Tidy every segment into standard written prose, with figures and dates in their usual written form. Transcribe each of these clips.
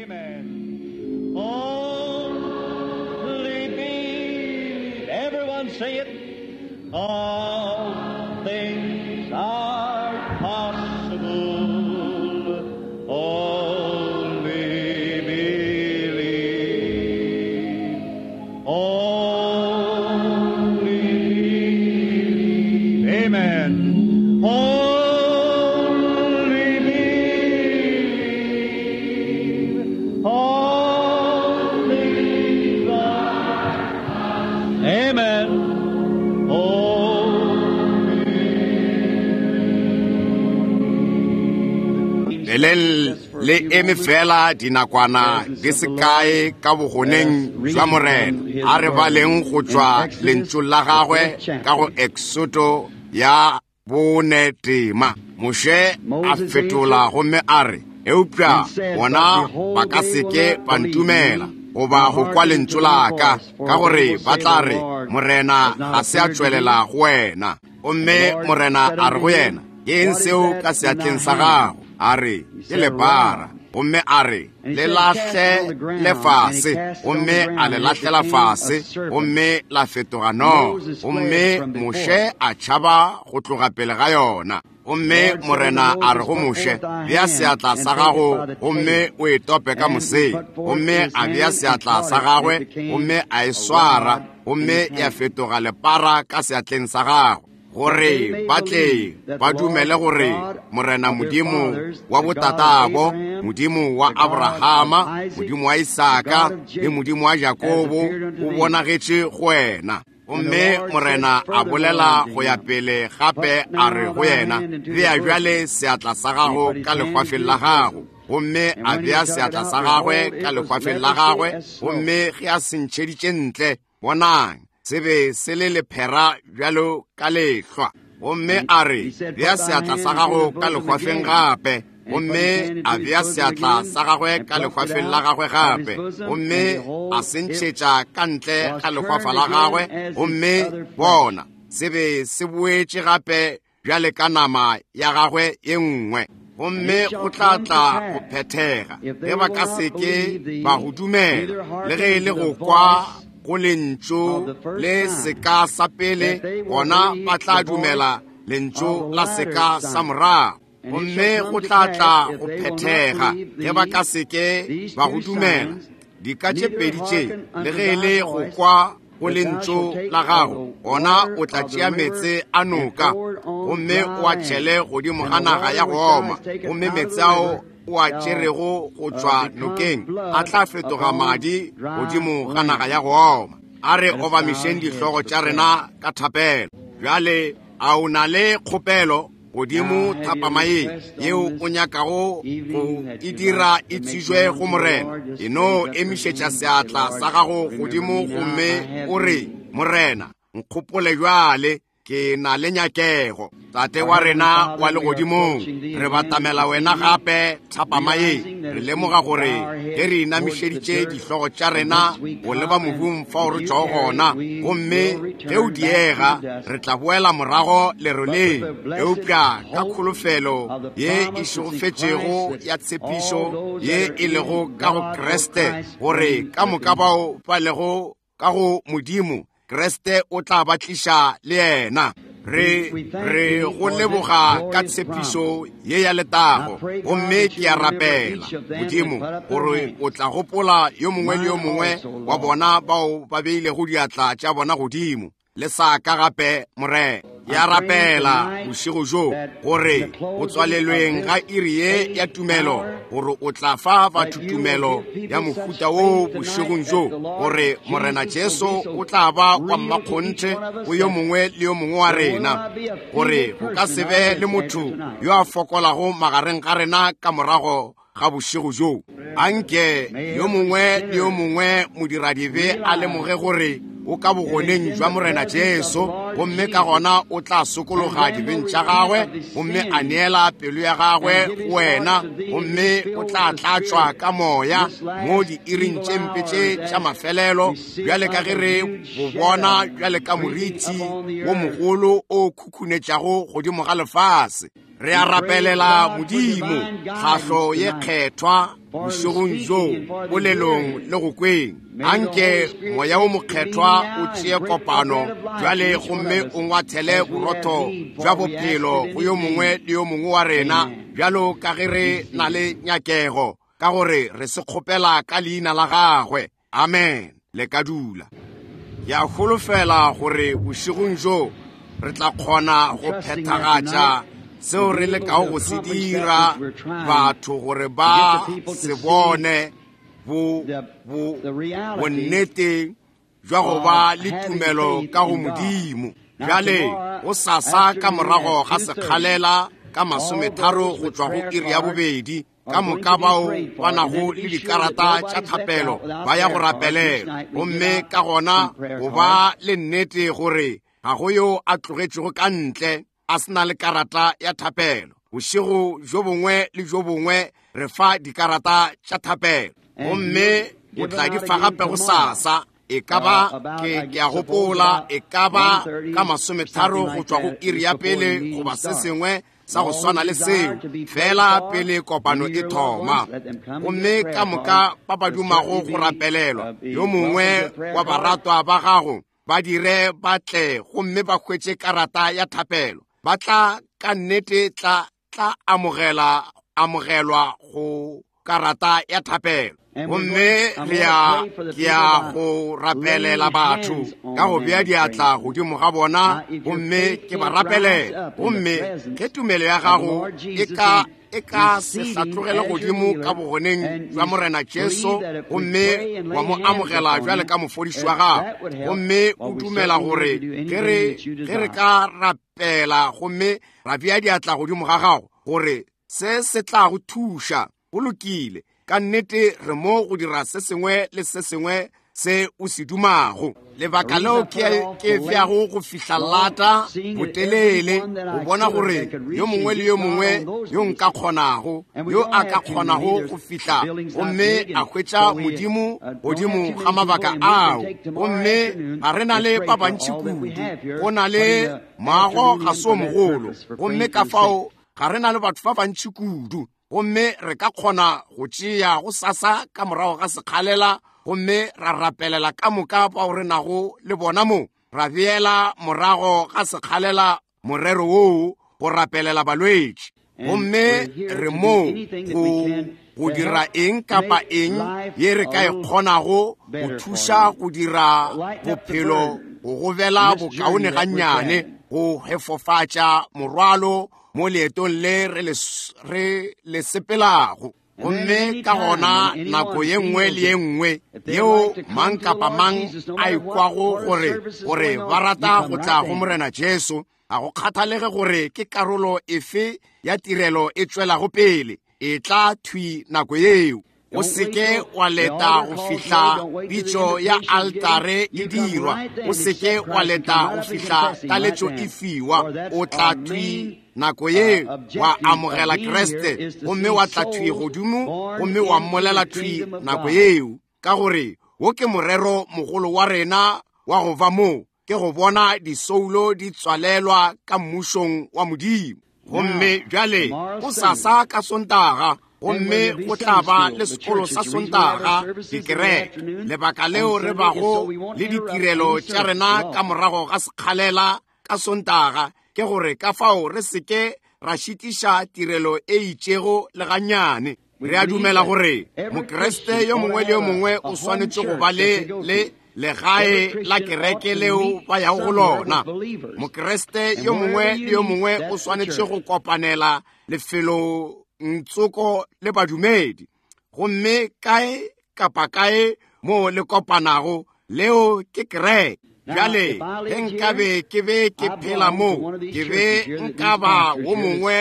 Amen. Only believe. Everyone say it. All things are possible. Only believe. Only believe. Amen. Only believe. All things are. Amen. Only. Leleng le eme fela dinakwana di se kae ka bogoneng jwa Morena. A re baleng go tšwa lentšung la gagwe ka go Eksoto ya 4 tema. Moshe a fetola gomme a re, Eupša bona ba ka se ke ba ntumela goba go kwa lentšu la ka, ka gore ba tla re, Morena ga se a tšwelela go wena. Gomme Morena a re go yena, Ke eng seo ka seatleng sa gago? A re, Ke lepara. Gomme a re, Le lahle le fase. Gomme a le lahlela fase, gomme la fetoga noga. Gomme Moshe a tšhaba go tloga pele ga yona. Gomme Morena a re go Moshe, Bea seatla sa gago gomme o e tope ka moseng. Gomme a bea seatla sa gagwe gomme a e swara, gomme ya fetoga lepara ka seatleng sa gagwe, gore ba tle ba dumele gore Morena Modimo wa botatabo, Modimo wa Abrahama, Modimo wa Isaka le Modimo wa Jakobo o bonagetše go wena. Gomme Morena a bolela go ya pele gape a re go yena, Bea bjale seatla sa gago ka lehwafeng la gago. Gomme a bea seatla sa gagwe ka lehwafeng la gagwe, gomme ge a se ntšheditše ntle, bonang, se be se le lephera bjalo ka lehlwa. Gomme a re, Bea seatla sa gago ka lehwafeng gape. Gomme a bea seatla sa gagwe ka lehwafeng la gagwe gape, gomme a se ntšhetša ka ntle ga lehwafa la gagwe, gomme bona, se be se boetše gape bjale ka nama ya gagwe ye nngwe. Gomme go tla tla go phethega ge ba ka se ke ba go dumela, le ge e le go kwa go lentšu le seka sa pele, gona ba tla dumela lentšu la seka sa morago. Gomme go tla tla go phethega ge ba ka se ke ba go dumela dika tše pedi tše, le ge e le go kwa go lentšu la gago, gona o tla tšea meetse a noka gomme o a tšhele godimo ga naga ya go oma, gomme meetse ao o a tšerego go tšwa nokeng a tla fetoga madi godimo ga naga ya go oma. A re obamišeng dihlogo tša rena ka thapelo. Bjale, a o na le kgopelo godimo thapama ye yeo o nyakago go e dira e tsijwe go Morena? E no emišetša seatla sa gago godimo gomme o re, Morena, nkgopole bjale, ke na le nyakego. Tate wa rena wa legodimong, re batamela wena gape thapama ye. Re lemoga gore ge re inamišeditše dihlogo tša rena go leba mobung fao re tšwago gona, gomme ge o diega re tla boela morago leroleng, eupša ka kholofelo ye e šegofetšego ya tshepišo ye e lego ka go Kriste, gore ka moka bao ba lego ka go Modimo, Kriste o tla ba tliša le yena. Re re go leboga ka tshepišo ye ya letago, gomme ke a rapela Modimo gore o tla gopola yo mongwe le yo mongwe wa bona bao ba beilego diatla tša bona godimo le sa ka gape. Morena, ke a rapela bošego bjo gore go tswalelweng ga iri ye ya tumelo, gore o tla fa batho tumelo ya mohuta wo bošegong bjo, gore Morena Jesu o tla ba wa mmakgonthe go yo mongwe le yo mongwe wa rena, gore go ka se be le motho yo a fokolago magareng ga rena ka morago ga bošego bjo. Anke yo mongwe le yo mongwe modiradibe a lemoge gore o ka bogoneng jwa Morena Jesu, gomme ka gona o tla sokologa dibeng tša gagwe gomme a neela pelo ya gagwe go wena, gomme o tla tlatšwa ka moya mo diiring tše mpe tše tša mafelelo, bjale ka ge re bo bona bjale ka moriti wo mogolo o khukhunetšago godimo ga lefase. Re a rapelela Modimo tlhahlo ye kgethwa bošegong bjo, polelong le go kweng. Anke Moya wo Mokgethwa o tšee kopano bjale gomme o ngwathele borotho bja bophelo go yo mongwe le yo mongwe wa rena, bjalo ka ge re na le nyakego, ka gore re se kgopela ka leina la gagwe. Amen. Le ka dula. Ke a holofela gore bošegong bjo re tla kgona go phethagatša seo re lekago go se dira batho gore ba se bone bonnete bja go ba le tumelo ka go Modimo. Bjale go sasa ka morago ga sekgalela ka 30 go tšwa go iri ya 2, ka moka bao ba nago le dikarata tša thapelo ba ya go rapelela, gomme ka gona go ba le nnete gore ga go yo a tlogetšego ka ntle a se na le karata ya thapelo. Bošego bjo bongwe le bjo bongwe re fa dikarata tša thapelo, gomme o tla di fa gape go sasa. E ka ba ke a gopola e ka ba ka 30 go tšwa go iri ya pele goba se sengwe sa go swana le seo, fela pele kopano e thoma. Gomme ka moka ba ba dumago go rapelelwa, yo mongwe wa baratwa ba gago ba dire ba tle gomme ba hwetše karata ya thapelo. Ba tla ka nnete tla amogelwa go karata ya thapelo. Gomme re ya ke ya go rapelela batho ka go bea diatla godimo ga bona, gomme ke ba rapelela. Gomme ge tumelo ya gago e ka se hlatlogele godimo ka bogoneng bja Morena Jesu, gomme wa mo amogela bjale ka mofodiši wa gago, gomme o dumela gore ge re ka rapela gomme ra bea diatla godimo ga gago gore se se tla go thuša, go lokile. Ka nnete re mo go dira se sengwe le se sengwe se o se dumago. Lebaka leo ke feago go fihla lata botelele, go bona gore yo mongwe le yo mongwe yo nka kgonago, yo a ka kgonago go fihla gomme a hwetša Modimo godimo ga mabaka ao. Gomme ga re na le ba bantši kudu, go na le moago ga se o mogolo, gomme ka fao ga re na le batho ba bantši kudu, gomme re ka kgona go tšea go sasa ka morago ga sekgalela gomme ra rapelela ka moka bao re nago le bona mo, ra beela morago ga sekgalela morero woo go rapelela balwetši. Gomme re mo go dira eng kapa eng ye re ka e kgonago go thuša go dira bophelo go gobela bokaone gannyane, go hefofatša morwalo mo leetong le re le sepelago. Gomme ka gona nako ye nngwe le ye nngwe yeo mang kapa mang a ikwago gore ba rata go tla go Morena Jesu, ga go kgathalege gore ke karolo efe ya tirelo e tšwelago pele, e tla thwi nako yeo. O seke wa leta go fihla pitšo ya altare e dirwa, o seke wa leta go fihla taletšo e fiwa, o tla thwi nako ye wa amogela Kriste, gomme wa tla thwi godimo gomme wa mmolela thwi nako yeo, ka gore wo ke morero mogolo wa rena wa go ba mo, ke go bona disoulo di tswalelwa ka mmušong wa Modimo. Gomme bjale go sasa ka Sontaga, gomme go tla ba le sekolo sa Sontaga dikereke. Lebaka leo re bago le ditirelo tša rena ka morago ga sekgalela ka Sontaga ke gore ka fao re seke ra šitiša tirelo e itšego le gannyane. Re a dumela gore Mokriste yo mongwe le yo mongwe o swanetše go ba le legae la kereke leo ba yago go lona. Mokriste yo mongwe le yo mongwe o swanetše go kopanela lefelong tsoko le badumedi, gomme kae kapa kae mo le kopanago, leo ke kereke. Bjale ge nkabe ke be ke phela mo, ke be nka ba wo mongwe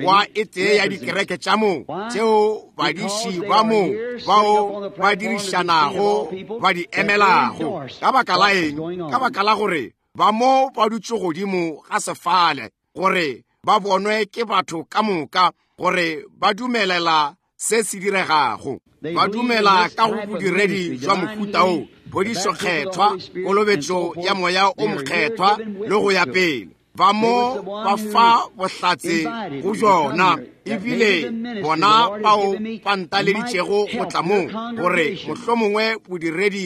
wa e tee ya dikereke tša mo, tšeo badiši ba mo bao ba dirišanago ba di emelago. Ka baka la eng? Ka baka la gore ba mo ba dutše godimo ga sefale gore ba bonwe ke batho ka moka, gore ba dumelela se se diregago. Ba dumela ka go bodiredi jwa mohuta o, phodišo kgethwa, kolobetšo ya Moya o Mokgethwa le go ya pele. Ba mo ba fa bohlatse go bjona, ebile bona bao ba ntaleditšego go tla mo, gore mohlomongwe bodiredi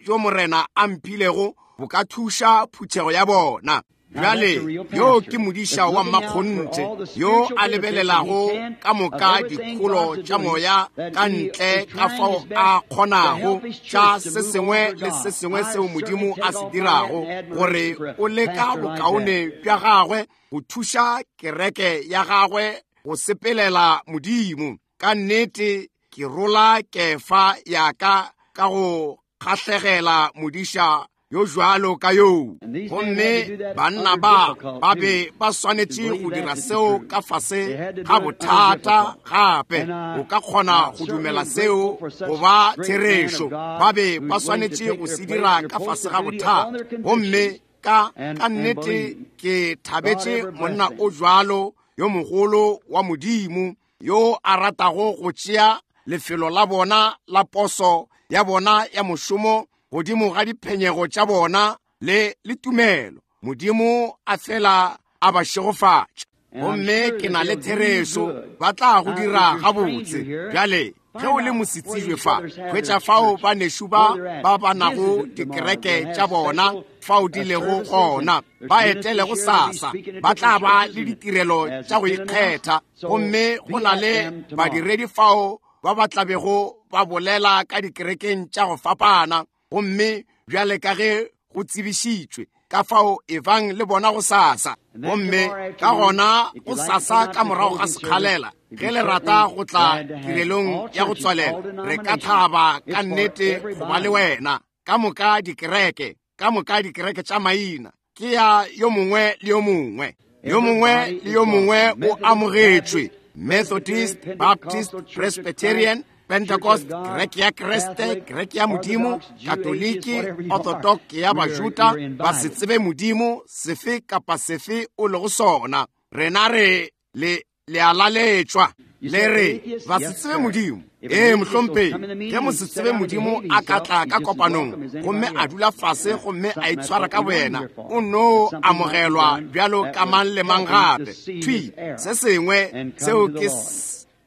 bjo Morena a mphilego bo ka thuša phuthego ya bona. Bjale yo ke modiša wa mmakgonthe yo a lebelelago ka moka dikholo tša moya ka ntle ka fao a kgonago tša se sengwe le se sengwe seo Modimo a se dirago, gore o leka bokaone bja gagwe go thuša kereke ya gagwe go sepelela Modimo. Ka nnete ke rola kefa ya ka ka go kgahlegela modiša yo jwalo ka yoo. Gomme banna ba ba be ba swanetše go dira seo ka fase ga bothata gape. O ka kgona go dumela seo go ba therešo. Ba be ba swanetše go se dira ka fase ga bothata. Gomme ka nnete ke thabetše monna o jwalo yo mogolo wa Modimo yo a ratago go tšea lefelo la bona la poso ya bona ya mošomo godimo ga diphenyego tša bona le le tumelo. Modimo a fela a ba šegofatša. Gomme ke na le therešo ba tla go dira gabotse. Bjale ge o le mosetsebje fa, hwetša fao banešu ba ba ba nago dikereke tša bona fao di lego gona, ba etele go sasa, ba tla ba le ditirelo tša go ikgetha. Gomme go na le badiredi fao ba ba tlabego ba bolela ka dikerekeng tša go fapana. Gomme bjale ka ge go tsebišitšwe, ka fao ebang le bona go sasa. Gomme ka gona go sasa ka morago ga sekgalela, ge le rata go tla tirelong ya go tswalela, re ka thaba ka nnete go ba le wena. Ka moka dikereke, ka moka dikereke tša maina, ke ya yo mongwe le yo mongwe. Yo mongwe le yo mongwe o amogetšwe. Methodist, Baptist, Presbyterian, Pentecost, Kereke ya Kriste, Kereke ya Modimo, Katoliki, Orthodox ya Bajuda, ba se tsebe Modimo, sefe kapa sefe o lego sona. Rena re le le a laletšwa. Le re ba se tsebe Modimo. Ee, mohlomphegi, ge mo se tsebe Modimo a ka tla ka kopanong gomme a dula fase gomme a itshwara ka boyena, o no amogelwa bjalo ka mang le mang gape. Thwi, se sengwe seo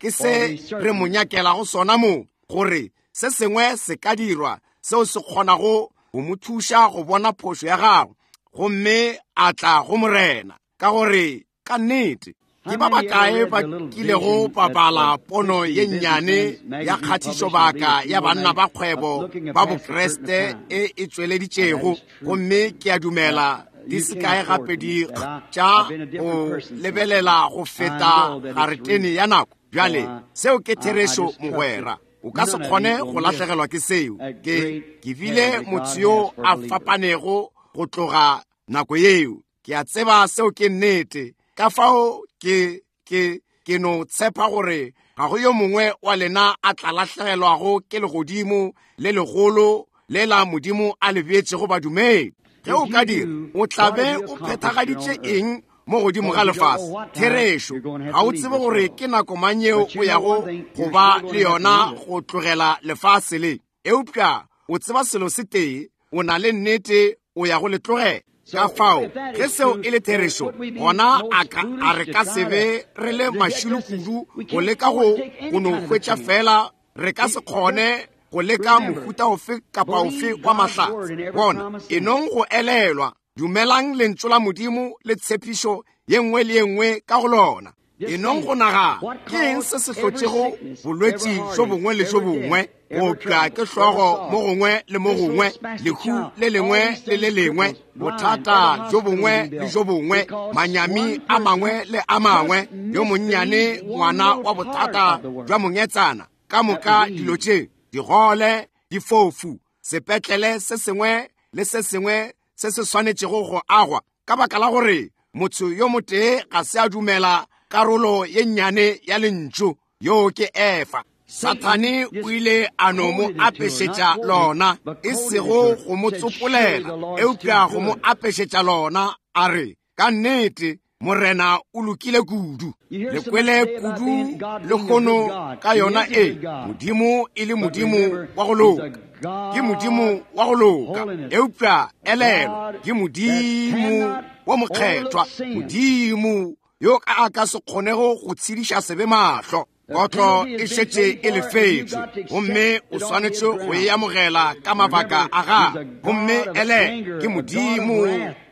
ke se re mo nyakelago sona mo, gore se sengwe se ka dirwa seo se kgonago go mo thuša go bona phošo ya gagwe gomme a tla go Morena. Ka gore ka nnete ke ba bakae ba kilego ba bala pono ye nnyane ya kgatišobaka ya banna ba kgwebo ba Bokriste e e tšweleditšego? Gomme ke a dumela di se kae gape di tša go lebelela go feta garetene ya nako. Bjale seo ke therešo, mogwera. O ka se kgone go lahlegelwa ke seo. Ke bile motho yo a fapanego go tloga nako yeo. Ke a tseba seo ke nnete. Ka fao ke no tshepa gore ga go yo mongwe wa lena a tla lahlegelwago ke legodimo le legolo le la Modimo a le beetšego badumedi. Ge o ka dira, o tla be o phethagaditše eng mo godimo ga lefase? Therešo, ga o tsebe gore ke nako mang yeo o yago go ba le yona go tlogela lefase le. Eupša o tseba selo se tee, o na le nnete o ya go le tlogela. Ka fao ge seo e le therešo, gona a re ka se be re le mašilo kudu go leka go no hwetša fela. Re ka se kgone go leka mohuta ofe kapa ofe wa mahlatse. Bona, enong go elelwa, dumelang lentšu la Modimo le tshepišo ye nngwe le ye nngwe ka go lona. Enong go nagana, ke eng se se hlotšego bolwetši bjo bongwe le bjo bongwe, go opša ke hlogo mo gongwe le mo gongwe, lehu le lengwe le le lengwe, bothata bjo bongwe le bjo bongwe, manyami a mangwe le a mangwe, yo monnyane ngwana wa bothata bja mongetsana, ka moka dilo tše, digole, difofu, sepetlele se sengwe le se sengwe se se swanetšego go agwa, ka baka la gore motho yo motee ga se a dumela karolo ye nnyane ya lentšu, yo ke Efa. Sathane o ile a no mo apešetša lona, e sego go mo tsopolela, eupša go mo apešetša lona, a re, ka nnete Morena o lokile kudu. Le kwele kudu lehono ka yona e, Modimo e le Modimo wa go loka. Ke Modimo wa go loka, eupša elelo, ke Modimo wo mokgethwa, Modimo yo a ka se kgonego go tshediša sebe mahlo. Kotlo e šetše e lefetšwe, gomme o swanetše go e amogela ka mabaka a gago. Gomme ele ke Modimo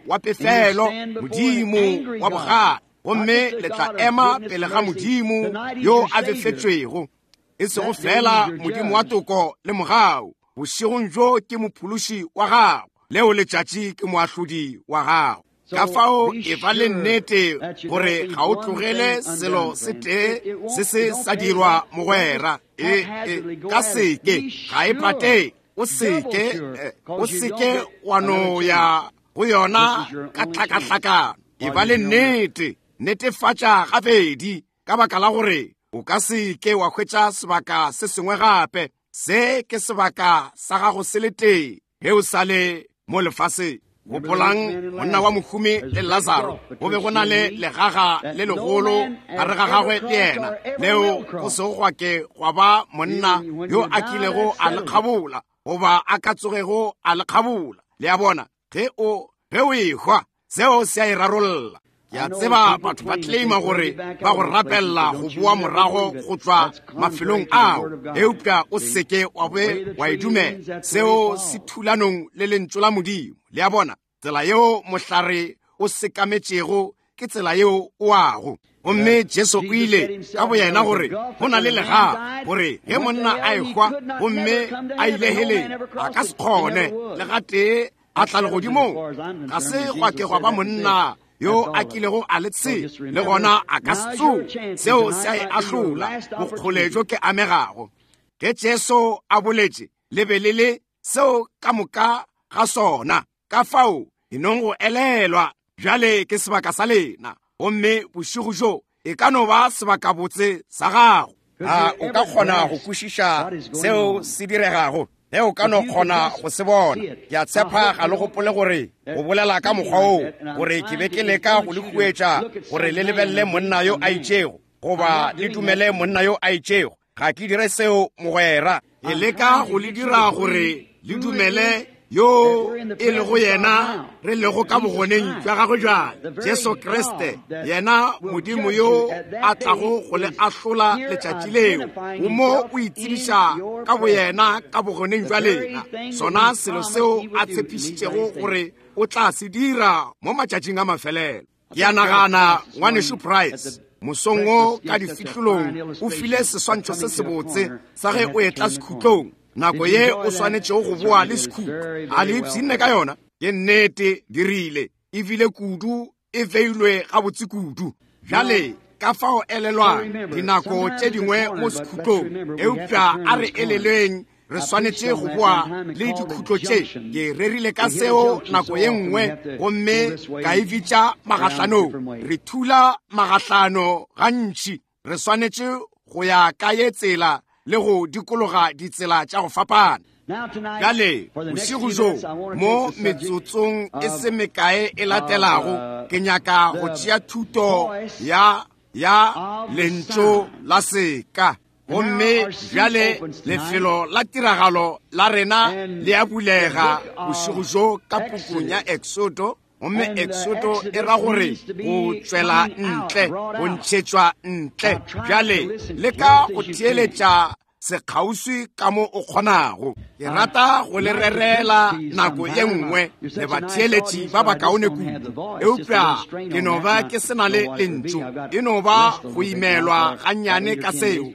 wa pefelo, Modimo wa bogale, gomme le tla ema pele ga Modimo yo a befetšwego, e sego fela Modimo wa toko le mogau. Bošegong bjo ke mophološi wa gago, leo letšatši ke moahlodi wa gago. Ka fao e ba le nnete gore ga o tlogele selo se tee se se sa dirwa mogwera. E ka seke, ga e patee. O seke, o seke wa no ya go yona ka tlhakahlakano. E ba le nnete, netefatša gabedi, ka baka la gore o ka seke wa hwetša sebaka se sengwe gape. Se ke sebaka sa gago se le tee ge o sa le mo lefaseng. Gopolang monna wa mohumi le Lazaro, go be go na le legaga le legolo gare ga gagwe le yena, leo go sego gwa ke gwa ba monna yo a kilego a le kgabola, goba a ka tsogego a le kgabola. Le a bona, ge o ehwa, seo se a e rarolla. Ke a tseba batho ba claima gore ba go rapella go boa morago go tšwa mafelong ao, eupša o seke wa be wa e dumela. Seo se thulanong le lentšu la Modimo. Le a bona, tsela yeo mohlare o sekametšego ke tsela yeo o ago. Gomme Jesu o ile ka boyena gore go na le legaga, gore ge monna a ehwa gomme a ile heleng, a ka se kgone le gatee a tla legodimong. Ga se gwa ke gwa ba monna yo a kilego a le tshela, le gona a ka se tsoge. Seo se a e ahlola, bokgole bjo ke amegago. Ge Jesu a boletše, le be le le seo ka moka ga sona. Ka fao e nong go elelwa, bjale ke sebaka sa lena, gomme bošego bjo e ka no ba sebakabotse sa gago. A o ka kgona go kwešiša seo se diregago? Ge o ka no kgona go se bona. Ke a tshepa ga le gopole gore go bolela ka mokgwa oo, gore ke be ke leka go le huetša gore le lebelele monna yo a itšego, goba le dumele monna yo a itšego. Ga ke dire seo, mogwera. Ke leka go le dira gore le dumele yo e lego yena re lego ka bogoneng bja gagwe bjale, Jesu Kriste, yena Modimo yo a tlago go le ahlola letšatši leo. O mo o itsebiša ka boyena ka bogoneng bja lena, sona selo seo a tshepišitšego gore o tla se dira mo matšatšing a mafelelo. Ke a nagana ngwanešu Price mosong wo ka difihlolong o file seswantšho se sebotse sa ge o etla sekhutlong, nako ye o swanetšego go boa le sekhutlo. A le ipshinne ka yona? Ke nnete, dirile ebile kudu, e beilwe gabotse kudu. Bjale ka fao elelwang dinako tše dingwe mo sekhutlong, eupša a re elelweng re swanetše go boa le dikhutlo tše. Ke rerile ka seo nako ye nngwe, gomme ka e bitša magahlanong. Re thula magahlano gantši, re swanetše go ya ka ye tsela le go dikologa ditsela tša go fapana. Bjale bošego bjo mo metsotsong e se mekae e latelago, ke nyaka go tšea thuto ya lentšu la seka. Gomme bjale lefelo la tiragalo la rena le a bulega bošego bjo ka pukung ya Exodo. Gomme Exodo e ra gore go tšwela ntle, go ntšhetšwa ntle. Bjale leka go theeletša sekgauswi ka mo o kgonago. Ke rata go le rerela nako ye nngwe le batheeletši ba bakaone kudu, eupša ke no ba ke se na le lentšu, e no ba go imelwa gannyane ka seo,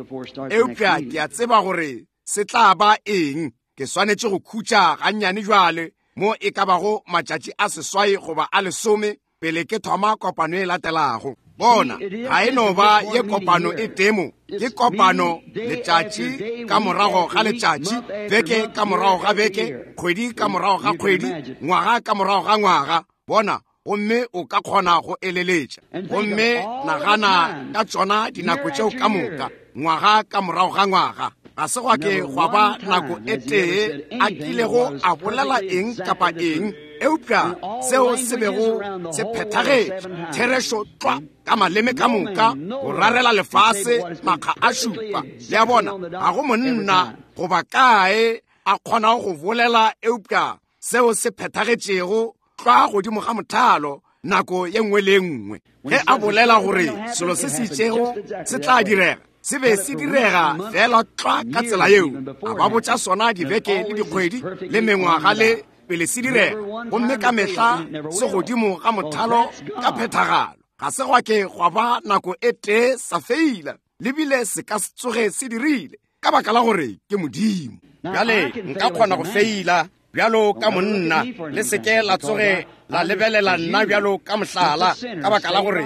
eupša ke a tseba gore se tla ba eng. Ke swanetše go khutša gannyane bjale, mo e ka bago matšatši a 8 goba a 10 pele ke thoma kopano e latelago. Bona, ga e no ba ye kopano e temo, ke kopano letšatši ka morago ga letšatši, beke ka morago ga beke, kgwedi ka morago ga kgwedi, ngwaga ka morago ga ngwaga. Bona, gomme o ka kgona go eleletša. Gomme nagana ka tšona dinako tšeo ka moka, ngwaga ka morago ga ngwaga. Ga se gwa ke gwa ba nako e tee a kilego a bolela eng kapa eng, eupša seo se bego se phethagetše therešo tlwa ka maleme ka moka go rarela lefase makga a 7. Le a bona, ga go monna goba kae a kgonago go bolela eupša seo se phethagetšego tlwa godimo ga mothalo nako ye nngwe le ye nngwe. Ge a bolela gore selo se se itšego se tla direga, se be se direga fela tlwa ka tsela yeo. A ba botša sona dibeke le dikgwedi le mengwaga le pele se direga, gomme ka mehla se godimo ga mothalo ka phethagalo. Ga se gwa ke gwa ba nako e tee sa feila, le bile se ka se tsoge se dirile, ka baka la gore ke Modimo. Bjale nka kgona go feila bjalo ka monna, le se ke la tsoge la lebelela nna bjalo ka mohlala, ka baka la gore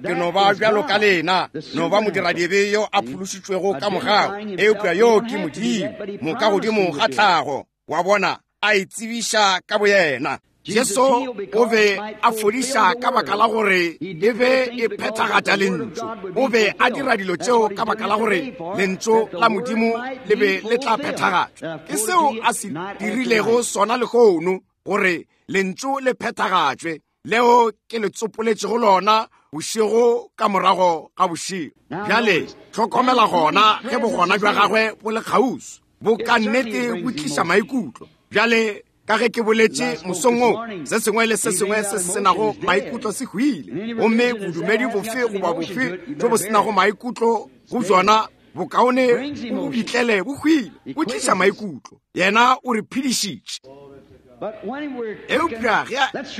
ke no ba bjalo ka lena, no ba modiradibe yo a phološitšwego ka mogau, eupša yo ke Modimo, moka godimo ga tlhago, wa bona, a itsebiša ka boyena. Jesu o be a fodiša ka baka la gore e be e phethagatša lentšu. O be a dira dilo tšeo ka baka la gore lentšu la Modimo le be le tla phethagatšwa. Ke seo a se dirilego sona lehono, gore lentšu le phethagatšwe, leo ke le tsopoletšego lona bošego ka morago ga bošego. Bjale hlokomela gona ge bogona bja gagwe bo le kgauswi, bo ka nnete bo tliša maikutlo. Bjale ka ge ke boletše mosong wo, se sengwe le se sengwe se se senago maikutlo se hwile, gomme bodumedi bofe goba bofe bjo bo senago maikutlo go bjona bokaone bo bitlele bo hwile. Bo tliša maikutlo. Yena o re phedišitše. Eupša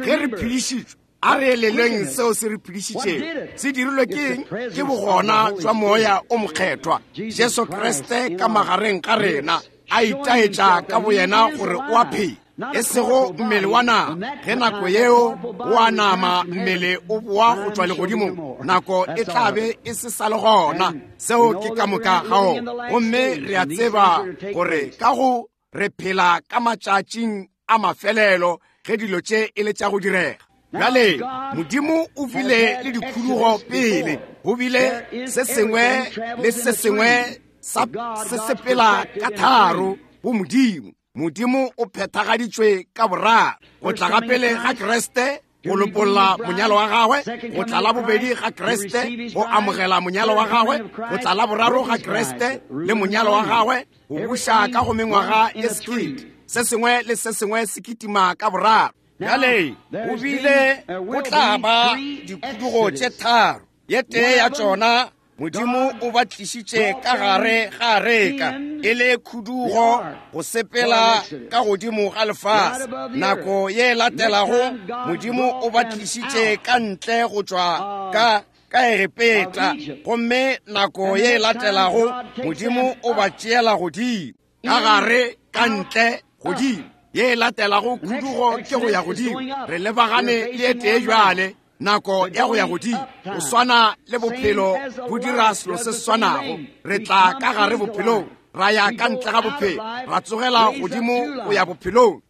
ge re phedišitšwe, a re elelweng seo se re phedišitšego. Se dirilwe ke eng? Ke bogona jwa Moya o Mokgethwa, Jesu Kriste ka magareng ga rena, a itaetša ka boyena gore o a phela, e sego mmele wa nama. Ge nako yeo o a nama, mmele o boa go tšwa legodimong, nako e tla be e se sa le gona. Seo ke ka moka ga ona. Gomme re a tseba gore ka go re phela ka matšatšing a mafelelo ge dilo tše e le tša go direga. Bjale Modimo o bile le dikhudugo pele, go bile se sengwe le se sengwe sa se sepela ka tharo go Modimo. Modimo o phethagaditšwe ka boraro, go tla ga pele ga Kriste go lopolla monyalo wa gagwe, go tla la bobedi ga Kriste go amogela monyalo wa gagwe, go tla la boraro ga Kriste le monyalo wa gagwe go buša ka go mengwaga ye sekete. Se sengwe le se sengwe se kitima ka boraro. Bjale go bile go tla ba dikhudugo tše tharo. Ye tee ya tšona Modimo o ba tlišitše ka gare ga areka e le khudugo go sepela ka godimo ga lefase. Nako ye latelago Modimo o ba tlišitše ka ntle go tšwa ka Egepeta, gomme nako ye latelago Modimo o ba tšeela godimo, ka gare, ka ntle, godimo. Ye latelago khudugo ke go ya godimo. Re lebagane le e tee bjale, nako ya go ya godimo. Go swana le bophelo bo dira selo se se swanago. Re tla ka gare bophelong, ra ya ka ntle ga bophelo, ra tsogela godimo go ya bophelong.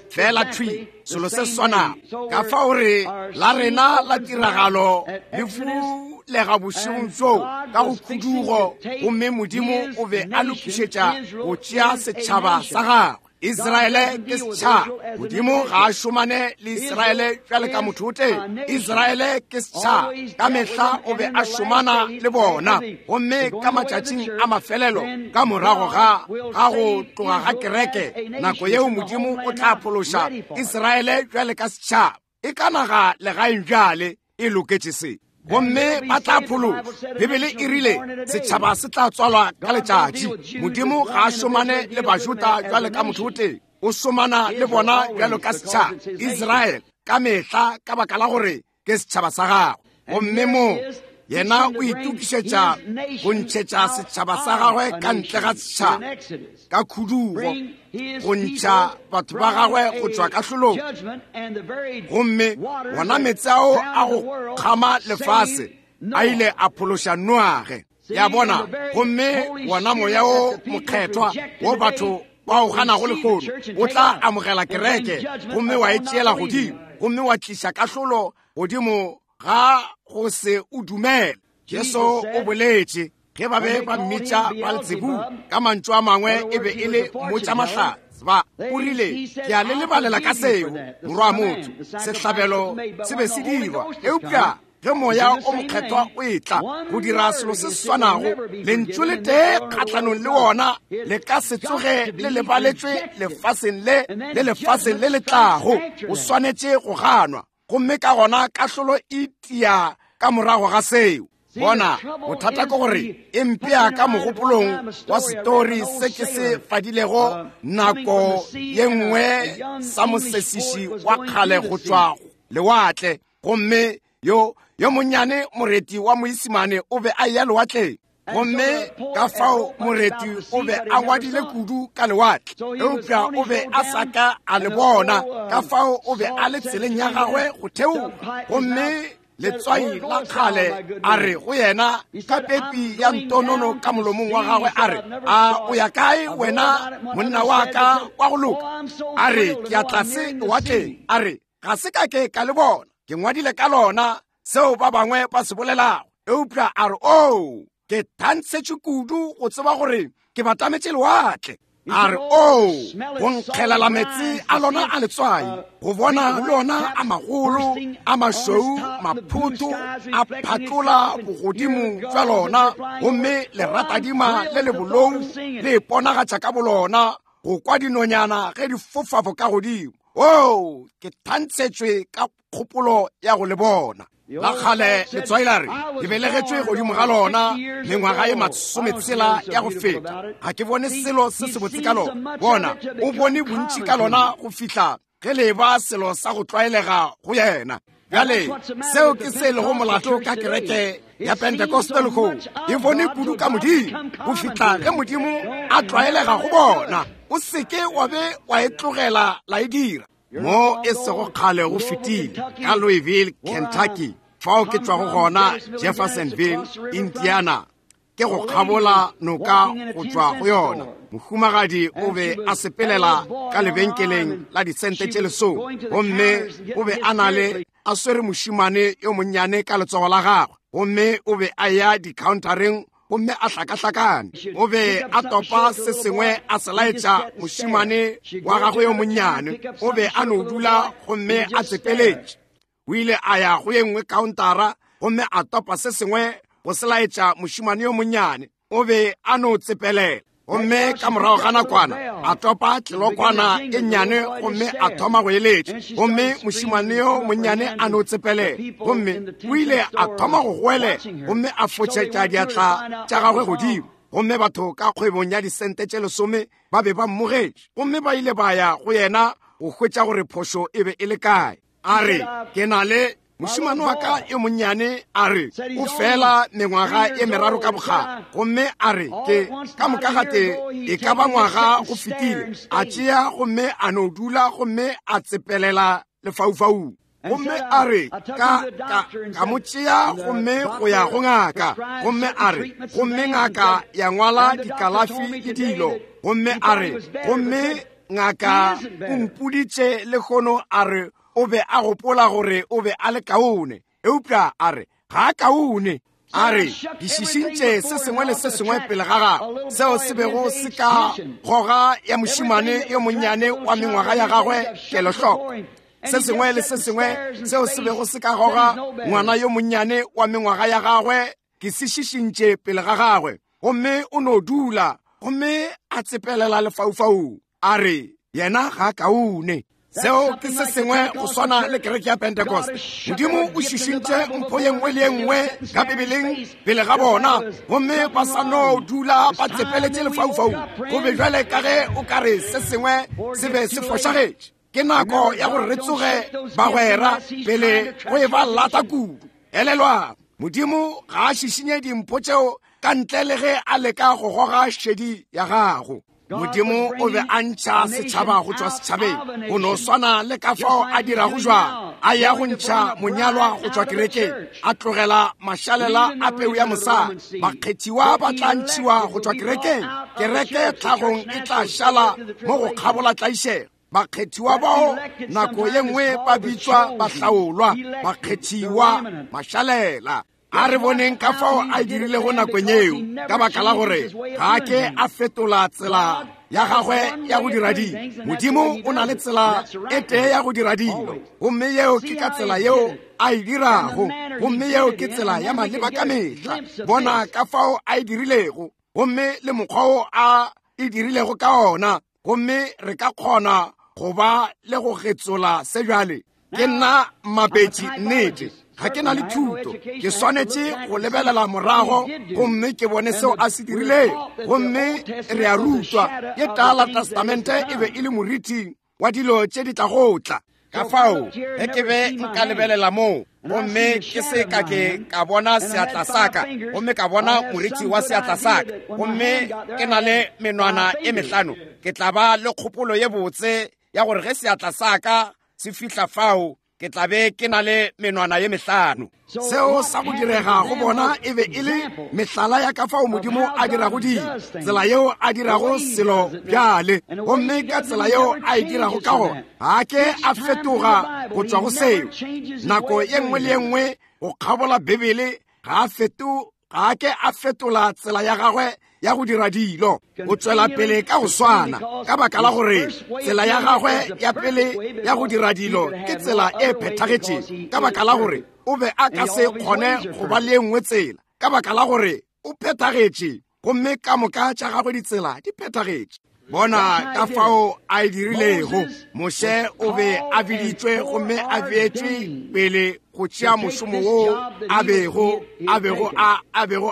Fela thwi selo se swanago. Ka fao re la rena la tiragalo le fulega bošegong bjoo ka go khudugo, gomme Modimo o be a lokišetša go tšea setšhaba sa gagwe. Israele ke setšhaba. Modimo ga a šomane le Israele bjale ka motho o tee. Israele ke setšhaba. Ka mehla o be a šomana le bona, gomme ka matšatšing a mafelelo ka morago ga ga go tloga ga kereke, nako yeo Modimo o tla phološa Israele bjale ka setšhaba. E ka naga legaeng bjale e loketše se, gomme ba tla phološwa. Bibele e rile setšhaba se tla tswalwa ka letšatši. Modimo ga a šomane le Bajuda bjale ka motho o tee, o šomana le bona bjalo ka setšhaba. Israele ka mehla, ka baka la gore ke setšhaba sa gagwe. Gomme mo yena o itokišetša go ntšhetša setšhaba sa gagwe ka ntle ga setšhaba ka khudugo, go ntšha batho ba gagwe go tšwa kahlolong. Gomme wona meetse ao a go kgama lefase a ile a phološa Noage. Ya bona, gomme wona moya o mokgethwa wo batho ba o ganago lehono o tla amogela kereke gomme wa e tšeela godimo, gomme wa tliša kahlolo godimo ga go se o dumele. Jesu o boletše ge ba be ba mmitša Beelzebub, ka mantšu a mangwe e be e le mmotšamahlatse. Ba o rile, ke a le lebalela ka seo, morwa motho, sehlabelo se be se dirwa, eupša Ge Moya o Mokgethwa o etla go dira selo se se swanago, lentšu le tee kgahlanong le wona le ka se tsoge le lebaletšwe lefaseng le le lefaseng le le tlago. O swanetše go ganwa, gomme ka gona kahlolo e tia ka morago ga seo. Bona, bothata ke gore e mpea ka mogopolong wa setori se ke se fadilego nako ye nngwe sa mosesiši wa kgale go tšwa lewatle. Gomme yo monnyane moreti wa Moisimane o be a eya lewatleng, gomme ka fao moreti o be a ngwadile kudu ka lewatle, eupša o be a sa ka a le bona. Ka fao o be a le tseleng ya gagwe go theoga, gomme letswai la kgale a re go yena ka pepi ya ntonono ka molomong wa gagwe, a re, a o ya kae wena monna wa ka wa go loka? A re, ke ya tlase lewatleng. A re, ga se ka ke ka le bona, ke ngwadile ka lona seo ba bangwe ba se bolelago, eupša a re, oo, ke thantshetše kudu go tseba gore ke batametše lewatle. A re, oo, go nkgelela meetse a lona a letswai, go bona lona a magolo a mašweu maphotho a phatlola bogodimo bja lona, gomme leratadima le le bolou le iponagatša ka bolona, go kwa dinonyana ge di fofa boka godimo. Oo, ke thantshetšwe ka kgopolo ya go le bona. La kgale letswai la re, ke belegetšwe godimo ga lona mengwaga ye 60 ya go feta, ga ke bone selo se sebotse ka lona. Bona, o bone bontši ka lona go fihla ge le ba selo sa go tlwaelega go yena. Bjale, seo ke se lego molato ka kereke ya Pentecostal lehono. E bone kudu ka Modimo go fihla ge Modimo a tlwaelega go bona. O seke wa be wa e tlogela la e dira. Mo e sego kgale go fetile ka Louisville, Kentucky, fao ke tšwago gona, Jeffersonville, Indiana, ke go kgabola noka go tšwa go yona. Mohumagadi o be a sepelela ka lebenkeleng la disente tše 10, gomme o be a na le a swere mošemane yo monnyane ka letsogo la gagwe, gomme o be a ya dikhaontareng gomme a hlakahlakane. O be a topa se sengwe a se laetša mošemane wa gagwe yo monnyane. O be a no dula gomme a tsepeletše. O ile a ya go ye nngwe kaontara gomme a topa se sengwe go se laetša mošemane yo monnyane. O be a no tsepelela. Gomme ka morago ga nakwana a topa tlelokwana e nnyane gomme a thoma go eletša, gomme mošemane yo monnyane a no tsepelela, gomme o ile a thoma go goelela gomme a fotšetša diatla tša gagwe godimo. Gomme batho ka kgwebong ya disente tše 10 ba be ba mmogetše, gomme ba ile ba ya go yena go hwetša gore phošo e be e le kae. A re, ke na le mošemane wa ka yo monnyane, a re, o fela mengwaga ye 3 ka bokgale, gomme a re, ke ka moka gate e ka ba ngwaga go fetile, a tšea gomme a no dula gomme a tsepelela lefaufaung. Gomme a re, ka mo tšea gomme go ya go ngaka, gomme a re, gomme ngaka ya ngwala dikalafi le dilo, gomme a re, gomme ngaka o mpoditše lehono, a re, o be a gopola gore o be a le kaone, eupša a re, ga a kaone. A re, ke šišintše se sengwe le se sengwe pele ga gagwe seo se bego se ka goga ya mošemane yo monnyane wa mengwaga ya gagwe kelohloko, se sengwe le se sengwe seo se bego se ka goga ngwana yo monnyane wa mengwaga ya gagwe, ke se šišintše pele ga gagwe, gomme o no dula gomme a tsepelela lefaufaung. A re, yena ga a kaone. Seo ke se sengwe go swana le kereke ya Pentecost. Modimo o šišintše mpho ye nngwe le ye nngwe ka Bibeleng pele ga bona, gomme ba sa no dula ba tsepeletše lefaufaung. Go be bjale ka ge o ka re se sengwe se be se fošagetše. Ke nako ya gore re tsoge, bagwera, pele go e ba lata kudu. Elelwang, Modimo ga a šišinye dimpho tšeo ka ntle le ge a leka go goga šedi ya gago. Modimo o be a ntšha setšhaba go tšwa setšhabeng, go no swana le ka fao a dirago jwang, a ya go ntšha monyalwa go tšwa kerekeng, a tlogela mašalela a peu ya mosadi. Bakgethiwa ba tla ntšhiwa go tšwa kerekeng, kereke tlhagong e tla šala mo go kgabola tlaišego. Bakgethiwa bao nako ye nngwe ba bitšwa bahlaolwa, bakgethiwa, mašalela. A re boneng ka fao a dirilego nakong yeo, ka baka la gore ga a ke a fetola tsela ya gagwe ya go dira dilo. Modimo o na le tsela e tee ya go dira dilo, gomme yeo ke ka tsela yeo a e dirago, gomme yeo ke tsela ya maleba ka mehla. Bona ka fao a e dirilego, gomme le mokgwa wo a e dirilego ka ona, gomme re ka kgona go ba le go getsola se bjale. Ke nna mapetši, nnete ga ke na le thuto, ke swanetše go lebelela morago gomme ke bone seo a se dirilego. Gomme re a rutwa ye Tala Testamente e be e le moriti wa dilo tše di tlago tla. Ka fao ge ke be nka lebelela moo gomme ke se ka ke ka bona seatla saka, gomme ka bona moriti wa seatla saka, gomme ke na le menwana e mehlano, ke tla ba le kgopolo ye botse ya gore ge seatla saka se fihla fao, ke tla be ke na le menwana ye mehlano. Seo sa go direga go bona e be e le mehlala ya ka fao Modimo a dirago dilo, tsela yeo a dirago selo bjale, gomme ka tsela yeo a e dirago ka gona. Ga ke a fetoga go tšwa go seo. Nako ye nngwe le ye nngwe go kgabola Bibele, ga a ke a fetola tsela ya gagwe ya go dira dilo. O tšwela pele ka go swana, ka baka la gore tsela ya gagwe ya pele ya go dira dilo ke tsela e phethagetšego, ka baka la gore o be a ka se kgone go ba le ye nngwe tsela, ka baka la gore o phethagetše, gomme ka moka tša gagwe ditsela di phethagetše. Bona ka fao a e dirilego. Moshe o be a biditšwe gomme a beetšwe pele go tšea mošomo wo a bego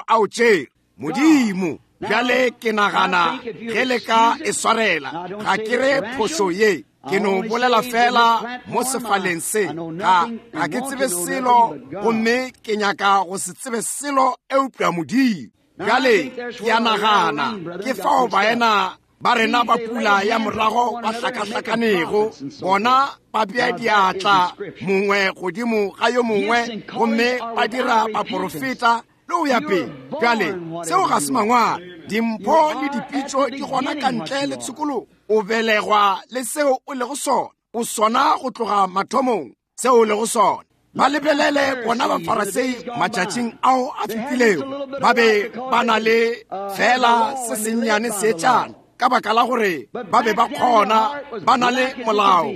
a o tšere. Modimo, bjale ke nagana ge le ka e swarela, ga ke re phošo ye, ke no bolela fela mo sefaleng se, ga ke tsebe selo gomme ke nyaka go se tsebe selo eupša Modimo. Bjale ke a nagana ke fao baena ba rena ba pula ya morago ba hlakahlakanego, bona ba bea diatla mongwe godimo ga yo mongwe gomme ba dira baporofeta le go ya pele. Bjale seo ga se mangwalo. Dimpho le dipitšo di gona ka ntle le tshokologo. O belegwa le seo o lego sona, o sona go tloga mathomong seo o lego sona. Ba lebelele bona Bafarasei matšatšing ao a fetilego, ba be ba na le fela se sennyane seetšana, ka baka la gore ba be ba kgona, ba na le molao,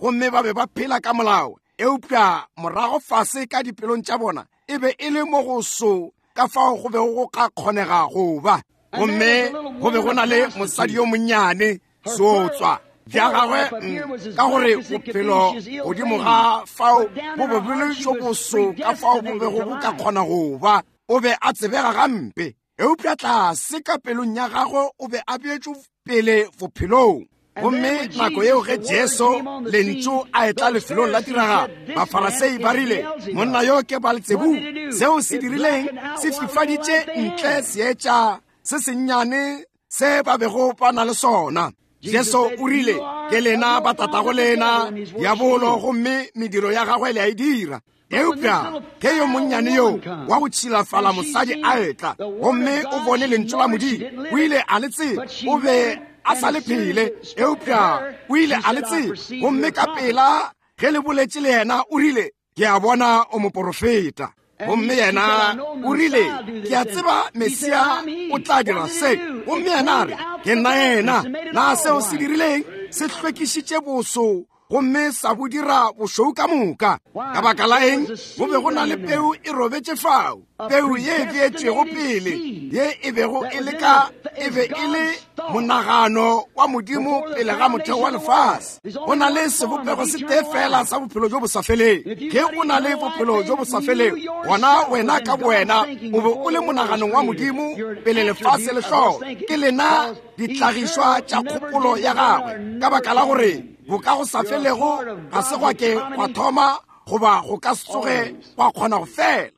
gomme ba be ba phela ka molao. Eupša morago fase ka dipelong tša bona e be e le mo go so ka fao go bego go ka kgonega go ba. Gomme go be go na le mosadi yo monnyane, seotswa bja gagwe, ka gore bophelo godimo ga fao bo be bo le jo boso ka fao bo bego bo ka kgona go ba. O be a tsebega gampe, eupša tlase ka pelong ya gagwe o be a beetšwe pele bophelong. Gomme nako yeo ge Jesu lentšu a etla lefelong la tiragalo, Bafarasei ba rile, monna yo ke Baal-Zebub. Seo se dirileng se fifaditše ntle seetša se sennyane se ba bego ba na le sona. Jesu o rile, ke lena ba tatago lena diabolo, gomme mediro ya gagwe le a e dira. Eupša ge yo monnyane yo wa go tšhilafala mosadi a etla gomme o bone lentšu la Modimo, o ile a le tseba. O be a sa le phele, eupša o ile a le tseba. Gomme ka pela ge le boletše le yena, o rile, ke a bona o moporofeta. Gomme yena o rile, ke a tseba Mesia o tla dira se. Gomme yena a re, ke nna yena. Na seo se dirileng se hlwekišitše boso gomme sa bo dira bošweu ka moka. Ka baka la eng? Go be go na le peu e robetše fao, peu ye e beetšwego pele, ye e bego e le ka, e be e le monagano wa Modimo pele ga motheo wa lefase. Go na le sebopego se tee fela sa bophelo jo bo sa feleng. Ge o na le bophelo jo bo sa feleng, gona wena ka bowena o be o le monaganong wa Modimo pele lefase le hlola. Ke lena dihlagišwa tša kgopolo ya gagwe, ka baka la gore bo ka go sa felego ga se gwa ke gwa thoma goba go ka se tsoge gwa kgona go fela.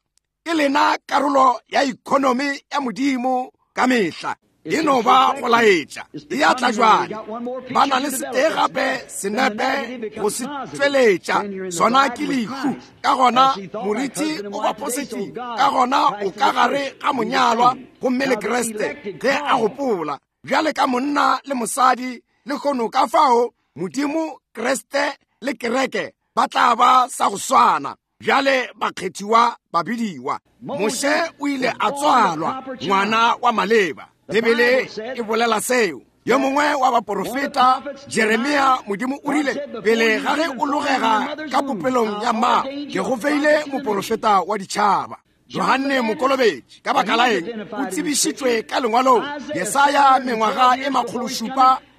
Ke lena karolo ya ekonomi ya Modimo ka mehla. E no ba go laetša e a tla jwale. Ba na le setee gape senepe go se tšweletša, sona ke lehu. Ka gona moriti o ba positive, ka gona o ka gare ga monyalwa gomme le Kriste ge a gopola bjale ka monna le mosadi le kgono. Ka fao Modimo, Kriste le kereke ba tla ba sa go swana. Bjale bakgethiwa ba bidiwa. Moshe o ile a tswalwa ngwana wa maleba. Bibele e bolela seo. Yo mongwe wa baporofeta, Jeremia, Modimo o rile, pele ga ge o logega ka popelong ya mma, ke go feile moporofeta wa ditšhaba. Johanne Mokolobetši, ka baka la eng, o tsebišitšwe ka lengwalong, Jesaya mengwaga e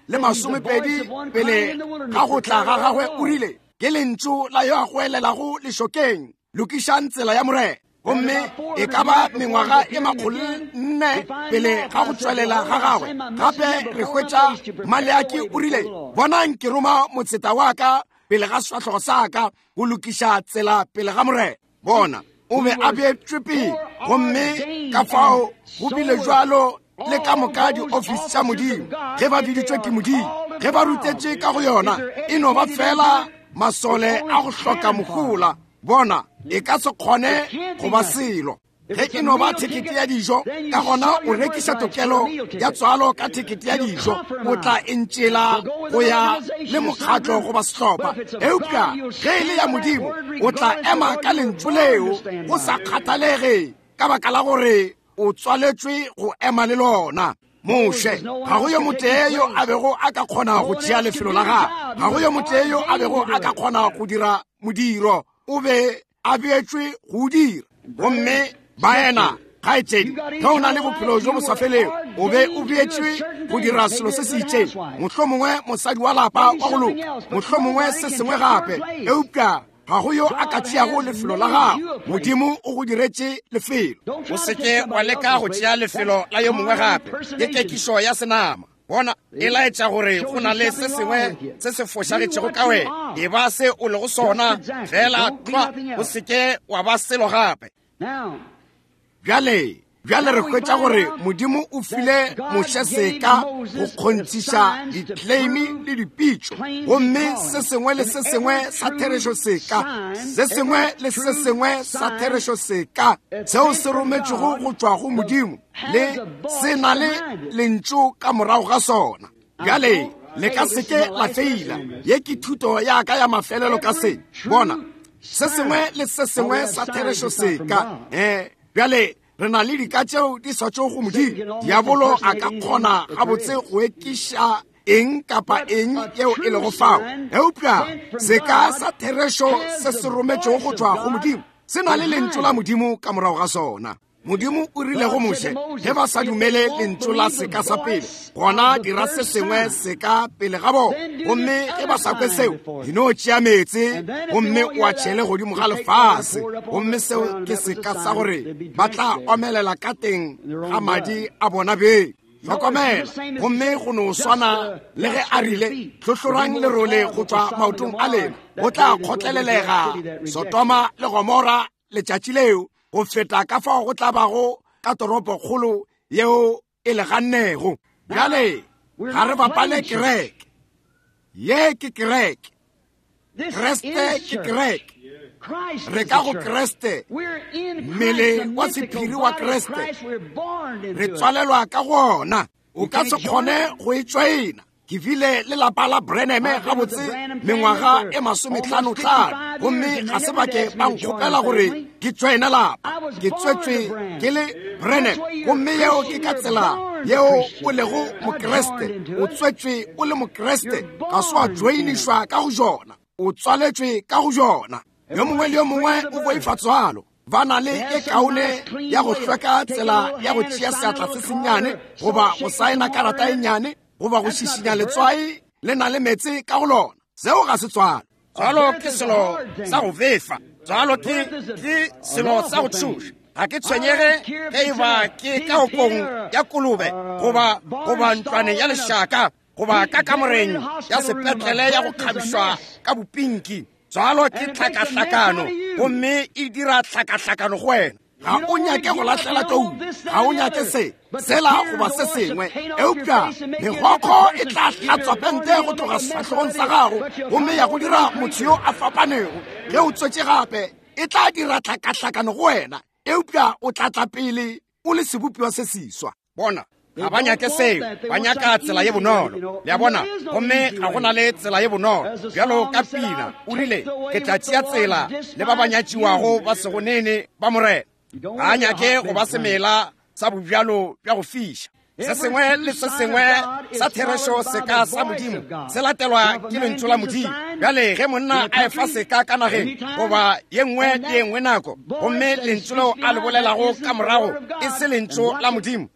720 pele ga go tla ga gagwe, o rile, ke lentšu la yo a goelelago lešokeng, lokišang tsela ya Morena. Gomme e ka ba mengwaga e 400 pele ga go tswelela ga gagwe. Gape re hwetša Maleaki o rile, bonang ke roma motseta wa ka pele ga sefahlogo sa ka go lokiša tsela pele ga Morena. Bona, o be a beetšwe pele, gomme ka fao go bile jwalo le ka moka diofisi tša Modimo. Ge ba biditšwe ke Modimo, ge ba rutetše ka go yona, e no ba fela masole a go hloka mohola. Bona, e ka se kgone go ba selo. Ge e no ba thekete ya dijo, ka gona o rekiša tokelo ya tswalo ka thekete ya dijo, o tla e ntšela go ya le mokgatlo goba sehlopha. Eupša ge e le ya Modimo, o tla ema ka lentšu leo go sa kgathalege, ka baka la gore o tswaletšwe go ema le lona. Moshe, ga go yo motee yo a bego a ka kgona go tšea lefelo la gagwe, ga go yo motee yo a bego a ka kgona go dira modiro, o be a beetšwe go o dira. Gomme baena, kgaetšedi, ge o na le bophelo jo bo sa felego, o be o beetšwe go dira selo se se itšeng, mohlomongwe mosadi wa lapa wa go loka, mohlomongwe se sengwe gape, eupša ga go yo a ka tšeago lefelo la gago. Modimo o go diretše lefelo. O se ke wa leka go tšea lefelo la yo mongwe gape. Ke kekišo ya senama. Bona, e laetša gore go na le se sengwe se se fošagetšego ka wena. E ba se o lego sona, fela tlwa, o se ke wa ba selo gape. Bjale, bjale re hwetša gore Modimo o file Moshe seka go kgonthiša ditleimi le dipitšo, gomme se sengwe le se sengwe sa therešo seka, se sengwe le se sengwe sa therešo seka seo se rometšwego go tšwa go Modimo, le se na le lentšu ka morago ga sona. Bjale le ka se ke la feila. Ye ke thuto ya ka ya mafelelo ka se. Bona, se sengwe le se sengwe sa therešo seka. Bjale re na le dika tšeo di sa tšwego go Modimo. Diabolo a ka kgona gabotse go ekiša eng kapa eng yeo e lego fao, eupša seka sa therešo se se rometšego go tšwa go Modimo se na le lentšu la Modimo ka morago ga sona. Modimo o rile go Moshe, ge ba sa dumele lentšu la seka sa pele, gona dira se sengwe seka pele ga bona. Gomme ge ba sa kwe seo, di no tšea meetse gomme o a tšhele godimo ga lefase. Gomme seo ke seka sa gore ba tla omelela ka teng ga madi a bona beng. Hlokomela, gomme go no swana le ge a rile, hlohlorang lerole go tšwa maotong a lena, go tla kgotlelelega Sodoma le Gomora letšatši leo go feta ka fao go tla bago ka toropokgolo yeo e legannego. Bjale ga re bapale kereke. Ye ke kereke. Kriste ke kereke. Re ka go Kriste, mmele wa sephiri wa Kriste. Re tswalelwa ka go ona. O ka se kgone go e tšwaena. Ke bile le lapa la Branham gabotse mengwaga e 55, gomme ga se bake ba nkgopela gore ke tšwaene lapa. Ke tswetšwe ke le Branham, gomme yeo ke ka tsela yeo o lego Mokriste. O tswetšwe o le Mokriste, ga se wa tšoenišwa ka go jona, o tswaletšwe ka go jona. Yo mongwe le yo mongwe o boifa tswalo. Ba na le e kaone ya go hlweka tsela ya go tšea seatla se sennyane, goba go saena karata e nnyane, goba go šišinya letswai le na le meetse ka go lona. Seo ga se tswalo. Tswalo ke selo sa go befa. Tswalo ke selo sa go tšhoša. Ga ke tshwenyege ge e ba ke ka okong ya kolobe, goba ntlwaneng ya lešaka, goba ka kamoreng ya sepetlele ya go kgabišwa ka bopinki. Tswalo ke tlhakahlakano, gomme e dira tlhakahlakano go wena. Ga o nyake go lahlela tou, ga o nyake se, sela goba se sengwe, eupša megokgo e tla hlatswa pente go tloga sefahlogong sa gago gomme ya go dira motho yo a fapanego. Ge o tswetše gape, e tla dira tlhakahlakano go wena, eupša o tla tla pele o le sebopiwa se seswa. Bona, ga ba nyake seo, ba nyaka tsela ye bonolo. Le a bona? Gomme ga go na le tsela ye bonolo. Bjalo ka pina, o rile, ke tla tšea tsela le ba ba nyatšiwago ba sego nene ba Morena. Ga a nyake go ba semela sa bobjalo bja go fiša. Se sengwe le se sengwe sa therešo seka sa Modimo se latelwa ke lentšu la Modimo. Bjale ge monna a efa seka ka nageng goba ye nngwe le ye nngwe nako, gomme lentšu leo a le bolelago ka morago e se lentšu la Modimo,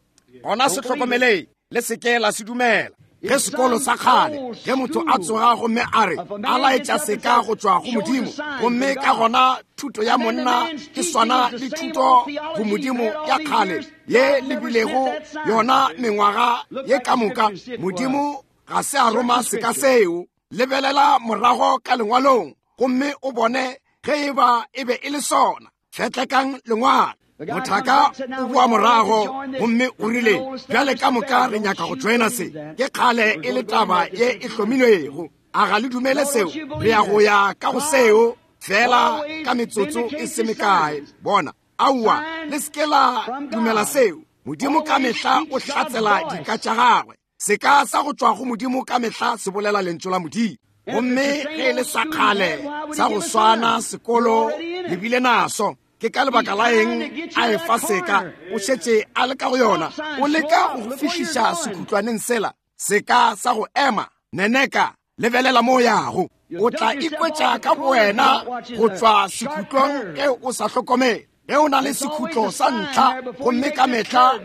gona se hlokomeleng, le se ke la se dumela. Ge sekolo sa kgale, ge motho a tsoga gomme a re a laetša seka go tšwa go Modimo, gomme ka gona thuto ya monna e swana le thuto go Modimo ya kgale ye le bilego yona mengwaga ye ka moka, Modimo ga se a roma seka seo. Lebelela morago ka lengwalong gomme o bone ge e ba e be e le sona. Fetlekang lengwalo. Mothaka o boa morago gomme o rile, bjale ka moka re nyaka go joina se. Ke kgale e le taba ye e hlomilwego. A ga le dumele seo? Re ya go ya ka go seo fela ka metsotso e se mekae. Bona, aowa, le se ke la dumela seo. Modimo ka mehla o hlatsela dika tša gagwe. Seka sa go tšwa go Modimo ka mehla se bolela lentšu la Modimo. Gomme ge e le sa kgale sa go swana sekolo le bile naso, ke ka lebaka la eng a efa seka? O šetše a le ka go yona. O leka go go fihliša sekhutlwaneng sela, seka sa go ema, neneka, lebelela mo o yago. O tla ikwetša ka bowena go tšwa sekhutlong ge o sa hlokomele. Ge o na le sekhutlo sa ntlha, gomme ka mehla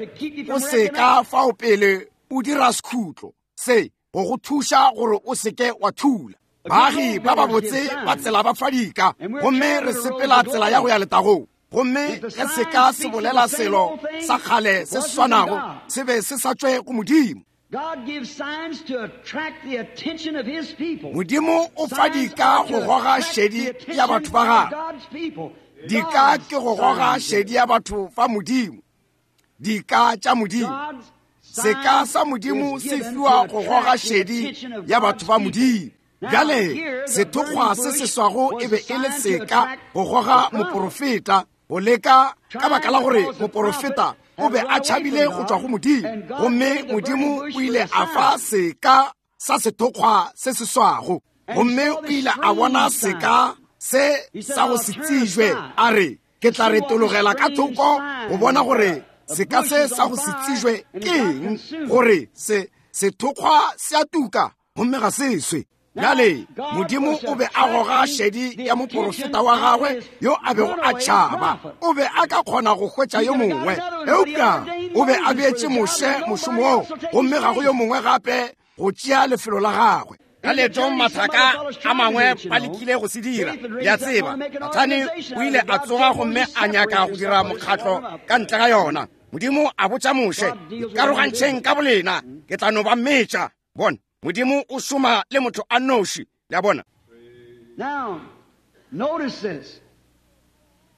o seka fao pele o dira sekhutlo se go go thuša gore o seke wa thula. Baagi ba babotse ba tsela ba fa dika, gomme re sepela tsela ya go ya letagong. Gomme ge seka se bolela selo sa kgale se se swanago, se be se sa tšwe go Modimo. Modimo o fa dika go goga šedi ya batho ba gagwe. Dika ke go goga šedi ya batho ba Modimo. Dika tša Modimo. Seka sa Modimo se fiwa go goga šedi ya batho ba Modimo. Bjale sethokgwa se se swago e be e le seka go goga moporofeta, go leka ka baka la gore moporofeta o be a tšhabile go tšwa go Modimo, gomme Modimo o ile a fa seka sa sethokgwa se se swago, gomme o ile a bona seka se sa go se tsejwe, a re, ke tla retologela ka thoko go bona gore seka se sa go se tsejwe ke eng, gore se sethokgwa se a tuka gomme ga se swe. Bjale Modimo o be a goga šedi ya moporofeta wa gagwe yo a bego a tšhaba. O be a ka kgona go hwetša yo mongwe, eupša o be a beetše Moshe mošomo wo, gomme ga go yo mongwe gape go tšea lefelo la gagwe. Ka leetong mathaka a mangwe ba lekile go se dira, le a tseba. Sathane o ile a tsoga gomme a nyaka go dira mokgatlo ka ntle ga yona. Modimo a botša Moshe, ikarogantšheng ka bolena, ke tla no ba metša. Bona, Modimo o šoma le motho a noši. Le a bona? Now, notice this.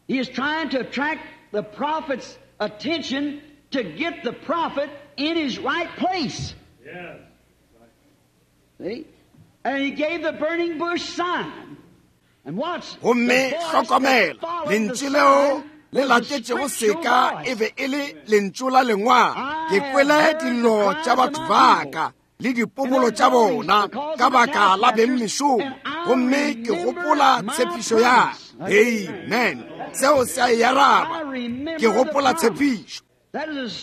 He is trying to attract the prophet's attention to get the prophet in his right place. Yes. See? And he gave the burning bush sign. And watch. Gomme hlokomela, lentšu leo le latetšego seka e be e le lentšu la lengwalo. Ke kwele dillo tša batho ba ka le dipobolo tša bona ka baka la bengmešomo, gomme ke gopola tshepišo ya. Amen. Seo se a e araba. Ke gopola tshepišo.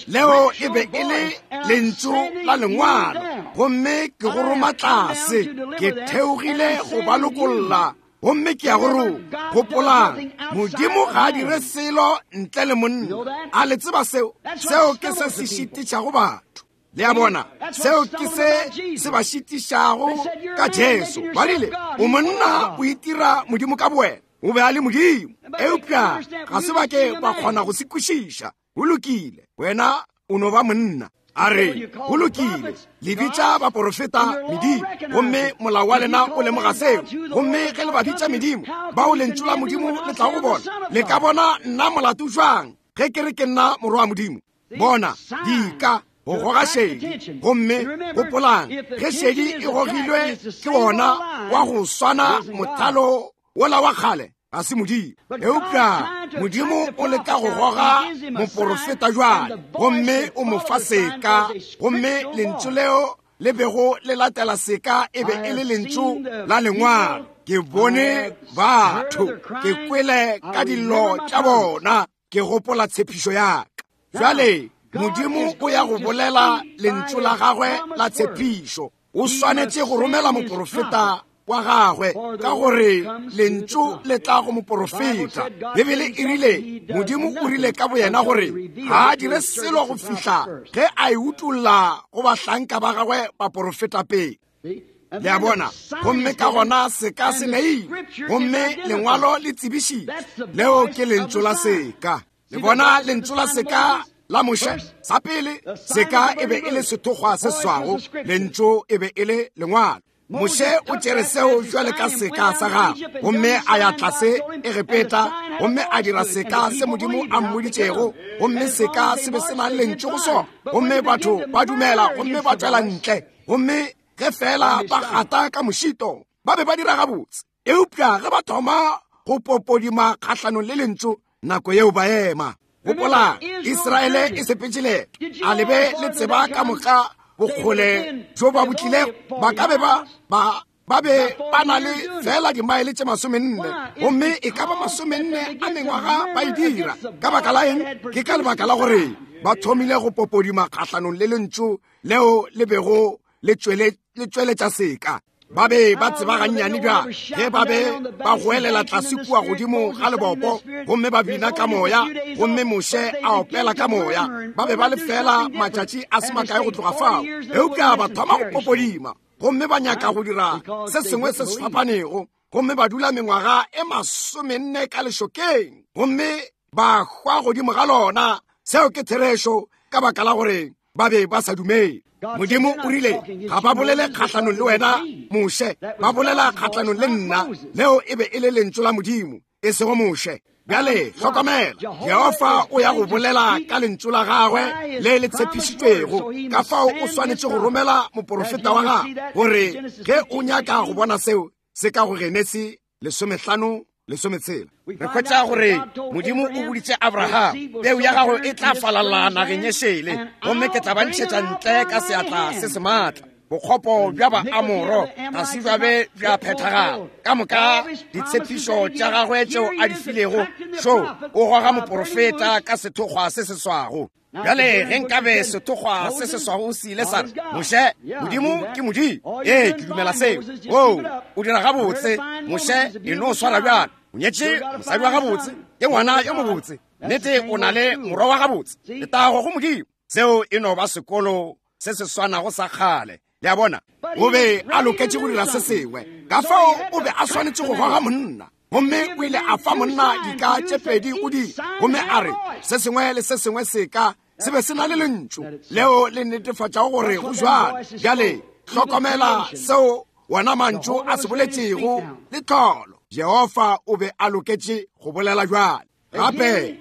Leo e be e le lentšu la lengwalo, gomme ke go roma tlase. Ke theogile go ba lokolla, gomme ke ya go roma. Gopolang, Modimo ga a dire selo ntle le monna. A le tseba seo? Seo ke se se šitišago batho. Le a bona, seo ke se se ba šitišago ka Jesu. Ba rile, o monna, o itira Modimo ka bowena. O be a le Modimo, eupša ga se ba ke ba kgona go se kwešiša. Go lokile, wena o no ba monna. A re, go lokile, le bitša baporofeta medimo, gomme molao wa lena o lemoga seo. Gomme ge le ba bitša medimo, bao lentšu la Modimo le tlago go bona, le ka bona nna molato jwang ge ke re ke nna morwa wa Modimo? Bona, dika go goga šedi. Gomme gopolang, ge šedi e gogilwe ke wona wa go swana mothalo wola wa kgale, ga se Modimo. Eupša Modimo o leka go goga moporofeta jwale, gomme o mo fa seka, gomme lentšu leo le bego le latela seka e be e le lentšu la lengwalo. Ke bone batho, ke kwele ka dillo tša bona, ke gopola tshepišo ya ka. Jwale Modimo o ya go bolela lentšu la gagwe la tshepišo. O swanetše go romela moporofeta wa gagwe, ka gore lentšu le tla go moporofeta. Bibele e rile, Modimo o rile ka boyena gore ga a dire selo go fihla ge a e utolla go bahlanka ba gagwe baporofeta pele. Le a bona? Gomme ka gona seka se neilwe, gomme lengwalo le tsebišitšwe. Leo ke lentšu la seka. Le bona lentšu la seka la Moshe? Sa pele, seka e be e le sethokgwa se swago, lentšu e be e le lengwalo. Moshe o tšere seo jwale ka seka sa gagwe, gomme a ya tlase Egepeta, gomme a dira seka se Modimo a mmoditšego, gomme seka se be se na le lentšu go sona, gomme batho ba dumela gomme ba tšwela ntle. Gomme ge fela ba gata ka mošito, ba be ba dira gabotse, eupša ge ba thoma go popodima kgahlanong le lentšu, nako yeo ba ema. Gopola, Israele e sepetše leeto. A le be le tseba ka moka bokgole bjo ba bo tlilego? Ba ka be ba be ba na le fela dimaele tše 40, gomme e ka ba 40 a mengwaga ba e dira. Ka baka la eng? Ke ka lebaka la gore ba thomile go popodima kgahlanong le lentšu leo le bego le tšweletša seka. Ba be ba tseba gannyane bja ge ba be ba goelela tlase kua godimo ga lebopo, gomme ba bina ka moya, gomme Moshe a opela ka moya. Ba be ba le fela matšatši a se makae go tloga fao, eupša ba thoma go popodima, gomme ba nyaka go dira se sengwe se se fapanego, gomme ba dula mengwaga e 40 ka lešokeng, gomme ba hwa godimo ga lona. Seo ke therešo, ka baka la gore ba be ba sa dumele. Modimo o rile, ga ba bolele kgahlanong le wena Moshe, ba bolela kgahlanong le nna. Leo e be e le lentšu la Modimo, e sego Moshe. Bjale hlokomela, Jehofa o ya go bolela ka lentšu la gagwe le le tshepišitšwego. Ka fao o swanetše go romela moporofeta wa gagwe, gore ge o nyaka go bona seo se ka go Genesi 15 16. Re hwetša gore Modimo o boditše Abraham, peu ya gago e tla falalla nageng e šele, gomme ke tla ba ntšhetša ntle ka seatla se se maatla. Bokgopo bja Baamoro ga se bja be bja phethagala. Ka moka ditshepišo tša gagwe tšeo a di filego, šo o goga moporofeta ka sethokgwa se se swago. Bjale ge nkabe sethokgwa se se swago se ile sa re, Moshe, Modimo ke Modimo. Ee, ke dumela seo. Oo, o dira gabotse. Moshe, e no swara bjalo. O nyetše mosadi wa gabotse, ke ngwana yo mobotse. Nnete, o na le morwa wa gabotse. Letago go Modimo. Seo e no ba sekolo se se swanago sa kgale. Le a bona? O be a loketše go dira se sengwe, ka fao o be a swanetše go goga monna. Gomme o ile a fa monna dika tše pedi go di, gomme a re se sengwe le se sengwe seka se be se na le lentšu leo le netefatšago gore go jwalo. Bjale hlokomela seo wona mantšu a se boletšego le tlholo. Jehofa o be a loketše go bolela jwale. Gape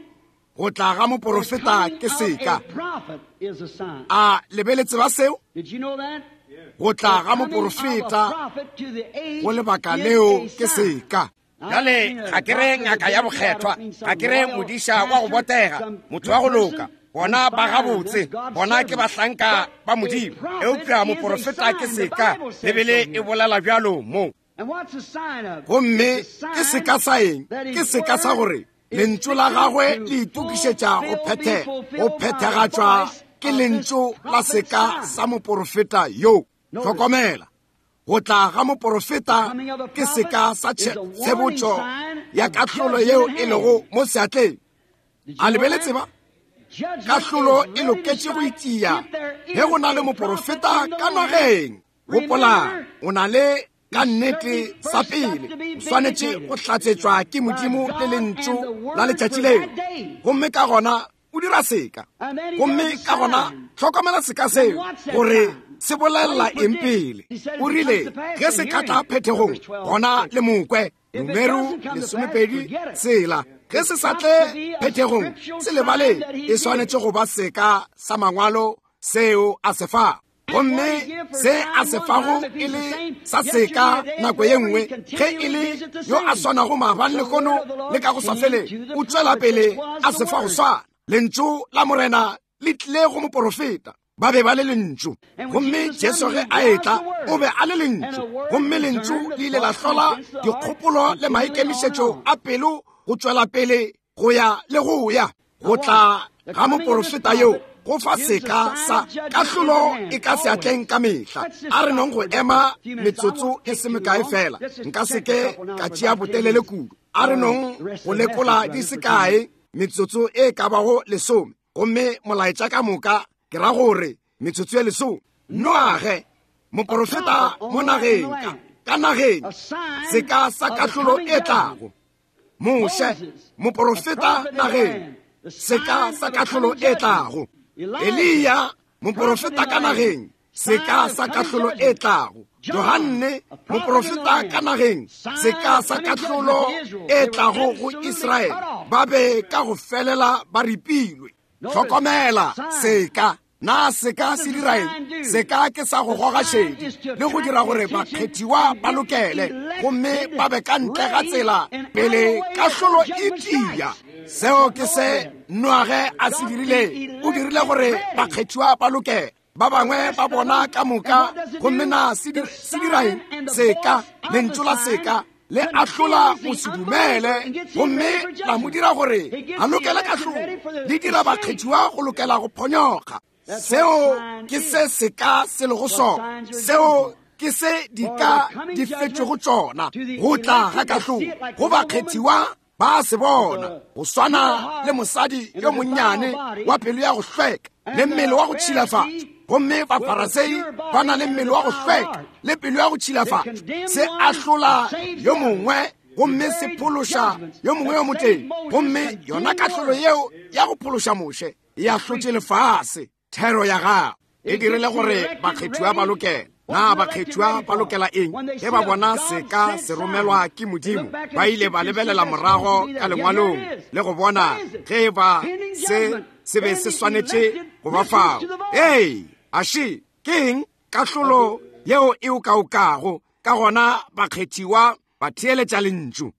go tla ga moporofeta ke seka. A le be le tseba seo? Go tla ga moporofeta go lebaka leo ke seka. Bjale ga ke re ngaka ya bokgethwa, ga ke re modiša wa go botega, motho wa go loka, bona ba gabotse, bona ke bahlanka ba Modimo, eupša moporofeta ke seka. Bibele e bolela bjalo mo. Gomme ke seka sa eng? Ke seka sa gore lentšu la gagwe le itokišetša go phethagatšwa ke lentšu la seka sa moporofeta yo. Hlokomela, go tla ga moporofeta ke seka sa tshebotšo ya kahlolo yeo e lego mo seatleng. A le be le tseba? Kahlolo e loketše go itia ge go na le moporofeta ka nageng. Gopola, o na le ka nnete sa pele o swanetše go hlatsetšwa ke Modimo le lentšu la letšatši leo, gomme ka gona o dira seka. Gomme ka gona hlokomela seka seo gore se bolelela eng pele. O rile ge se ka tla phethegong, gona le mokwe. Numero 26. Ge se sa tle phethegong, se lebale, e swanetše go ba seka sa mangwalo seo a se fa. Gomme se a se fago e le sa seka nako ye nngwe, ge e le yo a swanago maabane lehono le ka go sa feleng, o tšwela pele a se fa go swana. Lentšu la Morena le tlile go moporofeta. Ba be ba le lentšu. Gomme Jesu ge a etla, o be a le lentšu. Gomme lentšu le ile la hlola dikgopolo le maikemišetšo a pelo go tšwela pele go ya le go ya. Go tla ga moporofeta yo Go fa seka sa kahlolo e ka seatleng ka mehla. A re nong go ema metsotso e se mekae fela. Nka se ke ka tšea botelele kudu. A re nong go lekola di se kae metsotso e ka bago lesome. Gomme molaetša ka moka ke ra gore metsotso e lesome. Noage, moporofeta mo nageng, ka nageng, seka sa kahlolo e tlago. Moshe, moporofeta nageng, seka sa kahlolo e tlago. Eliya, moporofeta ka nageng, seka sa kahlolo e tlago. Johanne, moporofeta ka nageng, seka sa kahlolo e tlago go Israele. Ba be ka go felela ba ripilwe. Hlokomela seka. Na seka se dira eng? Seka ke sa go goga šedi le go dira gore bakgethiwa ba lokele gomme ba be ka ntle ga tsela pele kahlolo e tia. Seo ke se Noage a se dirileng. O dirile gore bakgethiwa ba lokele. Ba bangwe ba bona ka moka, gomme na se dira eng? Seka, lentšu la seka le ahlola go se dumele gomme la mo dira gore a lokele kahlolo, le dira bakgethiwa go lokela go phonyokga. Seo ke se seka se lego sona. Seo ke se dika di fetšego tšona, go tla ga kahlolo go bakgethiwa ba se bona, go swana le mosadi yo monnyane wa pelo ya go hlweka le mmele wa go tšhilafatšwa. Gomme Bafarasei ba na le mmele wa go hlweka le pelo ya go tšhilafatšwa. Se ahlola yo mongwe gomme se phološa yo mongwe yo motee. Gomme yona kahlolo yeo ya go phološa Moshe e ahlotše lefase. Thero ya gago e dirile gore bakgethiwa ba lokele. Na bakgethiwa ba lokela eng? Ge ba bona seka se romelwa ke Modimo, ba ile ba lebelela morago ka lengwalong le go bona ge e ba se se be se swanetše go ba fao. Ee, aše ke eng kahlolo yeo e okaokago? Ka gona bakgethiwa ba theeletša lentšu.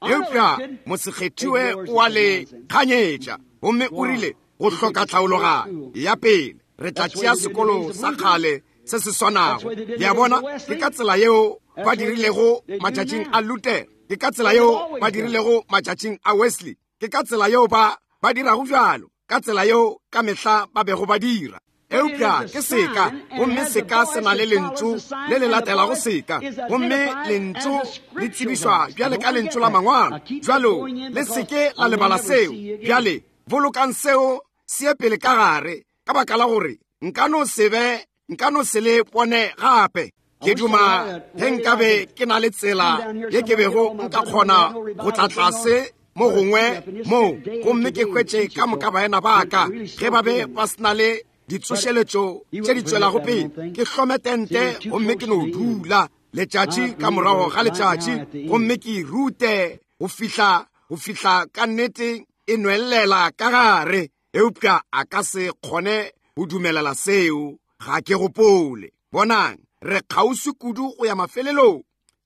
Eupša mosekgethiwe o a le kganyetša, gomme o rile go hloka tlhaologanyo ya pele re tla tšea sekolo sa kgale se se swanago. Le a bona, ke ka tsela yeo ba dirilego matšatšing a Luther, ke ka tsela yeo ba dirilego matšatšing a Wesley, ke ka tsela yeo ba ba dirago bjalo, ka tsela yeo ka mehla ba bego ba dira. Eupša ke seka, gomme seka se na le lentšu le le latelago seka, gomme lentšu le tsebišwa bjale ka lentšu la mangwalo. Bjalo le seke la lebala seo. Bjale bolokang seo se ye pele ka gare, ka baka la gore nka no se be, nka no se le bone gape. Ke duma ge nkabe ke na le tsela ye ke bego nka kgona go tla tlase mo gongwe mo gomme ke hwetše ka moka baena ba ka ge ba be ba se na le ditsošeletšo tše di tšwelago pele. Ke hlome tente gomme ke no dula letšatši ka morago ga letšatši gomme ke rute go fihla go fihla ka nnete e nwellela ka gare. Eupša a ka se kgone go dumelela seo, ga ke gopole. Bonang, re kgauswi kudu go ya mafelelong.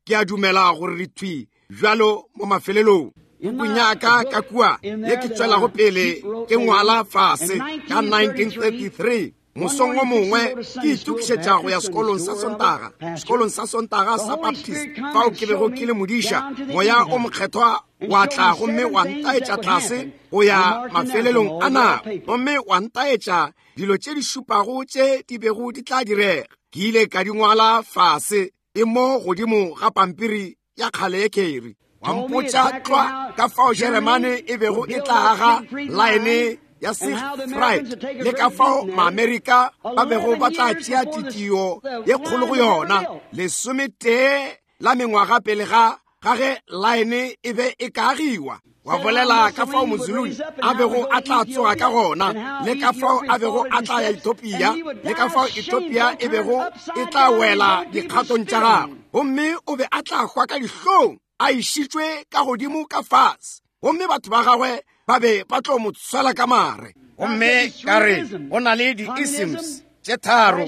Ke a dumela gore re thwi bjalo mo mafelelong. Pukung ya ka ka kua ye ke tšwelago pele ke ngwala fase ka 1933, mosong o mongwe ke itokišetša go ya sekolong sa Sontaga, sekolong sa Sontaga sa Baptist, fao ke bego ke le modiša. Moya o Mokgethwa wa tla gomme wa ntaetša tlase go ya mafelelong a nako, gomme wa ntaetša dilo tše di šupago tše di bego di tla direga. Ke ile ka di ngwala fase e mo godimo ga pampiri ya kgale ye kheri. Wa mpotša tlwa ka fao Jeremane e bego e tla aga laene ya Siegfried le ka fao Maamerika ba bego ba tla tšea titio ye kgolo go yona 11 la mengwaga pele ga ga ge laene e be e ka agiwa. Wa bolela ka fao Mozuluni a bego a tla tsoga ka gona, le ka fao a bego a tla ya Ethiopia, le ka fao Ethiopia e bego e tla wela dikgatong tša gagwe, gomme o be a tla hwa ka dihlong a išitšwe ka godimo ka fase, gomme batho ba gagwe ba be ba tlo mo tshwela ka mare. Gomme ka re go na le di-isms tše tharo,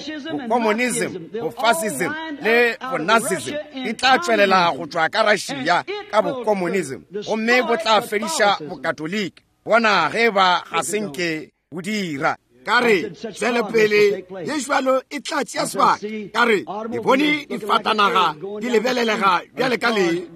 bokomunism, bofascism le bonazism, di tla tšwelela go tšwa ka Russia ka bokomunism, gomme bo tla fediša bokatoliki. Bona ge ba ga se nke bo dira. Ka re, Tšwelopele ye bjalo e tla tšea sebaka. Ka re, Ke bone difatanaga di lebelelega bjale ka le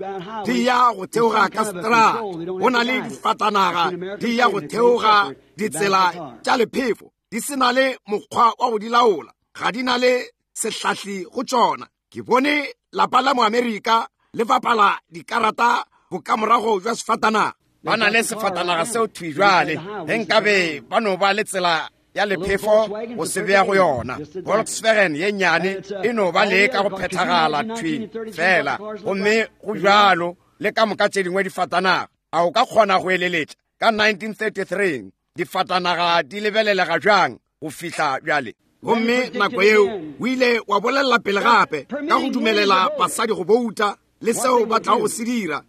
di ya go theoga ka seterata. Go na le difatanaga di ya go theoga ditsela tša lephefo, di se na le mokgwa wa go di laola, ga di na le sehlahli go tšona. Ke bone lapa la Moamerika le bapala dikarata bokamorago jwa sefatanaga. Ba na le sefatanaga seo thwi bjale, ge nkabe ba no ba le tsela ya lephefo go se bea go yona. Volkswagen ye nnyane e no ba le ka go phethagala thwi fela, gomme go bjalo le ka moka tše dingwe difatanaga. A o ka kgona go eleletša ka 1933 difatanaga di lebelelega bjang go fihla bjale? Gomme nako yeo o ile wa bolelela pele gape ka go dumelela basadi go bouta le seo ba tlago go se dira,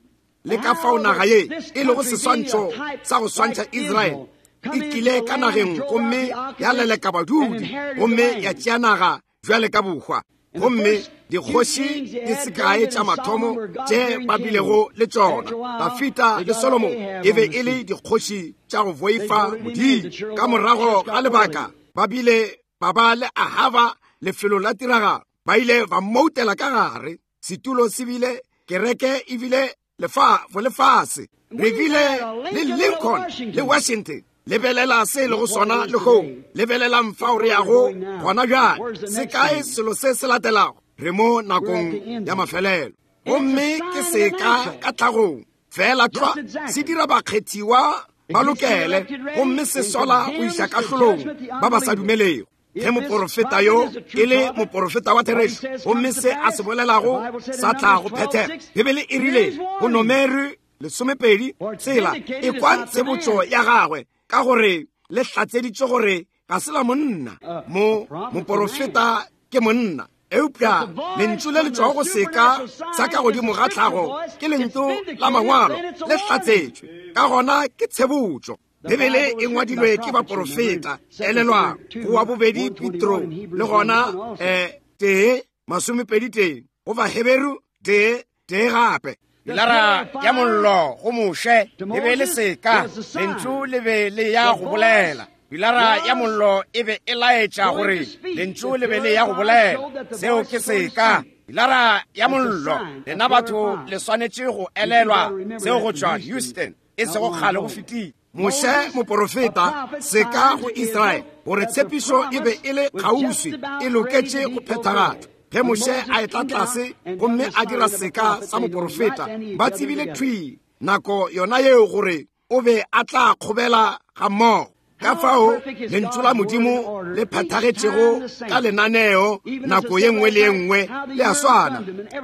le ka fao naga ye e lego seswantšho sa go swantšha Israele e tlile ka nageng gomme ya leleka badudi gomme ya tšea naga bjale ka bohwa. Gomme dikgoši di se kae tša mathomo tše ba bilego le tšona, Dafida le Solomo, e be e le dikgoši tša go boifa Modimo. Ka morago ga lebaka ba bile ba ba le Ahaba lefelong la tiragalo, ba ile ba mmoutela ka gare. Setulo se bile, kereke e bile lefase. Re bile le Lincoln le Washington. Lebelela se e lego sona lehono. Lebelelang fao re yago gona bjale. Se kae selo se se latelago? Re mo nakong ya mafelelo. Gomme ke seka ka tlhagong fela tlwa se dira bakgethiwa ba lokele, gomme se sola go iša kahlolong ba ba sa dumelego. Ge moporofeta yo e le moporofeta wa therešo, gomme se a se bolelago sa tla go phethega. Bibele e rile go Nomeri 12 tsela, e kwa tshebotšo ya gagwe, ka gore le hlatseditše gore ga se la monna. Mo moporofeta ke monna, eupša lentšu le le tšwago go seka sa ka godimo ga tlhago ke lentšu la mangwalo, le hlatsetšwe, ka gona ke tshebotšo. Bibele e ngwadilwe ke baporofeta. Elelwang, go wa bobedi Petro, le gona 1:21, go Baheberu 1:1 gape. Pilara ya mollo go Moshe e be le seka, lentšu le be le ya go bolela. Pilara ya mollo e be e laetša gore lentšu le be le ya go bolela. Seo ke seka. Pilara ya mollo, lena batho le swanetše go elelwa seo go tšwa Houston, e sego kgale go fetile. Moshe moporofeta, seka go Israele, gore tshepišo e be e le kgauswi, e loketše go phethagatšwa. Ge Moshe a etla tlase gomme a dira seka sa moporofeta, ba tsebile thwi nako yona yeo gore o be a tla kgobela ga mmogo. Ka fao lentšu la Modimo le phethagetšego ka lenaneo nako ye nngwe le ye nngwe le a swana.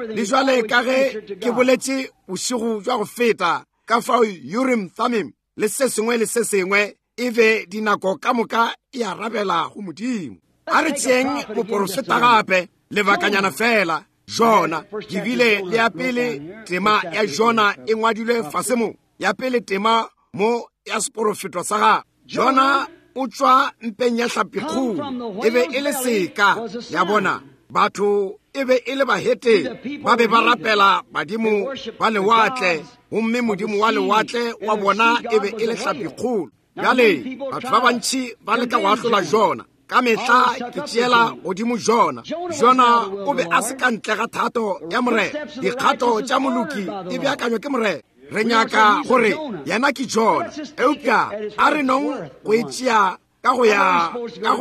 Le jwale ka ge ke boletše bošego bja go feta, ka fao Urim Thummim le se sengwe le se sengwe e be dinako ka moka e arabela go Modimo. A re tšeeng moporofeta gape lebakanyana fela, Jona. Ke bile le ya pele tema ya Jona e ngwadilwe fase mo, ya pele tema mo ya seporofeto sa gagwe. Jona o tšwa mpeng ya hlapikgolo, e be e le seka ya bona. Batho e be e le bahetene, ba be ba rapela badimo ba lewatle, gomme modimo wa lewatle wa bona e be e le hlapikgolo. Bjale batho ba bantši ba leka go ahlola Jona. Ka mehla ke tšeela godimo Jona. Jona o be a se ka ntle ga thato ya Morena. Dikgato tša moloki di beakanywa ke Morena. Re nyaka gore yena ke Jona, eupša a re nong go e tšea ka go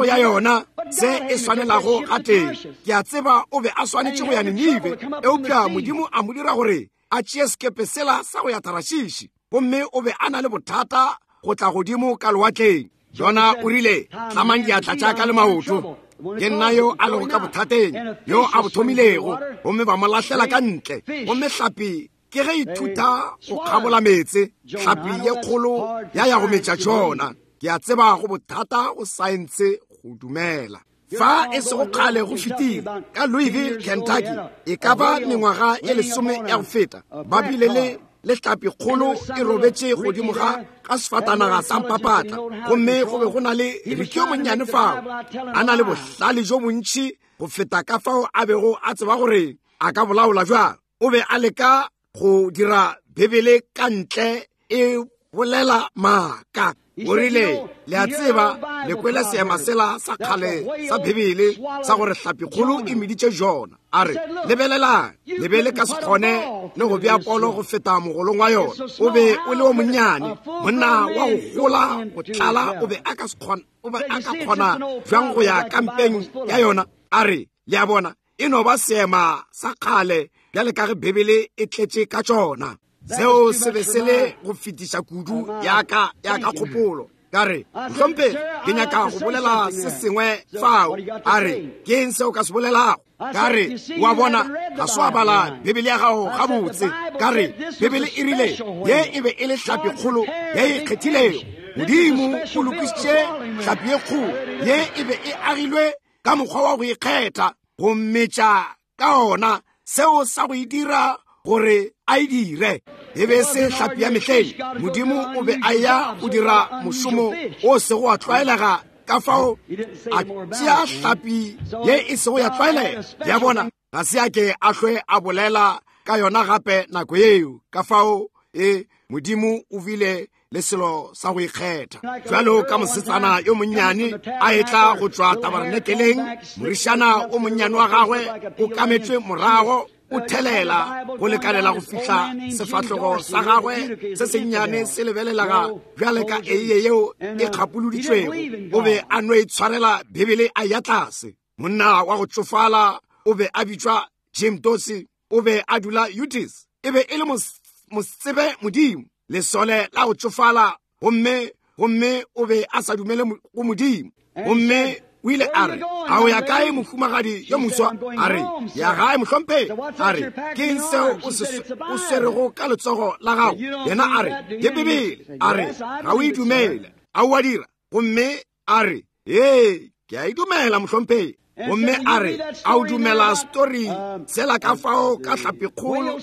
ya yona se e swanelago gatee. Ke a tseba o be a swanetše go ya Ninive, eupša Modimo a mo dira gore a tšee sekepe sela sa go ya Tarashishi, gomme o be a na le bothata go tla godimo ka lewatleng. Jona o rile, tlamang diatla tša ka le maoto, ke nna yo a lego ka bothateng, yo a bo thomilego. Gomme ba mo lahlela ka ntle, gomme hlapi ke ge ithuta go kgabola meetse, hlapi ye kgolo ya ya go metša Jona. Ke a tseba go bothata go saense go dumela. Fa e sego kgale go fetile, ka Louisville, Kentucky, e ka ba mengwaga ye 10 ya go feta, ba bile le le hlapi kgolo e robetše godimo ga sefatanaga sa mpapatla, gomme go be go na le Ricky yo monnyane fao, a na le bohlale jo bontši go feta ka fao a bego a tseba gore a ka bolaola bjang. O be a leka go dira Bibele ka ntle e bolela maaka. O rile, le a tseba, le kwele seema sela sa kgale sa Bibele sa gore hlapikgolo e meditše Jona. A re, lebelelang, le be le ka se kgone le go bea polo go feta mogolong wa yona. O be o le o monnyane, monna wa go gola go tlala, o be a ka se kgona, o be a ka kgona bjang go ya kampeng ya yona? A re, le a bona, e no ba seema sa kgale bjale ka ge Bibele e tletše ka tšona. Seo se be se le go fetiša kudu ya ka kgopolo. Ka re, mohlomphegi, ke nyaka go bolela se sengwe fao. A re, ke eng seo ka se bolelago? Ka re, wa bona, ga se wa bala Bibele ya gago gabotse. Ka re, Bibele e rile ye e be e le hlapikgolo ye e kgethilego. Modimo o lokišitše hlapi ye kgolo ye e be e agilwe ka mokgwa wa go ikgetha go metša ka ona, seo sa go e dira gore a e dire. E be se hlapi ya mehleng. Modimo o be a ya go dira mošomo o sego wa tlwaelega, ka fao a tšea hlapi ye e sego ya tlwaelega. Ya bona, ga se a ke a hlwe a bolela ka yona gape nako yeo. Ka fao e Modimo o bile le selo sa go ikgetha. Bjalo ka mosetsana yo monnyane a etla go tšwa tabarenekeleng, morišana o monnyane wa gagwe o kametšwe morago, o thelela go lekanela go fihla sefahlogo sa gagwe se sennyane se lebelelaga bjale ka eiye yeo e kgapoloditšwego. O be a no itshwarela Bibele a ya tlase. Monna wa go tšofala o be a bitšwa Jim Dorsey, o be a dula Utis. E be e le mosetsebe Modimo, lesole la go tšofala, gomme o be a sa dumele go Modimo. Gomme o ile a re, a o ya kae mohumagadi yo moswa? A re, ya gae mohlomphegi. A re, ke eng seo o swerego ka letsogo la gago? Yena a re, ke Bibele. A re, ga o e dumele. A o a dira? Gomme a re, ee, ke a e dumela mohlomphegi. Gomme a re, a o dumela story sela ka fao ka hlapikgolo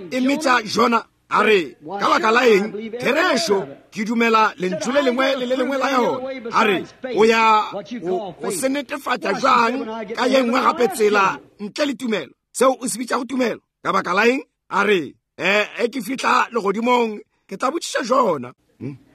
e metša Jona? A re, ka baka la eng, therešo, ke dumela lentšu le lengwe le le lengwe la yona. A re, o ya go se netefatša bjang ka ye nngwe gape tsela ntle le tumelo, seo o se bitšago tumelo? Ka baka la eng? A re, e ke fihla legodimong ke tla botšiša Jona.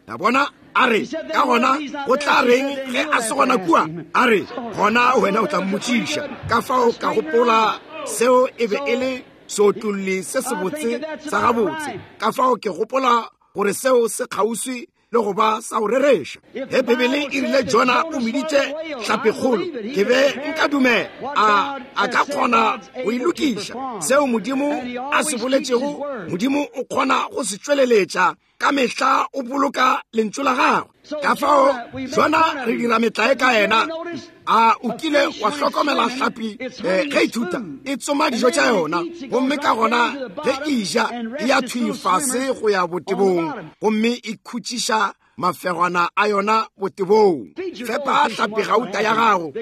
Ya bona? A re, ka gona go tla reng ge a se gona kua? A re, gona wena o tla mmotšiša. Ka fao ka gopola seo e be e le seotlolli se sebotse sa gabotse. Ka fao ke gopola gore seo se kgauswi le go ba sa go rereša. Ge Bibele e rile Jona o meditše hlapikgolo, ke be nka dumela a ka kgona go e lokiša. Seo Modimo a se boletšego, Modimo o kgona go se tšweleletša. Ka mehla o boloka lentšu la gagwe. Ka fao Jona re dira metlae ka yena. A o kile wa hlokomela hlapi ge e thuta e tsoma dijo tša yona, gomme ka gona ge e ja e ya thwi fase go ya botebong, gomme e khutšiša mafegwana a yona botebong. Fepa hlapi gauta ya gago,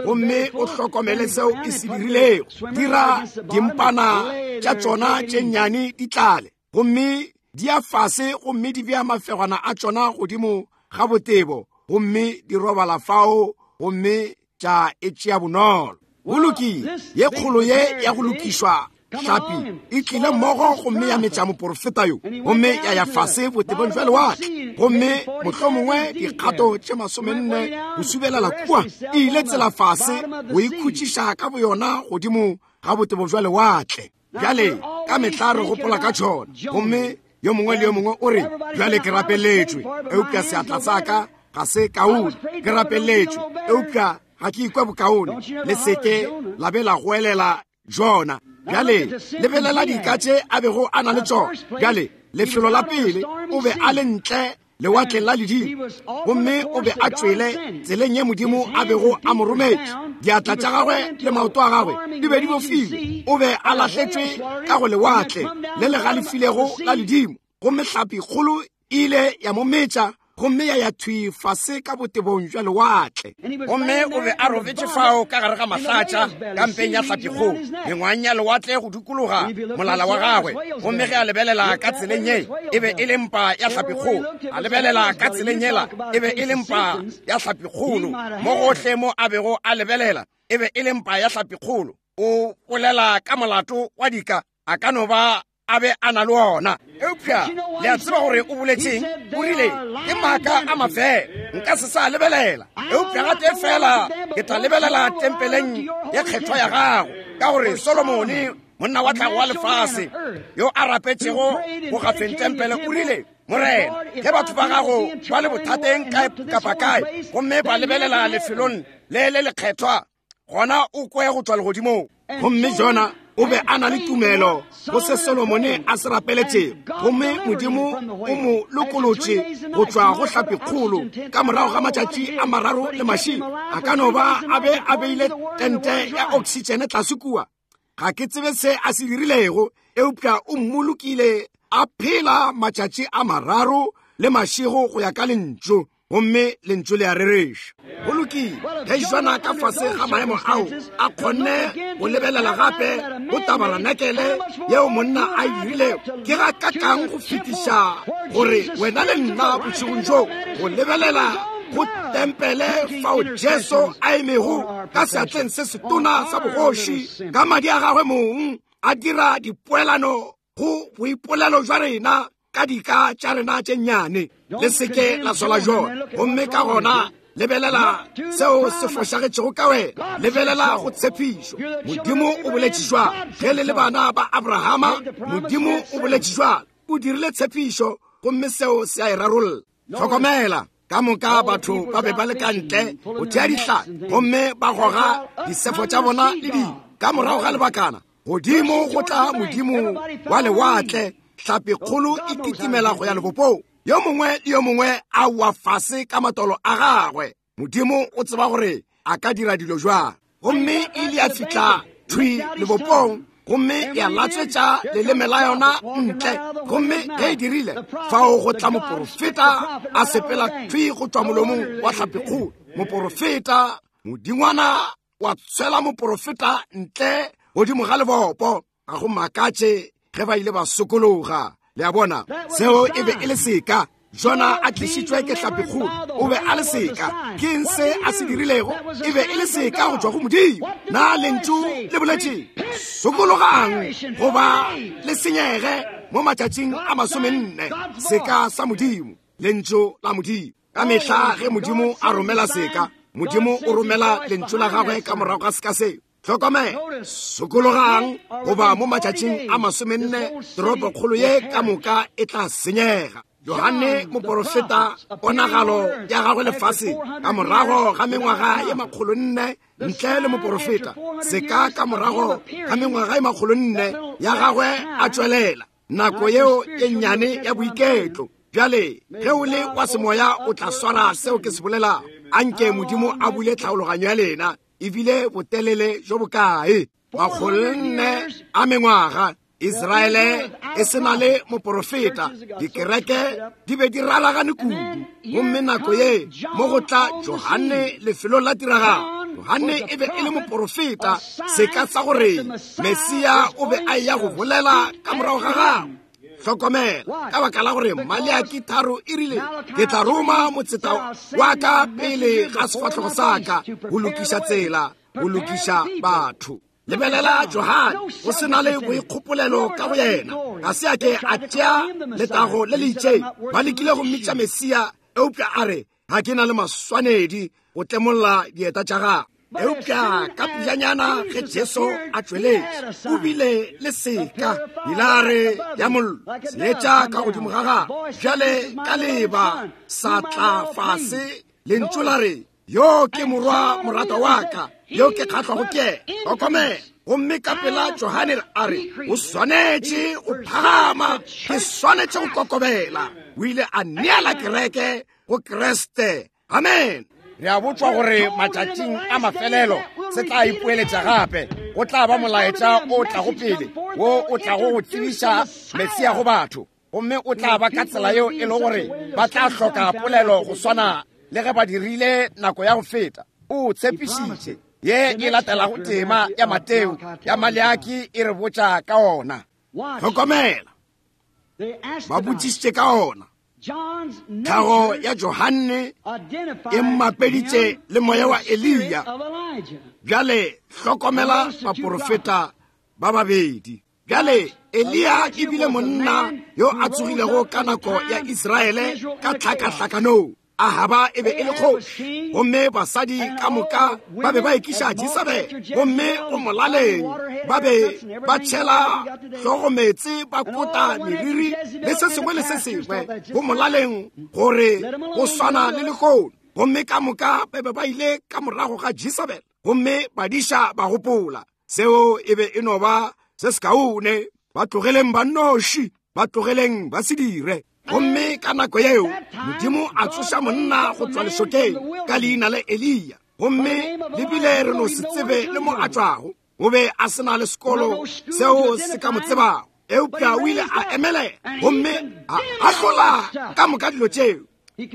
gomme o hlokomele seo e se dirilego. Dira dimpana tša tšona tše nnyane di tlale, gomme di ya fase gomme di bea mafegwana a tšona godimo ga botebo, gomme di robala fao gomme tša e tšea bonolo. Go lokile, ye kgolo ye ya go lokišwa hlapi e tlile mmogo gomme ya metša moporofeta yo, gomme ya ya fase botebong jwa lewatle, gomme mohlomongwe dikgato tše 40 go subelela kua, e ile tsela fase go ikhutšiša ka boyona godimo ga botebo jwa lewatle. Bjale ka mehla re gopola ka tšona, gomme yo mongwe le yo mongwe o re, bjale ke rapeletšwe, eupša seatla sa ka ga se kaone. Ke rapeletšwe, eupša ga ke ikwe bokaone. Le seke la be la goelela Jona. Bjale lebelela dika tše a bego a na le tšona. Bjale lefelo la pele o be a le ntle lewatleng la ledimo, gomme o be a tšwele tseleng ye Modimo a bego a mo rometše. Diatla tša gagwe le maoto a gagwe di be di bofilwe. O be a lahletšwe ka go lewatle le le galefilego la ledimo, gomme hlapi kgolo e ile ya mo metša gomme ya ya thwi fase ka botebong jwa lewatle. Gomme o be a robetše fao ka gare ga mahlatša ka mpeng ya hlapikgolo, mengwang ya lewatle go dikologa molala wa gagwe. Gomme ge a lebelela ka tseleng ye, e be e le mpa ya hlapikgolo. A lebelela ka tseleng yela, e be e le mpa ya hlapikgolo. Mo gohle mo a bego a lebelela, e be e le mpa ya hlapikgolo. O bolela ka molato wa dika, a ka no ba a be a na le ona. Eupša le a tseba gore o boletšeng? O rile, Ke maaka a mafela, nka se sa lebelela. Eupša gatee fela ke tla lebelela tempeleng ye kgethwa ya gago, ka gore Solomone, monna wa tlhago wa lefase, yo a rapetšego go gafeng tempele, o rile, Morena, ge batho ba gago ba le bothateng kae kapa kae, gomme ba lebelela lefelong le le lekgethwa, gona o kwe go tšwa legodimong. Gomme Jona o be a na le tumelo go se Solomone a se rapeletšego, gomme Modimo o mo lokolotše go tšwa go hlapikgolo ka morago ga matšatši a mararo le mašego. A ka no ba a be a beile tente ya oksitšene tlase kua. Ga ke tsebe se a se dirilego, eupša o mmolokile a phela matšatši a mararo le mašego go ya ka lentšu, gomme lentšu le a rereša. Go lokile, ge Jona ka fase ga maemo ao a kgonne go lebelela gape go tabaranakele yeo monna a e dirilego, ke ga kakang go fetiša gore wena le nna bošegong bjo go lebelela go tempele fao Jesu a emego ka seatleng se setona sa bogoši ka madi a gagwe mong a dira dipoelano go boipolelo jwa rena ka dika tša rena tše nnyane. Le seke la sola Jona, gomme ka gona lebelela seo se fošagetšego ka wena. Lebelela go tshepišo. Modimo o boletše jwalo. Ge le le bana ba Abrahama, Modimo o boletše jwalo. O dirile tshepišo, gomme seo se a e rarolla. Hlokomela, ka moka batho ba be ba le ka ntle go thea dihlare, gomme ba goga disefo tša bona le dilo. Ka morago ga lebakana, godimo go tla modimo wa lewatle, hlapikgolo e kitimela go ya lebopong. Yo mongwe le yo mongwe a wa fase ka matolo a gagwe. Modimo o tseba gore a ka dira dilo jwang. Gomme e ile ya fihla thwi lebopong, gomme ya latswetša leleme la yona ntle. Gomme ge e dirile, fao go tla moporofeta a sepela thwi go tšwa molomong wa hlapikgolo. Moporofeta, modingwana wa tshwela moporofeta ntle godimo ga lebopo. Ga go makatše ge ba ile ba sokologa. Le a bona, seo e be e le seka. Jona a tlišitšwe ke hlapikgolo, o be a le seka. Ke eng se a se dirilego? E be e le seka go tšwa go Modimo. Na lentšu le boletše sokologang goba le senyege mo matšatšing a 40? Seka sa Modimo, lentšu la Modimo. Ka mehla ge Modimo a romela seka, Modimo o romela lentšu la gagwe ka morago ga seka seo. Hlokomela, sokologang goba mo matšatšing a 40 toropokgolo ye ka moka e tla senyega. Johane moporofeta, ponagalo ya gagwe lefaseng ka morago ga mengwaga ye 400 ntle le moporofeta, seka ka morago ga mengwaga ye 400 ya gagwe a tšwelela, nako yeo e nnyane ya boiketlo. Bjale ge o le wa semoya o tla swara seo ke se bolelago. Anke Modimo a bule tlhaologanyo ya lena. Ebile botelele jo bokae? 400 a mengwaga Israele e se na le moporofeta. Dikereke di be di raragane kudu. Gomme nako ye mo go tla Johane lefelong la tiragalo. Johane e be e le moporofeta, seka sa gore Mesia o be a eya go bolela ka morago ga gagwe. Hlokomela, ka baka la gore Maleaki 3 e rile, ke tla roma motseta wa ka pele ga sefahlogo sa ka go lokiša tsela, go lokiša batho. Lebelela Johane, go se na le boikgopolelo ka go yena. Ga se a ke a tšea letago le le itšeng. Ba lekile go mmitša Mesia, eupša a re, ga ke na le maswanedi go tlemolla dieta tša gagwe. Eupša ka pejanyana ge Jesu a tšweletše, o bile le seka, pilare ya mollo, seetša ka godimo ga gagwe. Bjale ka leba sa tla fase, lentšu la re, yo ke morwa moratwa wa ka, yo ke kgahlwago ke yena. Hlokomela. Gomme ka pela Johane a re, o swanetše go phagama, ke swanetše go kokobela. O ile a neela kereke go Kriste. Amen. Re a botšwa gore matšatšing a mafelelo se tla ipoeletša gape. Go tla ba molaetša o tlago pele, wo o tlago go tsebiša Mesia go batho. Gomme o tla ba ka tsela yeo e le gore ba tla hloka polelo go swana le ge ba dirile nako ya go feta. O tshepišitše. Ye e latelago tema ya Mateo ya Maleaki e re botša ka ona. Hlokomela, ba botšišitše ka ona. Tlhago ya Johanne e mmapeditše le moya wa Eliya. Bjale hlokomela baporofeta ba babedi. Bjale Eliya e bile monna yo a tsogilego ka nako ya Israele ka tlhakahlakanong. Ahaba e be e le kgoši, gomme basadi ka moka ba be ba ekiša Jesabele, gomme go molaleng ba be ba tšhela hlogo meetse, ba kota meriri le se sengwe le se sengwe, go molaleng gore go swana le lehono. Gomme ka moka ba be ba ile ka morago ga Jesabele, gomme badiša ba gopola seo e be e no ba se sekaone. Ba tlogeleng ba nnoši, ba tlogeleng ba se dire. Gomme ka nako yeo Modimo a tsoša monna go tšwa lešokeng ka leina la Eliya, gomme le bile re no se tsebe le mo a tšwago. O be a se na le sekolo seo se ka mo tsebago, eupša o ile a emelela gomme a ahlola ka moka dilo tšeo.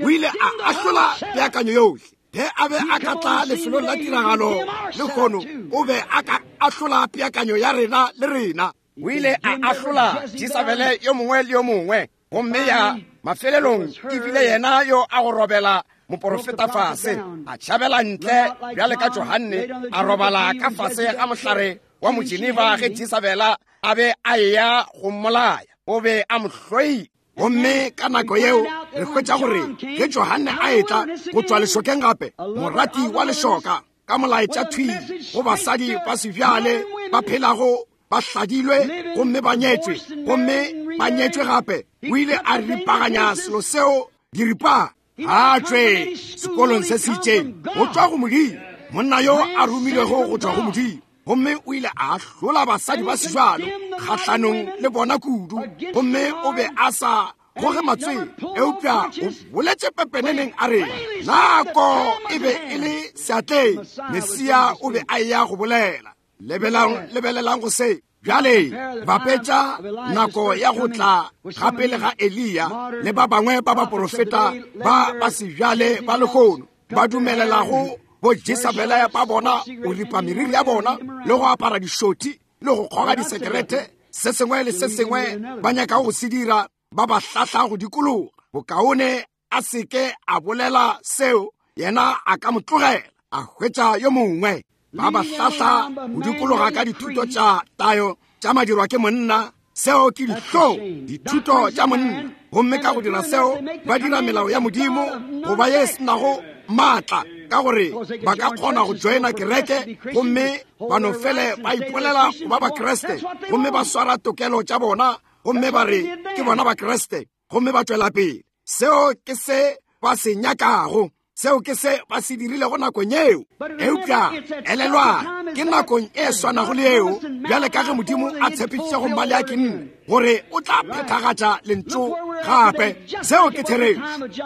O ile a ahlola peakanyo yohle. Ge a be a ka tla lefelong la tiragalo lehono, o be a ka ahlola peakanyo ya rena le rena. O ile a ahlola Jesabele yo mongwe le yo mongwe, gomme ya mafelelong e bile yena yo a go robela moporofeta fase, a tšhabela ntle bjale ka Johanne, a robala ka fase ga mohlare wa Mogeneva ge Jesabela a be a eya go mmolaya. O be a mo hloile. Gomme ka nako yeo re hwetša gore ge Johanne a etla go tšwa lešokeng gape, morati wa lešoka, ka molaetša thwi go basadi ba sebjale ba phelago ba hladilwe gomme ba nyetšwe, gomme ba nyetšwe gape, o ile a ripaganya selo seo diripa. A tšwe sekolong se se itšeng go tšwa go Modimo, monna yo a romilwego go tšwa go Modimo, gomme o ile a ahlola basadi ba sejalo kgahlanong le bona kudu, gomme o be a sa goge matswele, eupša o boletše pepeneneng a re nako e be e le seatleng, Mesia o be a eya go bolela. Lebelelang go se. Bjale bapetša nako ya go tla ga pele ga Eliya le ba bangwe ba baporofeta ba ba sebjale ba lehono ba dumelelago bo Jesabele ba bona go ripa meriri ya bona le go apara dišothi le go kgoga disekerete, se sengwe le se sengwe ba nyakago go se dira, ba ba hlahla go dikologa. Bokaone a se ke a bolela seo, yena a ka mo tlogela a hwetša yo mongwe. Ba ba hlahla go dikologa ka dithuto tša tayo tša madirwa ke monna, seo ke dihlong, dithuto tša monna. Gomme ka go dira seo ba dira melao ya Modimo go ba ye senago maatla, ka gore ba ka kgona go joina kereke gomme ba no fele ba ipolela go ba Bakriste, gomme ba swara tokelo tša bona gomme ba re ke bona Bakriste, gomme ba tšwela pele. Seo ke se ba se nyakago, seo ke se ba se dirilego nakong yeo. Eupša elelwa, ke nakong e swanago le yeo, bjale ka ge Modimo a tshepišitše go Maleaki nne gore o tla phethagatša lentšu gape. Seo ke therešo.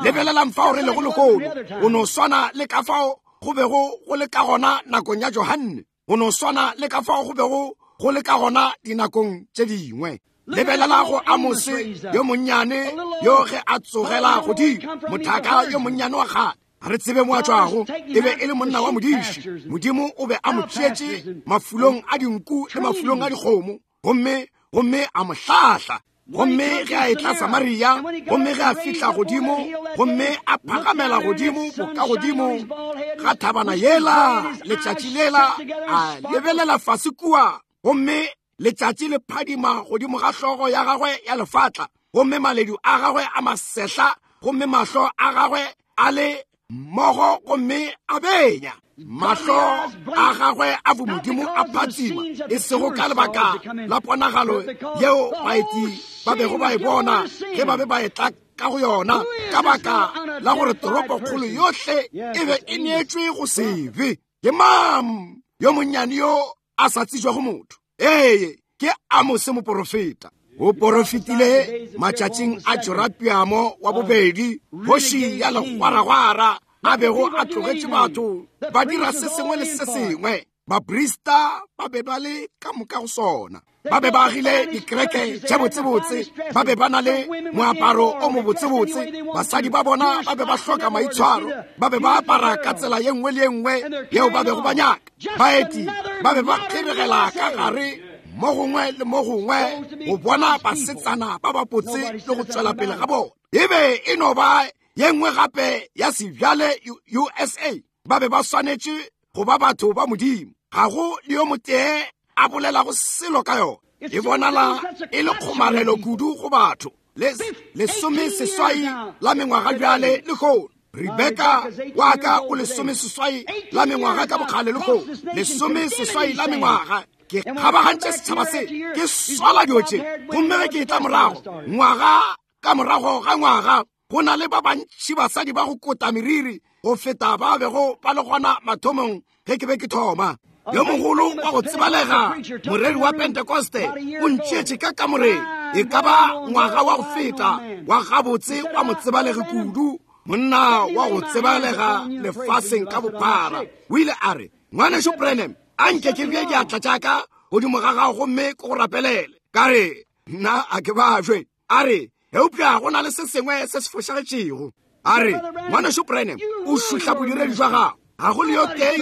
Lebelelang fao re lego lehono, go no swana le ka fao go bego go le ka gona nakong ya Johanne, go no swana le ka fao go bego go le ka gona dinakong tše dingwe. Lebelela go Amose yo monnyane yo ge a tsogela godimo, mothaka yo monnyane wa kgale, ga re tsebe mo a tšwago, e be e le monna wa modiši. Modimo o be a mo tšeetše mafulong a dinku le mafulong a dikgomo, gomme a mo hlahla. Gomme ge a etla Samaria, gomme ge a fihla godimo, gomme a phagamela godimo bokagodimo ga thabana yela, letšatši lela, a lebelela fase kua, gomme letšatši le phadima godimo ga hlogo ya gagwe ya lefatla, gomme maledu a gagwe a masehla, gomme mahlo a gagwe a le mmogo gomme a benya. Mahlo a gagwe a bomodimo a phatsima, e sego ka lebaka la ponagalo yeo baeti ba bego ba e bona ge ba be ba etla ka go yona, ka baka la gore toropokgolo yohle e be e neetšwe go sebe. Ke mang yo monnyane yo a sa tsejwago motho? Ee, ke Amose moporofeta. O porofetile matšatšing a Jorapiamo wa bobedi, kgoši ya legwaragwara, a bego a tlogetše batho ba dira se sengwe le se sengwe. Baprista ba be ba le ka moka go sona. Ba be ba agile dikereke tše botsebotse, ba be ba na le moaparo o mobotsebotse, basadi ba bona ba be ba hloka maitshwaro, ba be ba apara ka tsela ye nngwe le ye nngwe yeo ba bego ba nyaka. Baeti ba be ba kgeregela ka gare mo gongwe le mo gongwe go bona basetsana ba bapotse le go tšwela pele ga bona. E be e no ba ye nngwe gape ya sebjale USA. Ba be ba swanetše go ba batho ba Modimo. Ga go le yo motee a bolelago selo ka yona. E bonala e le kgomarelo kudu go batho. 18 la mengwaga bjale lehono. Rebeka wa ka o 18 la mengwaga ka bokgale lehono. 18 la mengwaga. Ke kgabagantše setšhaba se, ke swala dilo tše. Gomme ge ke etla morago, ngwaga ka morago ga ngwaga, go na le ba bantši basadi ba go kota meriri go feta ba bego ba le gona mathomong ge ke be ke thoma. Yo mogolo wa go tsebalega, moreri wa Pentekoste, o ntšeetše ka kamoreng e ka ba ngwaga wa go feta, wa gabotse wa motsebalegi kudu, monna wa go tsebalega lefaseng ka bophara. O ile a re, Ngwanešu Branham, a nke ke bee diatla tša ka godimo ga gago gomme ke go rapelele. Ka re, Nna a ke bajwe. A re, eupša go na le se sengwe se se fošagetšego. A re, Ngwanešu Branham, o šuhla bodiredi jwa gago. Ga go le yo tee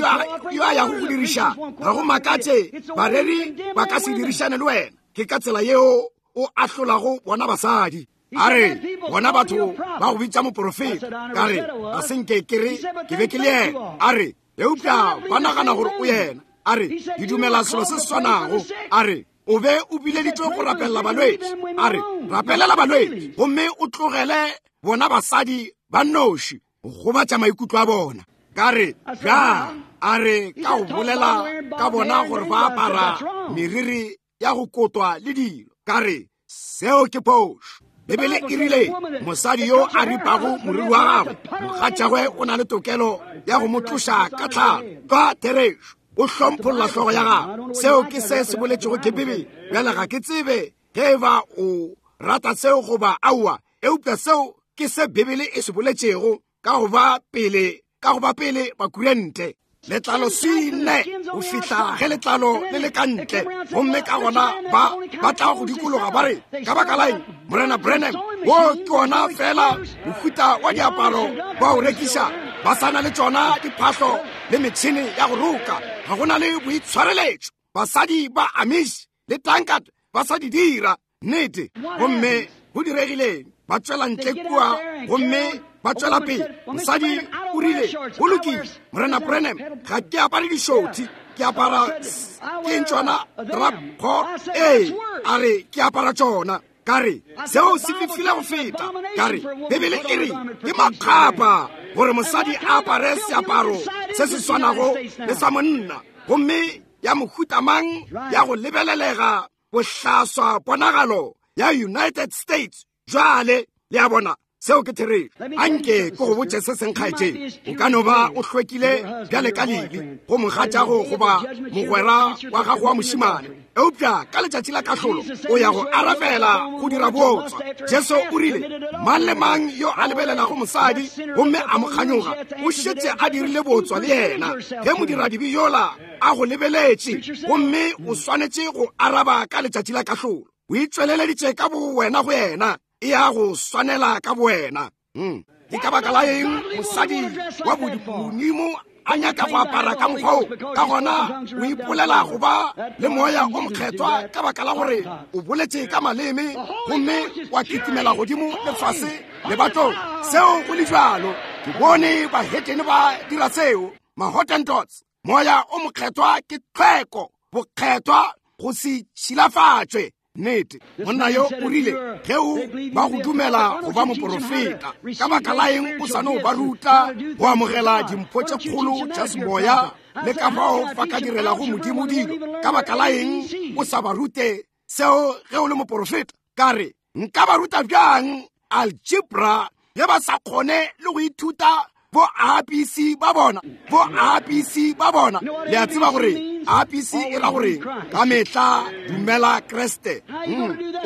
yo a yago go diriša. Ga go makatše bareri ba ka se dirišane le wena. Ke ka tsela yeo o ahlolago bona basadi. A re, bona batho ba go bitša moporofeta. Ka re, ga se nke ke re ke be ke le yena. A re, eupša ba nagana gore o yena. A re, ke dumela selo se se swanago. A re, o be o bileditšwe go rapelela balwetši. A re, rapelela balwetši gomme o tlogele bona basadi ba nnoši go gobatša maikutlo a bona. Ka re, bjang? A re, ka go bolela ka bona gore ba apara meriri ya go kotwa le dilo. Ka re, seo ke phošo. Bibele e rile mosadi yo a ripago moriri wa gagwe, mogatšagwe o na le tokelo ya go mo tloša ka tlhalo. Ka therešo, o hlompholla hlogo ya gagwe. Seo ke se se boletšego ke Bibele. Bjale ga ke tsebe ge e ba o rata seo goba aowa, eupša seo ke se Bibele e se boletšego ka go ba pele, ka go ba pele Bakurente. Letlalo sine go fihla ge letlalo le le ka ntle, gomme ka gona ba ba tla go dikologa ba re, ka baka la eng, Morena Branham, wo ke ona fela mohuta wa diaparo ba o rekiša. Ba sa na le tšona diphahlo le metšhene ya go roka. Ga go na le boitshwareletšo. Basadi ba Amish le Tankard ba sa di dira. Nnete. Gomme go diregileng? Ba tšwela ntle kua gomme ba tšwela pele. Mosadi o rile, go lokile, Morena Branham, ga ke apare dišothi, ke apara ke tšona drapho. Ee, a re, ke apara tšona. Ka re, seo se fifile go feta. Ka re, Bibele e re ke makgapa gore mosadi a apare seaparo se se swanago le sa monna, gomme ya mohuta mang ya go lebelelega bohlaswa ponagalo ya United States. Jwale le a bona, seo ke therešo. Anke ke go botše se seng, kgaetšedi. O ka no ba o hlwekile bjale ka lili go mogatšago goba mogwera wa gago wa mošemane, eupša ka letšatši la kahlolo o ya go arabela go dira bootswa. Jesu o rile, mang le mang yo a lebelelago mosadi gomme a mo kganyoga o šetše a dirile bootswa le yena. Ge modiradibe yola a go lebeletše, gomme o swanetše go araba ka letšatši la kahlolo, o itšweleleditše ka bowena go yena, e ya go swanela ka bowena. Ke ka baka la eng mosadi wa bodimo a nyaka go apara ka mokgwa wo? Ka gona o ipolela go ba le moya o mokgethwa ka baka la gore o boletše ka maleme gomme wa kitimela godimo le fase lebatong. Seo go le bjalo, ke bone bahetene ba dira seo, Mahottentots. Moya o mokgethwa ke tlhweko, bokgethwa, go se tšhilafatšwe. Nnete, monna yo o rile, ge o ba go dumela go ba moporofeta, ka baka la eng o sa no ba ruta go amogela dimpho tše kgolo tša semoya le ka fao ba ka direlago Modimo dilo? Ka baka la eng o sa ba rute seo ge o le moporofeta? Ka re, nka ba ruta bjang algebra ge ba sa kgone le go ithuta bo ABC ba bona, bo ABC ba bona. Le a tseba gore ABC e ra gore ka mehla dumela Kriste.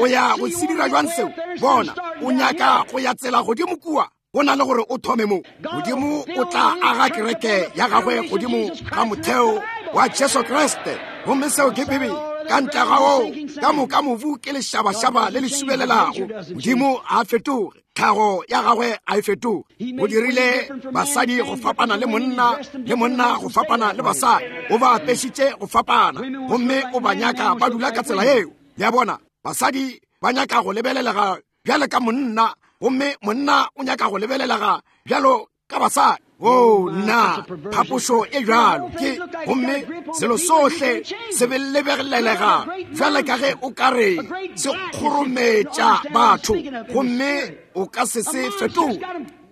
O ya go se dira jwang seo? Bona, o nyaka go ya tsela godimo kua, go na le gore o thome mo. Modimo o tla aga kereke ya gagwe godimo ga motheo wa Jesu Kriste, gomme seo ke Bibele. Ka ntle ga woo, ka moka mobu ke lešabašaba le le subelelago. Modimo a fetoge, tlhago ya gagwe a e fetoge. O dirile basadi go fapana le monna, le monna go fapana le basadi. O ba apešitše go fapana, gomme o ba nyaka ba dula ka tsela yeo. Le a bona, basadi ba nyaka go lebelelega bjalo ka monna, gomme monna o nyaka go lebelelega bjalo ka basadi. O nna, phapošo e bjalo ke, gomme selo sohle se be lebelelega bjale ka ge o ka re se kgorometša batho, gomme o ka se se fetoge.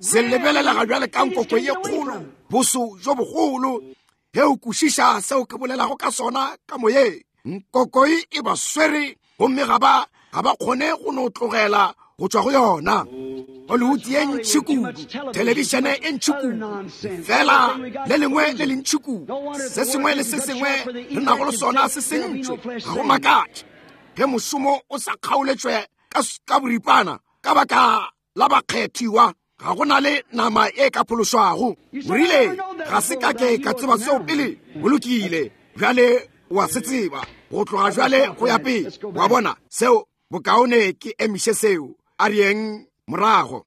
Se lebelelega bjale ka nkoko ye kgolo, boso jo bogolo. Ge o kwešiša seo ke bolelago ka sona ka moyeng, nkokoi e ba swere, gomme ga ba ga ba kgone go no tlogela go tšwa go yona. Hollywood ye ntši kudu, thelebišene e ntši kudu, fela le lengwe le le ntši kudu, se sengwe le se sengwe re nago le sona se sentšwe. Ga go makatše ge mošomo o sa kgaoletšwe ka boripana ka baka la bakgethiwa. Ga go na le nama e ka phološwago. O rile, ga se ka ke ka tseba seo pele. Go lokile, bjale o a se tseba go tloga bjale go ya pele. Wa bona seo? Bokaone ke emiše seo. A re yeng morago.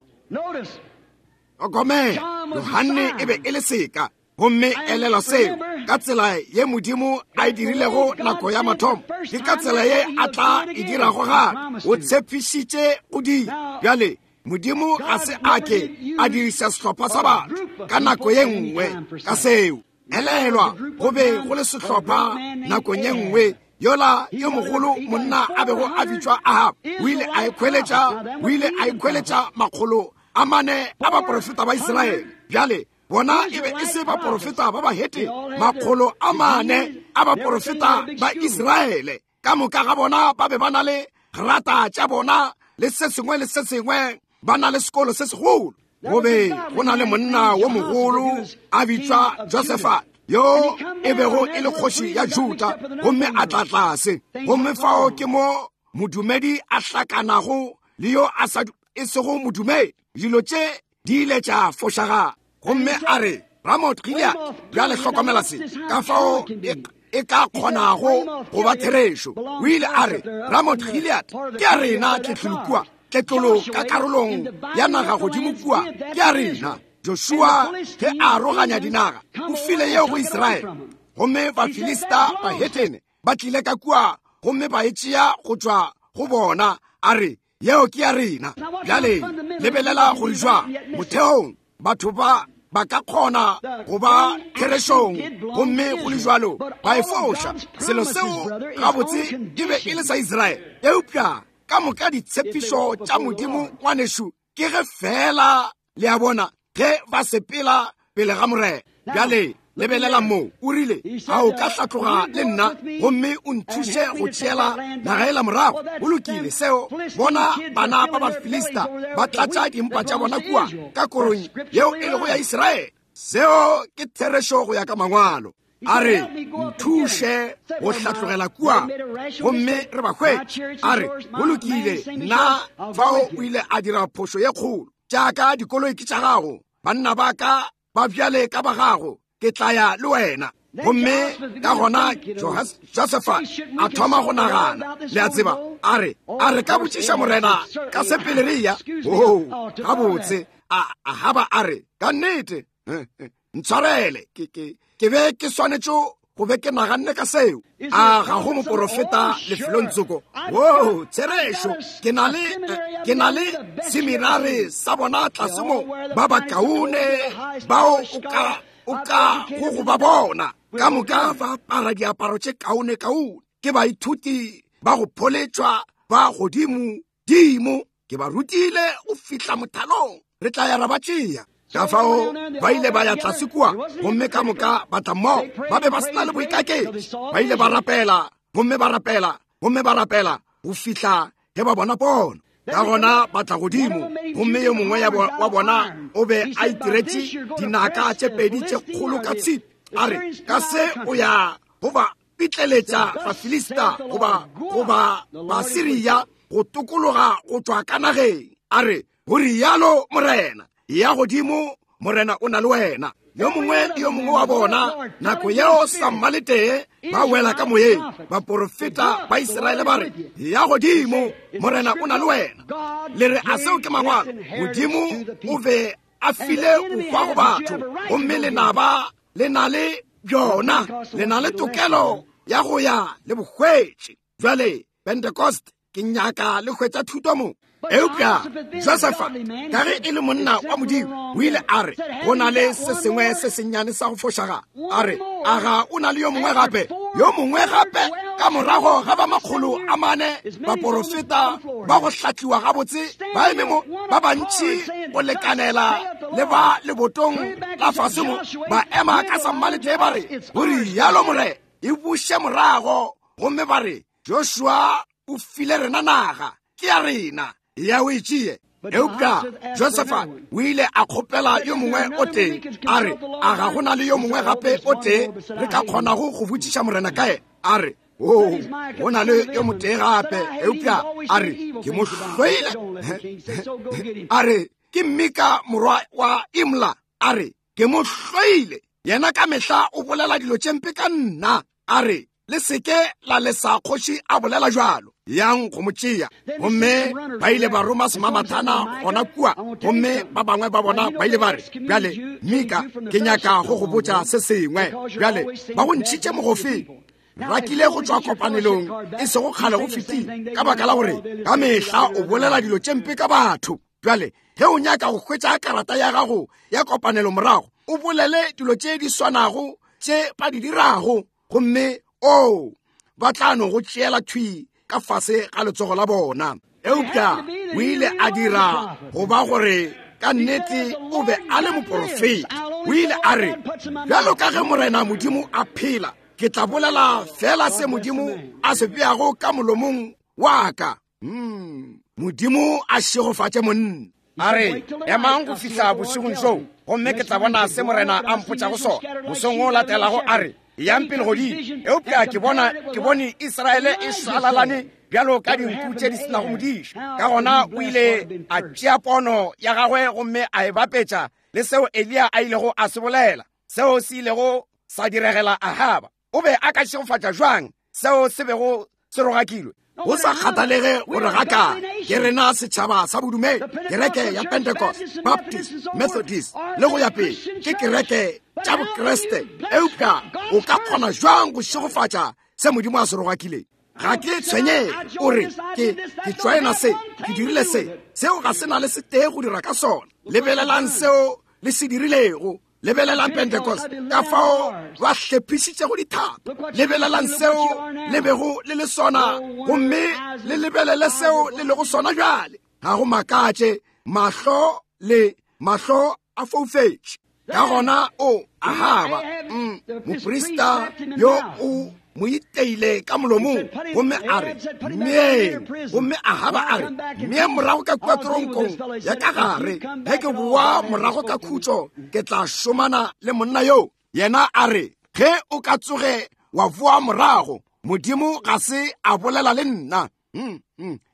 Hlokomela, Yohane e be e le seka. Gomme elelwa seo, ka tsela ye Modimo a e dirilego nako ya mathomo, ke ka tsela ye a tla e dirago gape. O tshepišitše go dira. Bjale Modimo ga se a ke a diriša sehlopha sa batho ka nako ye nngwe ka seo. Elelwa, go be go le sehlopha nakong ye nngwe. Yola yo mogolo monna a bego a bitšwa Ahab, o ile a ikhweletša, o ile a ikhweletša 400 a baprofeta ba Israele. Bjale bona e be e se baprofeta ba bahete, 400 a baprofeta ba Israele. Ka moka ga bona ba be ba na le grata tša bona le se sengwe le se sengwe, ba na le sekolo se segolo. Go be go na le monna wo mogolo a bitšwa Josephat, yo e bego e le kgoši ya Juda, gomme a tla tlase. Gomme fao ke mo modumedi a hlakanago le yo a sa e sego modumedi. Dilo tše di ile tša fošagala. Gomme a re, Ramoth Gilead, bjale hlokomela se, ka fao e ka kgonago go ba therešo. O ile a re, Ramoth Gilead ke ya rena, tletlolo kua, tletlolo ka karolong ya naga godimo kua ke ya rena. Joshua ge a aroganya dinaga, o file yeo go Israele. Gomme Bafilista bahetene ba tlile ka kua gomme ba e tšea go tšwa go bona, a re, yeo ke ya rena. Bjale lebelela gore jwang motheong batho ba ba ka kgona go ba therešong, gomme go le jwalo ba e foša. Selo seo gabotse e be e le sa Israele, eupša ka moka ditshepišo tša Modimo, ngwanešu, ke ge fela le a bona ge ba sepela pele ga Morena. Bjale lebelela mo, o rile, a o ka hlatloga le nna gomme o nthuše go tšeela naga ela morago? Go lokile seo. Bona bana ba Bafilista ba tlatša dimpa tša bona kua ka korong yeo e lego ya Israele. Seo ke therešo go ya ka mangwalo. A re, nthuše go hlatlogela kua gomme re ba hwetše. A re, go lokile, nna fao o ile a dira phošo ye kgolo. Tša ka dikoloi ke tša gago, banna ba ka ba bjale ka ba gago, ke tla ya le wena. Gomme ka gona Josefa a thoma go nagana, le a tseba, a re, a re ka botšiša Morena ka se pele re ya? Oo, gabotse, a Ahaba a re, ka nnete, ntshwarele, ke be ke swanetše go be ke naganne ka seo. A ga go moporofeta lefelong tsoko? Oo, therešo, ke na le seminare sa bona tlase mo, ba bakaone bao o ka go ba bona. Ka moka ba apara diaparo tše kaone kaone, ke baithuti ba go pholetšwa ba godimo dimo. Ke ba rutile go fihla mothalong, re tla ya ra ba tšea. Ka fao ba ile ba ya tlase kua, gomme ka moka ba tla mmogo. Ba be ba se na le boikaketši. Ba ile ba rapela, gomme ba rapela, gomme ba rapela go fihla ge ba bona pono. Ka gona ba tla godimo, gomme yo mongwe wa bona o be a itiretše dinaka tše pedi tše kgolo ka tshipi. A re, ka se o ya go ba pitleletša Bafilista goba Basiria go tokologa go tšwa ka nageng. A re, go rialo Morena, ya godimo, Morena o na le wena. Yo mongwe le yo mongwe wa bona nako yeo sammaletee ba wela ka moyeng. Baporofeta ba Israele ba re, ya godimo, Morena o na le wena. Le re, a seo ke mangwalo? Modimo o be a file bohwa go batho, gomme lenaba le na le bjona, le na le tokelo ya go ya le bohwetše. Bjale Pentecost, ke nyaka le hwetša thuto mo. Eupša Josefa, ka ge e le monna wa Modimo, o ile a re go na le se sengwe se sennyane sa go fošaga. A re, a ga o na le yo mongwe gape? Yo mongwe gape ka morago ga ba 400 baporofeta ba go hlatliwa gabotse ba eme mo, ba bantši go lekanela le ba lebotong la fase mo, ba ema ka sammaletee ba re, go rialo Morena, e buše morago, gomme ba re, Joshua o file rena naga, ke ya rena, ya o e tšee. Eupša Josefa o ile a kgopela yo mongwe o tee, a re, a ga go na le yo mongwe gape o tee re ka kgonago go botšiša Morena ka yena? A re, o go na le yo motee gape, eupša a re, ke mo hloile. A re, ke Mika morwa wa Imla. A re, ke mo hloile, yena ka mehla o bolela dilo tše mpe ka nna. A re, le seke la lesa kgoši a bolela jalo, yang go mo tšea. Gomme ba ile ba roma semamathana gona kua, gomme ba bangwe ba bona ba ile ba re, bjale Mika, ke nyaka go go botša se sengwe. Bjale ba go ntšhitše mogofeng, rakile go tšwa kopanelong e sego kgale go fetile, ka baka la gore ka mehla o bolela dilo tše mpe ka batho. Bjale ge o nyaka go hwetša karata ya gago ya kopanelo morago, o bolele dilo tše di swanago tše ba di dirago, gomme o ba tla no go tšeela thwi ka fase ga letsogo la bona. Eupša o ile a dira go ba gore ka nnete o be a le moporofeta. O ile a re, bjalo ka ge Morena Modimo a phela, ke tla bolela fela se Modimo a se beago ka molomong wa ka. Modimo a šegofatše monna. A re, emang go fihla bošegong bjoo, gomme ke tla bona se Morena a mpotšago sona. Mosong o latelago a re, yang pele godimo. Eupša ke bona, ke bone Israele e šwalalane bjalo ka dinku tše di senago modiša. Ka gona o ile a tšea pono ya gagwe gomme a e bapetša le seo Eliya a ilego a se bolela, seo se ilego sa diregela Ahaba. O be a ka šegofatša jwang seo se bego se rogakilwe? Go sa kgathalege gore ga ka ke rena setšhaba sa bodumedi, kereke ya Pentecost, Baptist, Methodist le go ya pele, ke kereke tša Bokriste, eupša o ka kgona jwang go šegofatša se Modimo a se rogakileng? Ga ke tshwenyege o re, ke tšwaena se, ke dirile se, seo ga se na le setee go dira ka sona. Lebelelang seo le se dirilego. Lebelelang Pentecost, ka fao ba hlephišitšego dithapo. Lebelelang seo le bego le le sona, gomme le lebelele seo le lego sona bjale. Ga go makatše, mahlo le mahlo a foufetše. Ka gona o Ahaba, moprista yo o mo iteile ka molomong, gomme a re mmeeng. Gomme Ahaba a re mmee morago ka kua toronkong ya ka gare, ge ke boa morago ka khutšo ke tla šomana le monna yo. Yena a re, ge o ka tsoge wa boa morago, Modimo ga se a bolela le nna.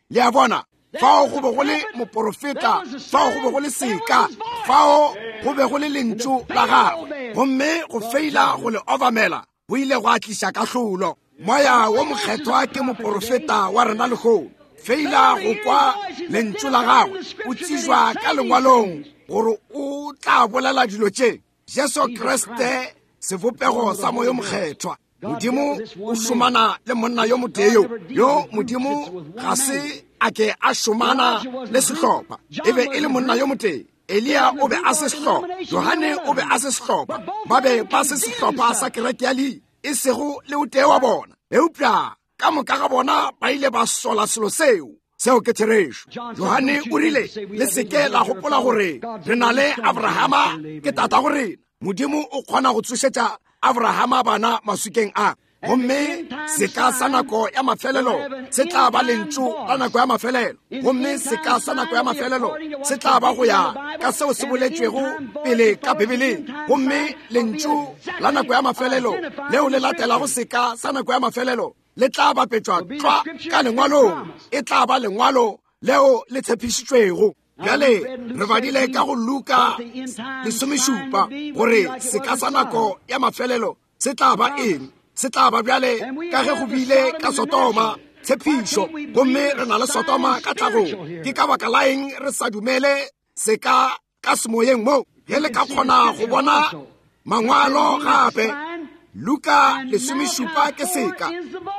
Le a bona, fao go be go le moporofeta, fao go be go le seka, fao go be go le lentšu la gagwe, gomme go feila go le obamela go ile go tliša kahlolo. Moya wo Mokgethwa ke moporofeta wa rena lehono. Feila go kwa lentšu la gagwe, o tsejwa ka lengwalong gore o tla bolela dilo tše. Jesu Kriste, sebopego sa Moya Mokgethwa. Modimo o šomana le monna yo motee yo, yo Modimo ga se a ke a šomana le sehlopha. E be e le monna yo motee. Eliya o be a se sehlopha, Johane o be a se sehlopha, ba be ba se sehlopha sa kereke ya leina, e sego le o tee wa bona. Eupša ka moka ga bona ba ile ba sola selo seo. Seo ke therešo. Johane o rile, le seke la gopola gore re na le Abrahama ke tatago rena. Modimo o kgona go tsošetša Abrahama bana maswikeng a. Gomme seka sa nako ya mafelelo se tla ba lentšu la nako ya mafelelo. Gomme seka sa nako ya mafelelo se tla ba go ya ka seo se boletšwego pele ka Bibeleng. Gomme lentšu la nako ya mafelelo leo le latelago seka sa nako ya mafelelo le tla bapetšwa tlwa ka lengwalong. E tla ba lengwalo leo le tshepišitšwego. Bjale re badile ka go Luka 17 gore seka sa nako ya mafelelo se tla ba eng. Se tla ba bjale ka ge go bile ka Sodoma, tshepišo, gomme re na le Sodoma ka tlhagong. Ke ka baka la eng re sa dumele seka ka semoyeng mo? Ge le ka kgona go bona mangwalo gape, Luka 17 ke seka,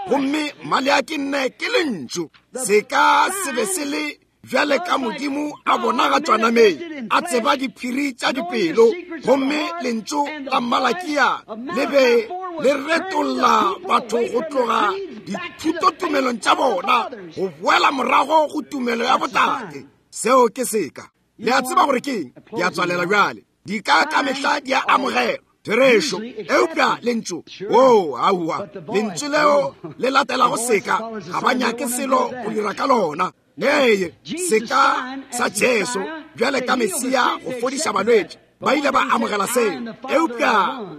gomme Maleaki 4 ke lentšu. Seka se be se le Bjale ka Modimo a bonagatšwa nameng, a tseba diphiri tša dipelo, gomme lentšu la Malakia le be le retolla batho go tloga dithutotumelong tša bona go boela morago go tumelo ya botate. Seo ke seka. Le a tseba gore ke eng? Ke a tswalela bjale. Dika ka mehla di a amogelwa. Therešo. Eupša lentšu, oo, aowa, lentšu leo le latelago seka, ga ba nyake selo go dira ka lona. Ee, seka sa Jesu bjale ka Mesia go fodiša balwetši, ba ile ba amogela seo. Eupša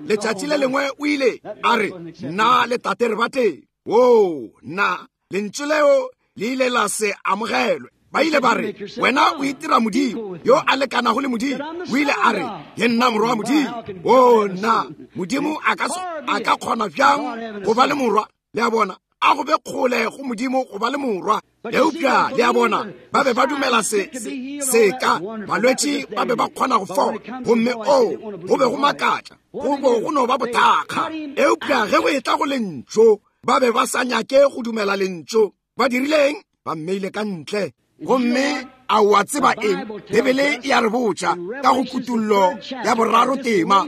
letšatši le lengwe o ile a re, Nna le Tate re batee. Oo, nna, lentšu leo le ile la se amogelwe. Ba ile ba re, Wena o itira Modimo yo a lekanago le Modimo. O ile a re, Ke nna Morwa wa Modimo. Oo, nna, Modimo a ka kgona bjang go ba le morwa? Le a bona, a go be kgole go Modimo go ba le morwa. Eupša le a bona, ba be ba dumela seka, balwetši ba be ba kgona go fola, gomme oo, go be go makatša, go bo go no ba bothakga. Eupša ge go etla go lentšu, ba be ba sa nyake go dumela lentšu. Ba dirile eng? Ba mmeile ka ntle. Gomme a o a tseba eng? Bibele e a re botša ka go Kutullo ya boraro tema,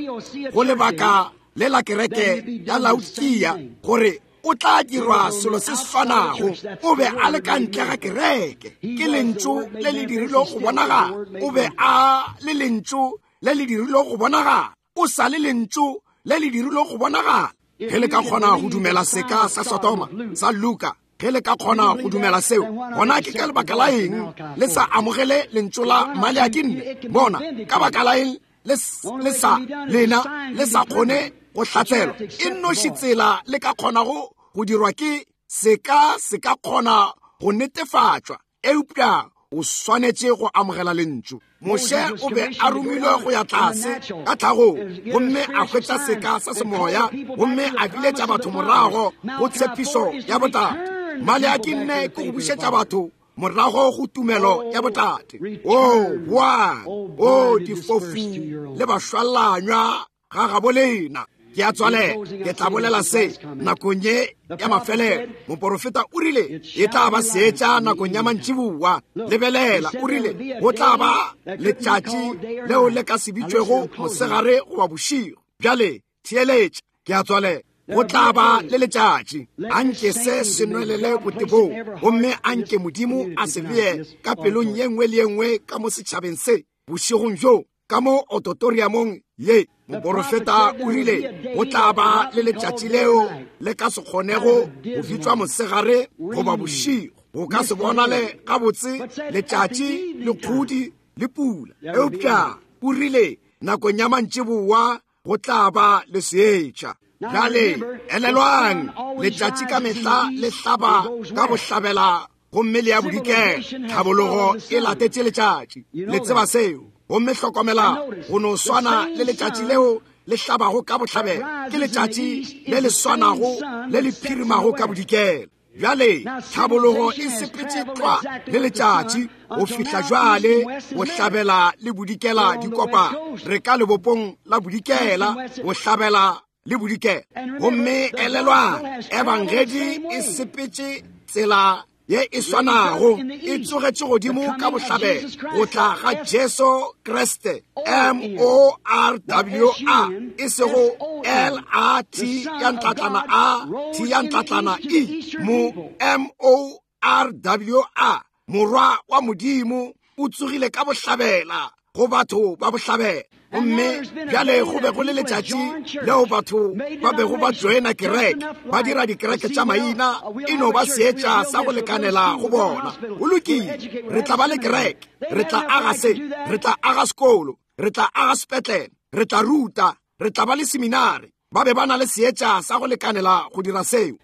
go lebaka le la kereke ya Laodikia, gore o tla dirwa selo se swanago. O be a le ka ntle ga kereke. Ke lentšu le le dirilego go bonagala. O be a le lentšu le le dirilego go bonagala. O sa le lentšu le le dirilego go bonagala. Ge le ka kgona go dumela seka sa Sodoma sa Luka, ge le ka kgona go dumela seo, gona ke ka lebaka la eng le sa amogele lentšu la Maleaki nne? Bona, ka baka la eng le sa lena le sa kgone go hlatselwa? E nnoši tsela le ka kgonago go dirwa ke seka se ka kgona go netefatšwa, eupša o swanetše go amogela lentšu. Moshe o be a romilwe go ya tlase ka tlhagong, gomme a hwetša seka sa semoya, gomme a biletša batho morago go tshepišo ya botate. Maleaki nne ke go bušetša batho morago go tumelo ya botate. Oo, boang, oo, difofu le bašwalanywa ga gabo lena. Ke a tswalela, ke tla bolela se nakong ye ya mafelelo. Moporofeta o rile e tla ba seetša nakong ya mantšiboa. Lebelela, o rile go tla ba letšatši leo le ka se bitšwego mosegare goba bošego. Bjale theeletša, ke a tswalela. Go tla ba le letšatši. Anke se se nwelele botebong, gomme anke Modimo a se bee ka pelong ye nngwe le ye nngwe ka mo setšhabeng se bošegong bjo, ka mo ototoriamong ye. Moporofeta o rile go tla ba le letšatši leo le ka se kgonego go bitšwa mosegare goba bošego. Go ka se bonale gabotse letšatši le kgodi le pula, eupša o rile nakong ya mantšiboa go tla ba le seetša. Bjale elelwang, letšatši ka mehla le hlaba ka bohlabela gomme le ya bodikela. Tlhabologo e latetše letšatši, le tseba seo. Gomme hlokomela, go no swana le letšatši leo le hlabago ka bohlabela ke letšatši le le swanago le le phirimago ka bodikela. Bjale tlhabologo e sepetše tlwa le letšatši go fihla jwale bohlabela le bodikela di kopana. Re ka lebopong la bodikela, bohlabela le bodikela. Gomme elelwang, Ebangedi e sepetše tsela ye e swanago, e tsogetše godimo ka bohlabela go tla ga Jesu Kriste, M O R W A, e sego L A T ya ntlatlana A T ya ntlatlana E, mo M O R W A, Morwa wa Modimo o tsogile ka bohlabela go batho ba bohlabela. Gomme bjale go be go le letšatši leo batho ba bego ba joina kereke, ba dira dikereke tša maina, e no ba seetša sa go lekanela go bona. Go lokile, re tla ba le kereke, re tla aga se, re tla aga sekolo, re tla aga sepetlele, re tla ruta, re tla ba le seminari. Ba be ba na le seetša sa go lekanela go dira seo.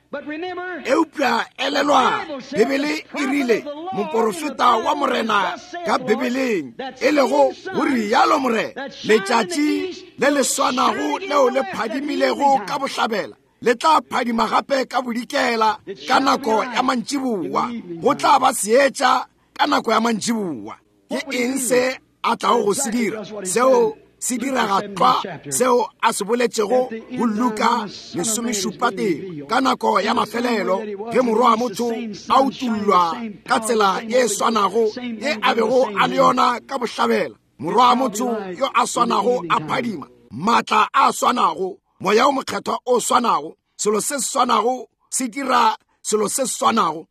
Eupša elelwang, Bibele e rile moporofeta wa Morena ka Bibeleng, e lego go rialo Morena, letšatši le le swanago leo le phadimilego ka bohlabela le tla phadima gape ka bodikela ka nako ya mantšiboa. Go tla ba seetša ka nako ya mantšiboa. Ke eng se a tlago go se dira? Seo se direga tlwa seo a se boletšego go Luka 17 ka nako ya mafelelo ge Morwa wa motho a utullwa ka tsela ye swanago ye a bego a le yona ka bohlabela. Morwa wa motho yo a swanago a phadima, maatla a swanago, Moya o Mokgethwa o swanago, selo se swanago se dira selo se swanago.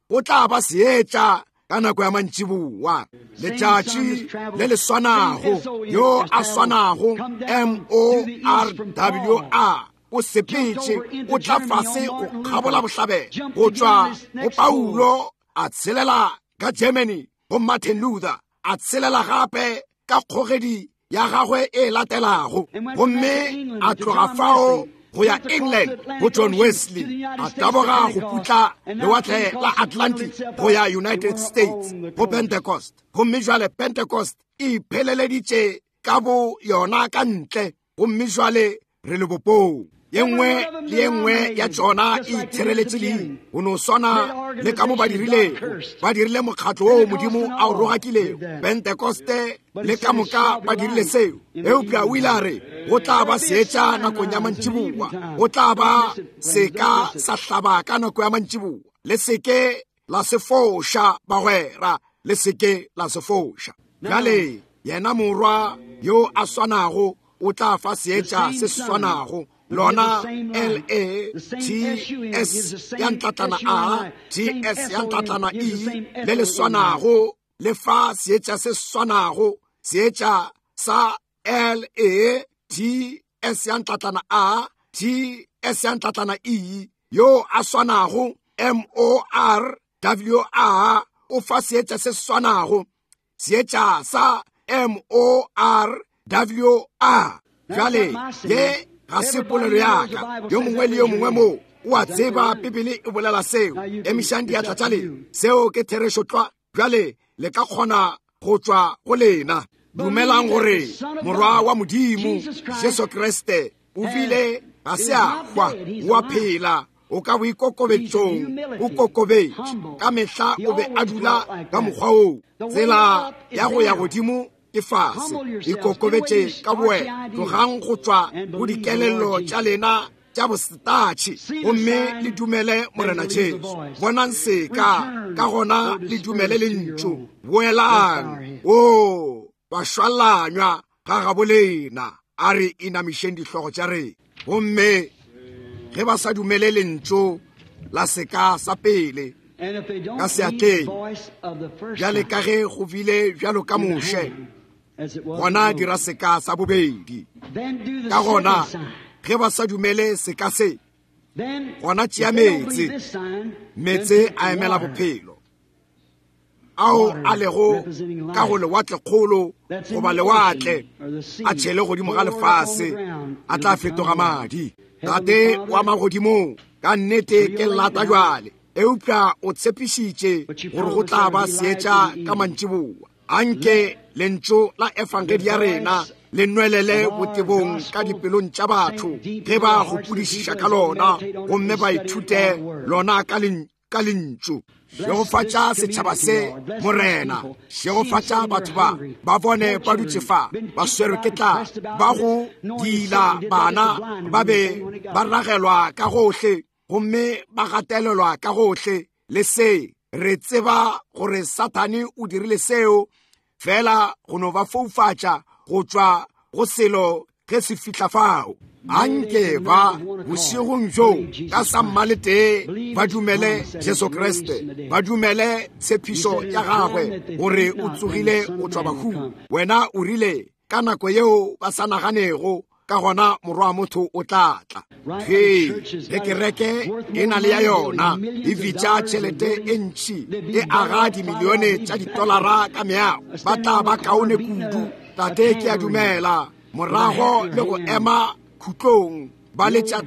Go tla ba seetša ka nako ya mantšiboa, letšatši le le swanago, yo a swanago M-O-R-W-A o sepetše, o tla fase go kgabola bohlabela, go tšwa go Paulo a tshelela ka Germany go Martin Luther, a tshelela gape ka kgogedi ya gagwe e latelago, gomme a tloga fao go ya England go John Wesley, a taboga go putla lewatle la Atlantic go ya United States go Pentecost, gomme jwale Pentecost e ipheleleditše ka bo yona ka ntle, gomme jwale re lebopong. Ye nngwe le ye nngwe ya tšona e itshireletše leina, go no swana le ka mo ba dirilego. Ba dirile mokgatlo woo Modimo a o rogakilego, Pentekoste le ka moka ba dirile seo. Eupša o ile a re go tla ba seetša nakong ya mantšiboa, go tla ba seka sa hlaba ka nako ya mantšiboa. Le seke la se foša, bagwera, le seke la se foša. Bjale yena Morwa yo a swanago o tla fa seetša se swanago, lona L A T S ya ntlatlana A T S ya ntlatlana E le le swanago le fa seetša se swanago, seetša sa L A T S ya ntlatlana A T S ya ntlatlana E, yo a swanago M O R W A o fa seetša se swanago, seetša sa M O R W A. Bjale ye ga se polelo ya ka, yo mongwe le yo mongwe mo o a tseba Bibele e bolela seo. Emišang diatla tša lena, seo ke therešo tlwa. Bjale le ka kgona go tšwa go lena. Dumelang gore Morwa wa Modimo Jesu Kriste o bile ga se a hwa, o a phela, o ka boikokobetšong, o kokobetše ka mehla, o be a dula ka mokgwa woo. Tsela ya go ya godimo ke fase, ikokobetše ka bowena, tlogang go tšwa go dikelello tša lena tša bosetatšhe gomme le dumele Morena Jesu. Bonang seka, ka gona le dumele lentšu. Boelang, o bašwalanywa ga gabo lena, a re inamišeng dihlogo tša rena. Gomme ge ba sa dumele lentšu la seka sa pele ka seatleng, bjale ka ge go bile bjalo ka Moshe, gona dira seka sa bobedi. Ka gona ge ba sa dumele seka se, gona tšea meetse. Meetse a emela bophelo ao a lego ka go lewatlekgolo goba lewatle, a tšhele godimo ga lefase, a tla fetoga madi. Tate wa magodimong, ka nnete ke lata jwale, eupša o tshepišitše gore go tla ba seetša ka mantšiboa. Anke lentšu la efangedi ya rena le nwelele botebong ka dipelong tša batho ge ba gopodišiša ka lona, gomme ba ithute lona ka lentšu. Šegofatša setšhaba se, Morena. Šegofatša batho ba, ba bone ba dutše fa, ba swerwe ke tlala, ba go diila bana, ba be ba ragelwa ka gohle, gomme ba gatelelwa ka gohle le se. Re tseba gore Sathane o dirile seo fela go no ba foufatša go tšwa go selo ge se fihla fao. Anke ba bošegong bjo ka sammaletee ba dumele Jesu Kriste, ba dumele tshepišo ya gagwe gore o tsogile go tšwa bahung. Wena o rile ka nako yeo ba sa naganego, ka gona Morwa wa motho o tla tla. Ge ge kereke e na le ya yona, e bitša tšhelete e ntši, e aga dimilione tša ditolara ka meago, ba tla ba kaone kudu. Tate, ke a dumela morago le go ema khutlong ba letša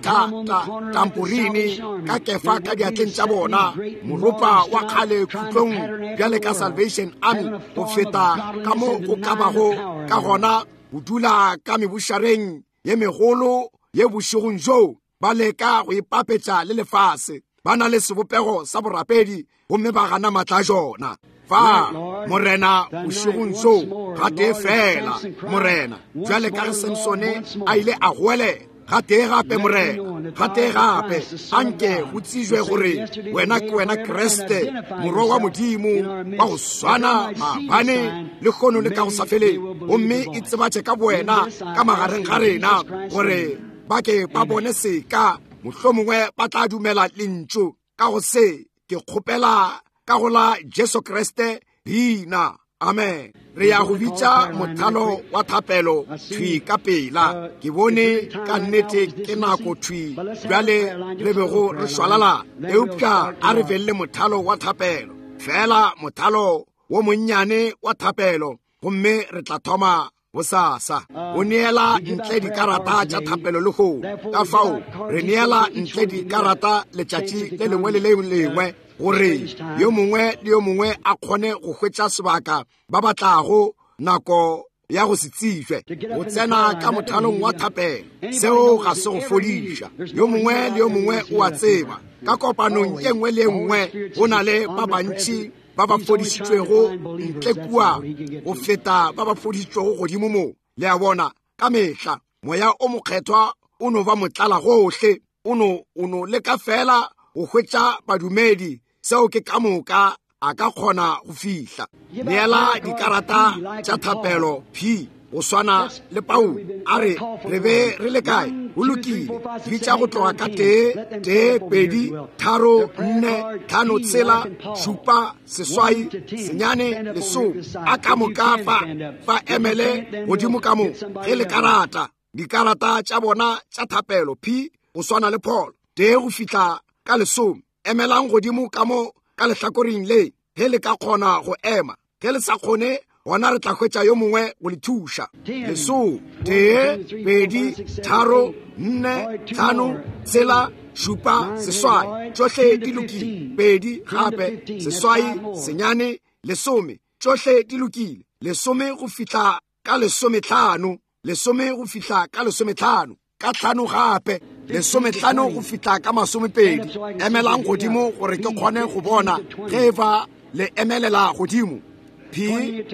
tamporini ka kefa ka diatleng tša bona, moropa wa kgale khutlong bjale ka Salvation Army, go feta ka mo go ka bago ka gona go dula ka mebušareng ye megolo ye bošegong bjo, ba leka go ipapetša le lefase, ba na le sebopego sa borapedi gomme ba gana matla a jona. Fa, Morena, bošegong bjo, gatee feela, Morena, bjale ka ge Samsone a ile a goelela, gatee gape, Morena, gatee gape, anke go tsejwe gore wena ke wena Kriste, Morwa wa Modimo, wa go swana maabane, lehono le ka go sa feleng, gomme e tsebatše ka bowena ka magareng ga rena, gore ba ke ba bone seka, mohlomongwe ba tla dumela lentšu. Ka go se, ke kgopela ka go la Jesu Kriste leina. Amen. Re ya go bitša mothalo wa thapelo thwi ka pela. Ke bone ka nnete ke nako thwi bjale re bego re šwalala, eupša a re beng le mothalo wa thapelo, feela mothalo wo monnyane wa thapelo, gomme re tla thoma bosasa o neela ntle dikarata tša thapelo le go ka fao re neela ntle dikarata letšatši le lengwe le le lengwe gore yo mongwe le yo mongwe a kgone go hwetša sebaka ba batlago nako ya go se tsejwe go tsena ka mothalong wa thapelo. Seo ga se go fodiša. Yo mongwe le yo mongwe o a tseba ka kopanong e nngwe le e nngwe go na le ba bantši ba ba fodišitšwego ntle kua go feta ba ba fodišitšwego godimo mo. Le a bona, ka mehla Moya o Mokgethwa o no ba motlala gohle, o no leka fela go hwetša badumedi. Seo ke ka moka a ka kgona go fihla. Neela dikarata tša thapelo P go swana le Paulo. A re re be re le kae? Go lokile, bitša go tloga ka 1, 2, 3, 4, 5, 6, 7, 8, 9, 10. A ka moka fa emele godimo ka mo ge le karata dikarata tša bona tša thapelo P go swana le Paul, 1 go fihla ka 10. Emelang godimo ka mo ka lehlakoreng le ge le ka kgona go ema. Ge le sa kgone, gona re tla hwetša yo mongwe go le thuša. 10, 1, 2, 3, 4, 5, 6, 7, 8, tšohle di lokile. 2 gape, 8, 9, 10, tšohle di lokile. 10 go fihla ka 15, 10 go fihla ka 15, ka 5 gape, 15 go fihla ka 20. Emelang godimo gore ke kgone go bona ge e ba le emelela godimo. P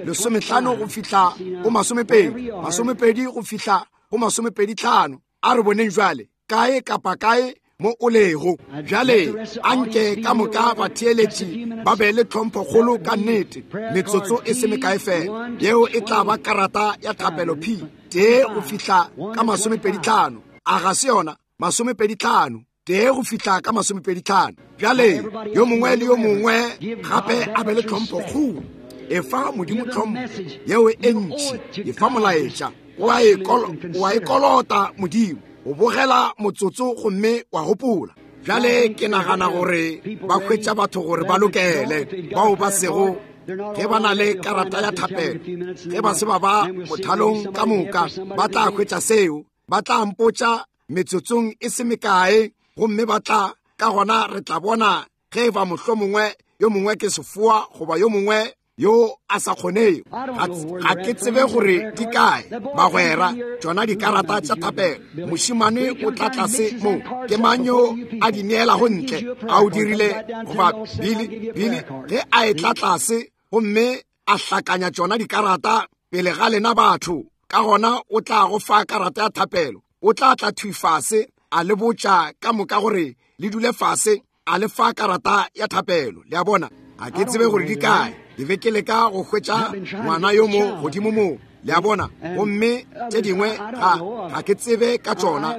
15 go fihla go 20, 20 go fihla go 25. A re boneng jwale kae kapa kae mo o lego bjale. Anke ka moka batheeletši ba be le tlhomphokgolo ka nnete. Metsotso e se mekae fela, yeo e tla ba karata ya thapelo P 1 go fihla ka 25. A ga se yona? 25, 1 go fihla ka 25. Bjale yo mongwe le yo mongwe gape a be le tlhomphokgolo. Efa Modimo tlhompho yeo e ntši, efa molaetša. O a e kolota Modimo o bogela motsotso gomme wa gopola. Bjale ke nagana gore ba hwetša batho gore ba lokele, bao ba sego ge ba na le karata ya thapelo, ge ba se ba ba mothalong ka moka, ba tla hwetša seo. Ba tla mpotša metsotsong e se mekae, gomme ba tla ka gona re tla bona ge e ba mohlomongwe yo mongwe ke sefoa goba yo mongwe yo a sa kgonego. Ga ke tsebe gore di kae, bagwera, tšona dikarata tša thapelo. Mošemane o tla tlase mo, ke mang yo a di neelago ntle? A o dirile goba Billy? Billy ge a etla tlase gomme a hlakanya tšona dikarata pele ga lena batho, ka gona o tla go fa karata ya thapelo. O tla tla thwi fase a le botša ka moka gore le dule fase, a le fa karata ya thapelo. Le a bona, ga ke tsebe gore di kae. Ke be ke leka go hwetša ngwana yo mo godimo mo, le a bona, gomme tše dingwe ga ke tsebe ka tšona.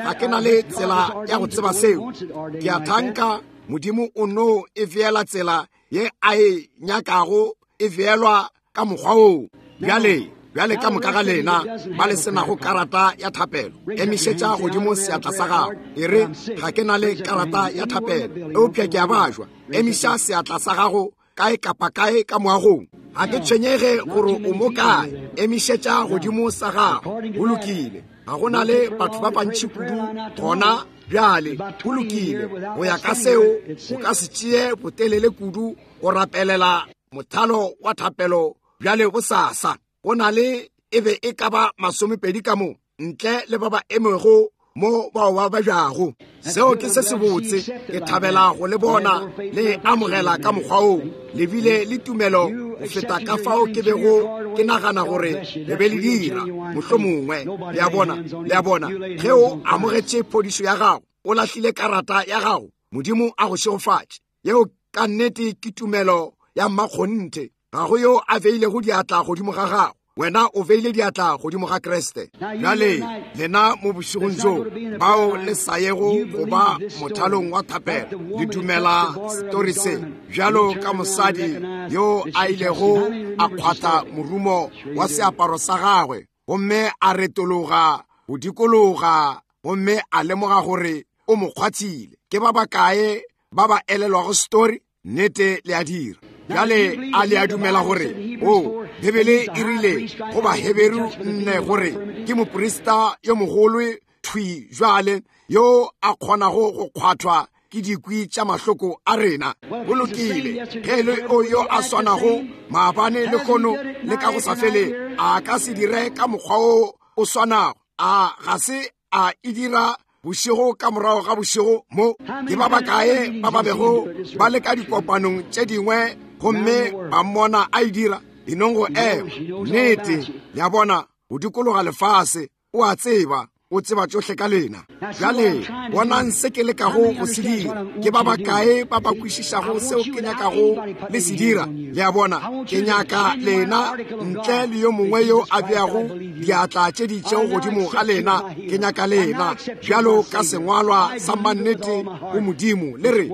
Ga ke na le tsela ya go tseba seo. Ke a thanka Modimo o no e feela tsela ye a e nyakago e feelwa ka mokgwa woo. Bjale, bjale ka moka ga lena ba le senago karata ya thapelo, emišetša godimo seatla sa gago. E re, ga ke na le karata ya thapelo, eupša ke a bajwa. Emiša seatla sa gago kae kapa kae ka moagong. Ga ke tshwenyege gore o mo kae, emišetša godimo sa gago. Go lokile. Ga go na le batho ba bantši kudu gona bjale. Go lokile. Go ya ka seo, o ka se tšee botelele kudu go rapelela mothalo wa thapelo bjale bosasa. Go na le e be e ka ba 20 ka mo, ntle le ba ba emego mo bao ba babjago. Seo ke se sebotse. Ke thabela go le bona le e amogela ka mokgwa woo. Le bile le tumelo go feta ka fao ke bego ke nagana gore le be le dira, mohlomongwe. Le a bona? Le a bona? Ge o amogetše phodišo ya gago, o lahlile karata ya gago, Modimo a go šegofatše. Yeo ka nnete ke tumelo ya mmakgonthe. Ga go yo a beilego diatla godimo ga gago, wena o beile diatla godimo ga Kriste. Bjale lena mo bošegong bjo bao le sa yego go ba mothalong wa thapelo, le dumela setori se bjalo ka mosadi yo a ilego a kgwatha morumo wa seaparo sa gagwe gomme a retologa go dikologa gomme a lemoga gore o mo kgwathile. Ke ba bakae ba ba elelwago setori? Nnete le a dira. Bjale a le a dumela gore o Bibele e rile go Baheberu 4 gore ke moprista yo mogolo thwi jwale yo a kgonago go kgwathwa ke dikwi tša mahloko a rena? Go lokile, ge e le o yo a swanago maabane lehono le ka go sa fele, a ka se dire ka mokgwa wo o swanago? A ga se a e dira bošego ka morago ga bošego mo? Ke ba bakae ba ba bego ba le ka dikopanong tše dingwe gomme ba mmona a e dira? E nong go ema. Nnete, le a bona, go dikologa lefase, o a tseba, o tseba tšohle ka lena. Bjale bonang se ke lekago go se dira. Ke ba bakae ba ba kwešišago seo ke nyakago le se dira? Le a bona, ke nyaka lena ntle le yo mongwe yo a beago diatla tše di itšego godimo ga lena. Ke nyaka lena bjalo ka sengwalwa sa mannete go Modimo, le re,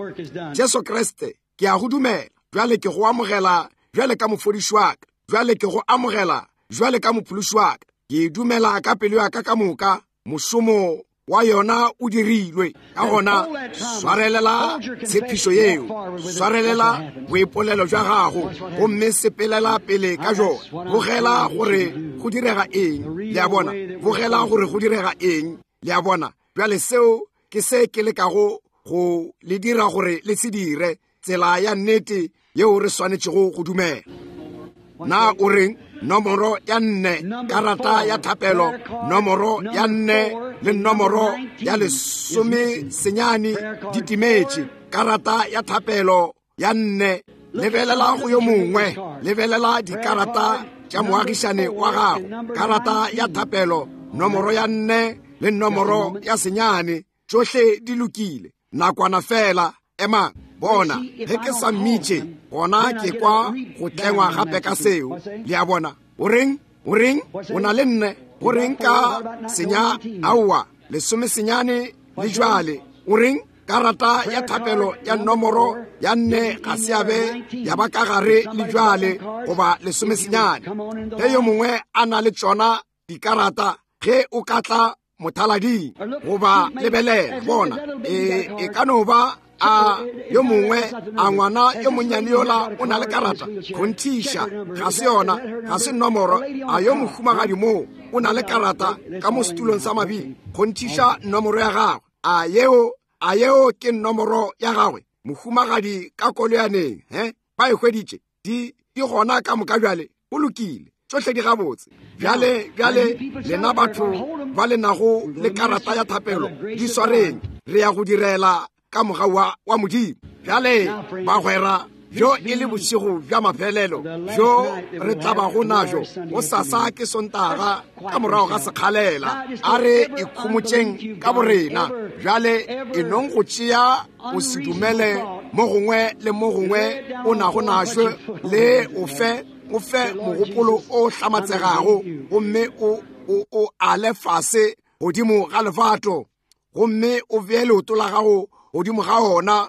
Jesu Kriste, ke a go dumela. Bjale ke go amogela bjale ka mofodiši wa ka. Bjale ke go amogela bjale ka mophološi wa ka. Ke e dumela ka pelo ya ka ka moka. Mošomo wa yona o dirilwe. Ka gona swarelela tshepišo yeo, swarelela boipolelo bja gago, gomme sepelela pele ka jona. Bogela gore go direga eng. Le a bona? Bogela gore go direga eng. Le a bona? Bjale seo ke se ke lekago go le dira gore le se dire, tsela ya nnete yeo re swanetšego go dumela. Na o reng? Nomoro ya 4, karata ya thapelo, nomoro ya 4 le nomoro ya 19 di timetše. Karata ya thapelo ya 4, lebelela go yo mongwe, lebelela dikarata tša moagišane wa gago. Karata ya thapelo, nomoro ya 4 le nomoro ya 9, tšohle di lokile. Nakwana fela, ema, bona, ge ke sa mmitše, gona ke kwa go tlengwa gape ka seo. Le a bona? O reng? O reng? O na le 4. Go reng ka senya? Aowa, 19 le jwale. O reng? Karata ya thapelo ya nomoro ya 4 ga se ya be ya ba ka gare le jwale, goba 19. Ge yo mongwe a na le tšona dikarata, ge o ka tla mothalading goba lebelela, bona, e ka no ba a yo mongwe, a ngwana yo monnyane yola o na le karata, kgonthiša ga se yona, ga se nomoro. A yo mohumagadi moo o na le karata ka mo setulong sa mabili, kgonthiša nomoro ya gagwe. A yeo ke nomoro ya gagwe, mohumagadi ka koloyaneng? He, ba e hweditše. Di gona ka moka bjale. Go lokile, tšohle di gabotse. Bjale, bjale lena batho ba le nago le karata ya thapelo, di swareng. Re ya go direla ka mogau wa Modimo. Bjale bagwera, bjo e le bošego bja mafelelo bjo re tlabago najo. Go sasa ke Sontaga ka morago ga sekgalela. A re ikhomotšeng ka borena. Bjale e nong go tšea o se dumele mo gongwe le mo gongwe o nago našo, le o fe o fe mogopolo o hlamatsegago, gomme o ale fase godimo ga lefato, gomme o bee leoto la gago godimo ga ona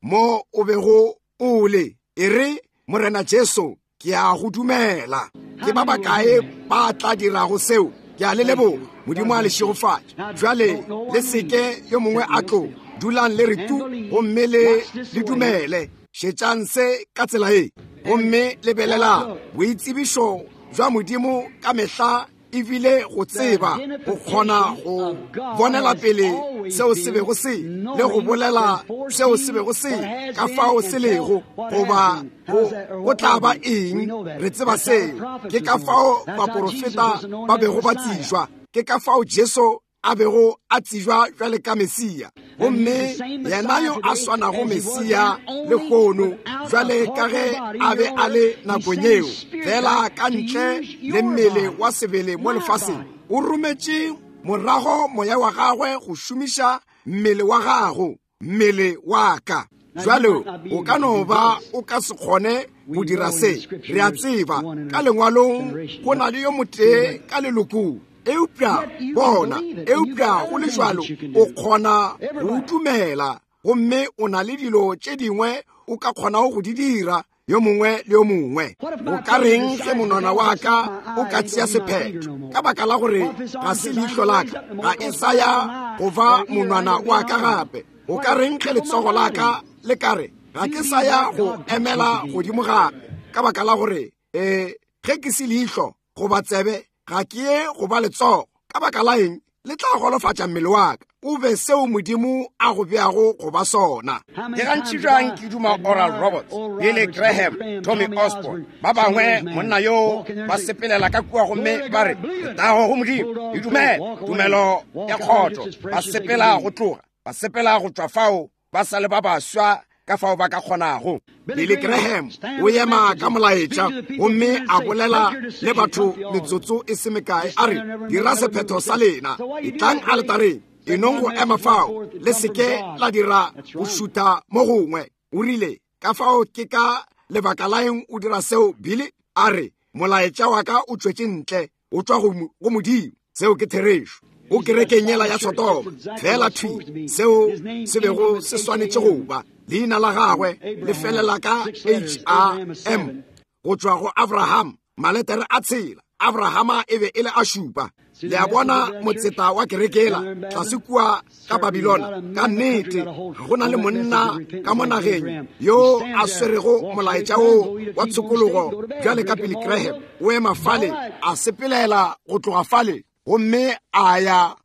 mo o bego o le. E re, Morena Jesu, ke a go dumela. Ke ba bakae ba tla dirago seo? Ke a le leboga. Modimo a le šegofatše. Bjale le seke yo mongwe a tlo. Dulang le re tu, gomme le dumele. Šetšang se ka tsela ye, gomme lebelelang boitsebišo bja Modimo ka mehla ebile go tseba, go kgona go bonela pele seo se bego se le, go bolela seo se bego se, ka fao se lego, goba go tla ba eng. Re tseba seo. Ke ka fao baporofeta ba bego ba tsejwa. Ke ka fao Jesu a bego a tsejwa bjale ka Mesia. Gomme yena yo a swanago Mesia lehono bjale ka ge a be a le nakong yeo, fela ka ntle le mmele wa sebele mo lefaseng, o rometše morago moya wa gagwe go šomiša mmele wa gago, mmele wa ka. Jwale o ka no ba o ka se kgone go dira se. Re a tseba ka lengwalong go na le yo motee ka lelokong, eupša bona, eupša go le jwalo o kgona go dumela, gomme o na le dilo tše dingwe o ka kgonago go di dira yo mongwe le yo mongwe. O ka reng ge monwana wa ka o ka tšea sephetho ka baka la gore ga se leihlo la ka, ga e sa ya go ba monwana wa ka gape? O ka reng ge letsogo la ka le ka re ga ke sa ya go emela godimo gape ka baka la gore ge ke se leihlo goba tsebe ga ke ye go ba letsogo? Ka baka la eng le tla golofatša mmele wa ka? O be seo Modimo a go beago go ba sona. Ke gantši bjang ke duma Oral Roberts, Billy Graham, Tommy Osborne, ba bangwe monna yo ba sepelela ka kua gomme ba re letago go Modimo, e dumela tumelo ya kgotso, ba sepela go tloga, ba sepela go tšwa fao, ba sa le ba baswa ka fao ba ka kgonago. Billy Graham o ema ka molaetša gomme a bolela le batho metsotso e se mekae, a re dira sephetho sa lena, etlang aletareng, e nong go ema fao, le seke la dira go šutha mo gongwe. O rile, ka fao ke ka lebaka la eng o dira seo, Billy? A re, molaetša wa ka o tšwetše ntle, o tšwa go Modimo. Seo ke therešo. O kerekeng yela ya Sodoma, fela thwi seo se bego se swanetše go ba. Leina la gagwe le felela ka H-A-M, go tšwa go Abraham, maletere a tshela. Abrahama e be e le a šupa. Le a bona motseta wa kerekela tlase kua ka Babilona. Ka nnete go na le monna ka mo nageng yo a swerego molaetša wo wa tshokologo bjale ka Billy Graham. O ema fale, a sepelela go tloga fale, gomme a ya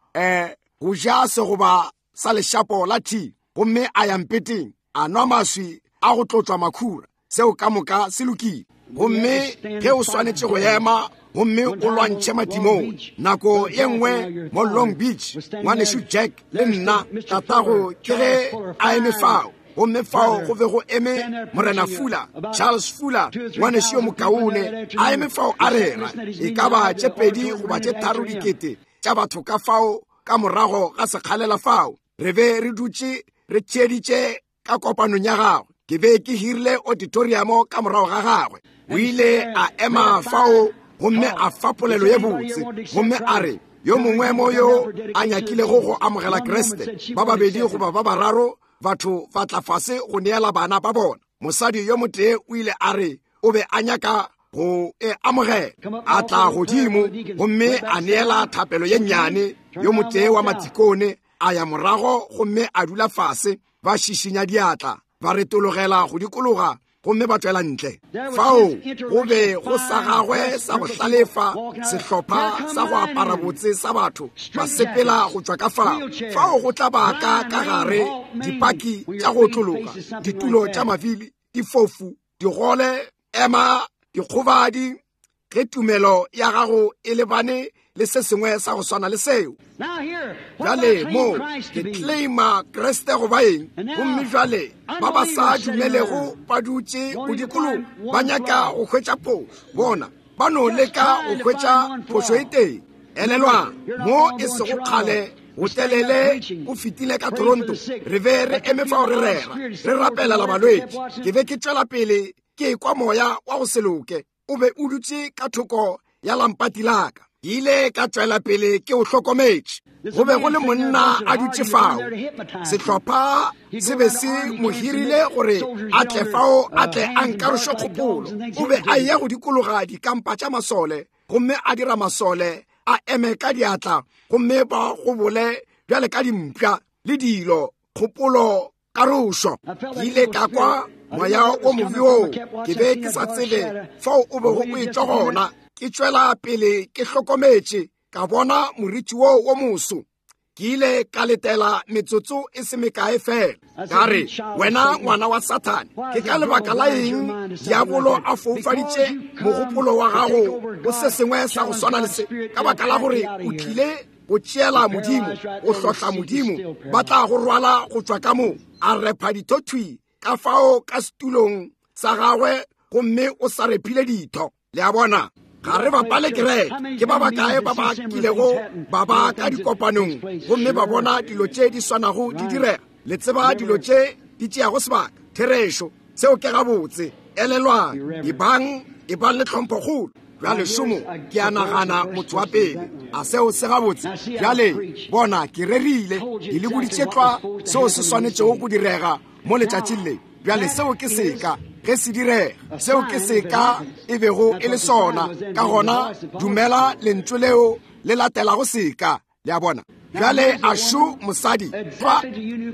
go ja segoba sa lešapo la thi, gomme a ya mpeteng, a nwa maswi a go tlotšwa makhura. Seo ka moka se lokile. Gomme ge o swanetše go ema gomme o lwantšhe matimong, nako ye nngwe mo Long Beach, ngwanešu Jack le nna, tatago ke ge a eme fao, gomme fao go be go eme Morena Fuller, Charles Fuller, ngwanešu yo mokaone, a eme fao a rera, e ka ba tše 2 goba tše 3 dikete tša batho ka fao ka morago ga sekgalela fao. Re be re dutše re theeditše ka kopanong ya gagwe. Ke be ke hirile auditorium ka morago ga gagwe. O ile a ema fao gomme a fa polelo ye botse, gomme a re yo mongwe mo yo a nyakilego go amogela Kriste, ba babedi goba ba bararo batho ba tla fase go neela bana ba bona. Mosadi yo motee o ile a re o be a nyaka go e amogela, a tla godimo gomme a neela thapelo ye nnyane. Yo motee wa matikone a ya morago gomme a dula fase, ba šišinya diatla, ba retologela go dikologa gomme ba tšwela ntle. Fao go be go sa gagwe sa go hlalefa, sehlopha sa go apara botse sa batho ba sepela go tšwa ka fao. Fao go tla ba ka ka gare dipaki tša go otlologa, ditulo tša mavili, difofu, digole, ema, dikgobadi. Ge tumelo ya gago e lebane le se sengwe sa go swana le seo. Bjale mo ke claima Kriste go ba eng? Gomme bjale ba ba sa dumelego ba dutše go dikologa, ba nyaka go hwetša phošo. Bona ba no leka go hwetša phošo e tee. Elelwang, mo e sego kgale go telele o fetile ka Toronto, re be re eme fao re rera, re rapelela balwetši. Ke be ke tšwela pele ke ekwa moya wa go se loke o be o dutše ka thoko ya lampati la ka. Ke ile ka tšwela pele ke o hlokometše. Go be go le monna a dutše fao. Sehlopha se be se mo hirile gore a tle fao, a tle a nkaroše kgopolo. O be a eya go dikologa dikampa tša masole gomme a dira masole a eme ka diatla gomme ba gobole bjale ka dimpša le dilo, kgopolo karošo. Ke ile ka kwa moya o mobe woo, ke be ke sa tsebe fao o bego o etšwa gona. Ke tšwela pele ke hlokometše, ka bona moriti woo wo moso. Ke ile ka letela metsotso e se mekae fela. Ka re, wena ngwana wa Sathane, ke ka lebaka la eng diabolo a foufaditše mogopolo wa gago go se sengwe sa go swana le se? Ka baka la gore o tlile Go tšeela Modimo, go hlohla Modimo, ba tla go rwala go tšwa ka mo. A repha ditho thwi ka fao ka setulong sa gagwe, gomme o sa rephile ditho. Le a bona? Ga re bapale kereke. Ke ba bakae ba ba kilego ba ba ka dikopanong gomme ba bona dilo tše di swanago di direga? Le tseba dilo tše di tšeago sebaka. Therešo. Seo ke gabotse. Elelwang, ebang, ebang le tlhomphokgolo. Bjale šomo, ke a nagana motho wa pele. A seo se gabotse? Bjale, bona, ke rerile, ke le boditše tlwa seo se swanetšego go direga mo letšatšing le. Bjale seo ke seka ge se direga, seo ke seka e bego e le sona. Ka gona dumela lentšu leo le latelago seka. Le a bona? Bjale a šo mosadi fa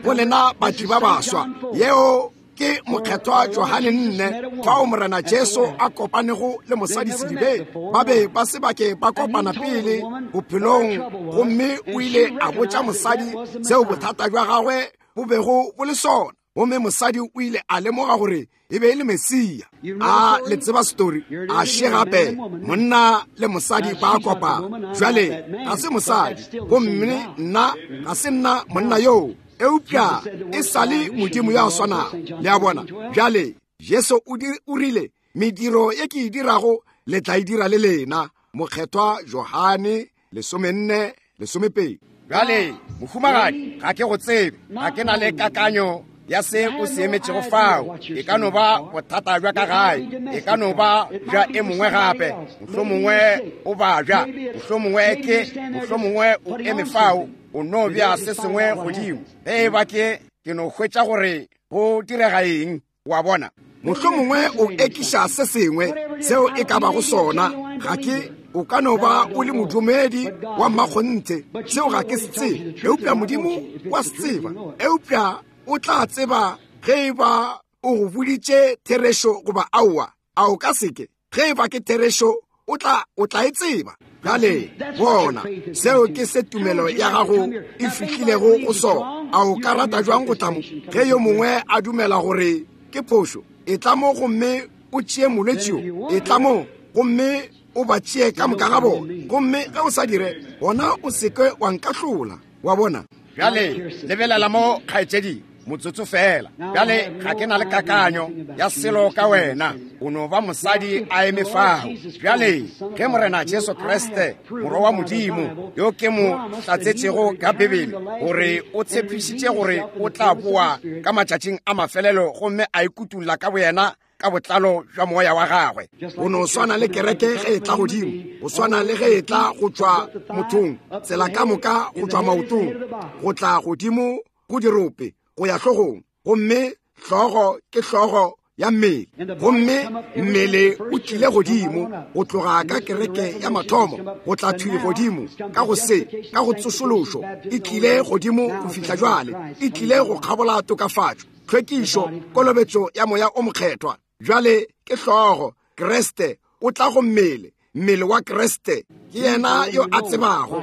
go lena batli ba baswa. Yeo ke Mokgethwa Johane 4, fao Morena Jesu a kopanego le mosadi sedibeng. Ba be ba se bake ba kopana pele bophelong, gomme o ile a botša mosadi seo bothata bja gagwe bo bego bo le sona. Gomme mosadi o ile a lemoga gore e be e le Mesia. A le tseba story? A še gape monna le mosadi ba kopana. Jwale ga se mosadi, gomme nna ga se nna monna yoo, eupša e sa le Modimo yo a swanago. Le a bona? Bjale Jesu o rile, mediro ye ke e dirago le tla e dira le lena. Mokgethwa Johane 14:12. Bjale, mohumagadi, ga ke go tsebe, ga ke na le kakanyo ya se o se emetšego fao. E ka no ba bothata bja ka gae, e ka no ba bja e mongwe gape, mohlomongwe o babja, mohlomongwe ke, mohlomongwe o eme fao, o no bja se sengwe godimo. Ge e ba ke, ke no hwetša gore go direga eng. Wa bona? Mohlomongwe o ekiša se sengwe seo e ka bago sona. Ga ke, o ka no ba o le modumedi wa mmakgonthe, seo ga ke se tsebe, eupša Modimo wa se tseba. Eupša o tla tseba ge e ba o go boditše therešo goba aowa. A o ka se ke? Ge e ba ke therešo, o tla, o tla e tseba. Bjale, bona, seo ke se tumelo ya gago e fihlilego go sona. A o ka rata jwang go tla mo? Ge yo mongwe a dumela gore ke phošo, e tla mo gomme o tšee molwetši yo. E tla mo gomme o ba tšee ka moka ga bona. Gomme ge o sa dire, gona o se ke wa nkahlola. Wa bona? Bjale, lebelela mo, kgaetšedi, motsotso fela. Bjale, ga ke na le kakanyo ya selo ka wena. O no ba mosadi a eme fao. Bjale, ge Morena Jesu Kriste, Morwa wa Modimo, yo ke mo hlatsetšego ka Bibele, gore o tshepišitše gore o tla boa ka matšatšing a mafelelo gomme a ikutulla ka boyena ka botlalo bja moya wa gagwe. Go no swana le kereke ge e tla godimo, go swana le ge e tla go tšwa mothong, tsela ka moka go tšwa maotong, go tla godimo go dirope, go ya hlogong, gomme hlogo ke hlogo ya mmele. Gomme mmele o tlile godimo go tloga ka kereke ya mathomo, go tla thwi godimo ka go se, ka go tsošološo, e tlile godimo go fihla jwale, e tlile go kgabola tokafatšo, tlhwekišo, kolobetšo ya Moya o Mokgethwa. Bjale ke hlogo, Kriste o tla go mmele, mmele wa Kriste. Ke yena yo a tsebago.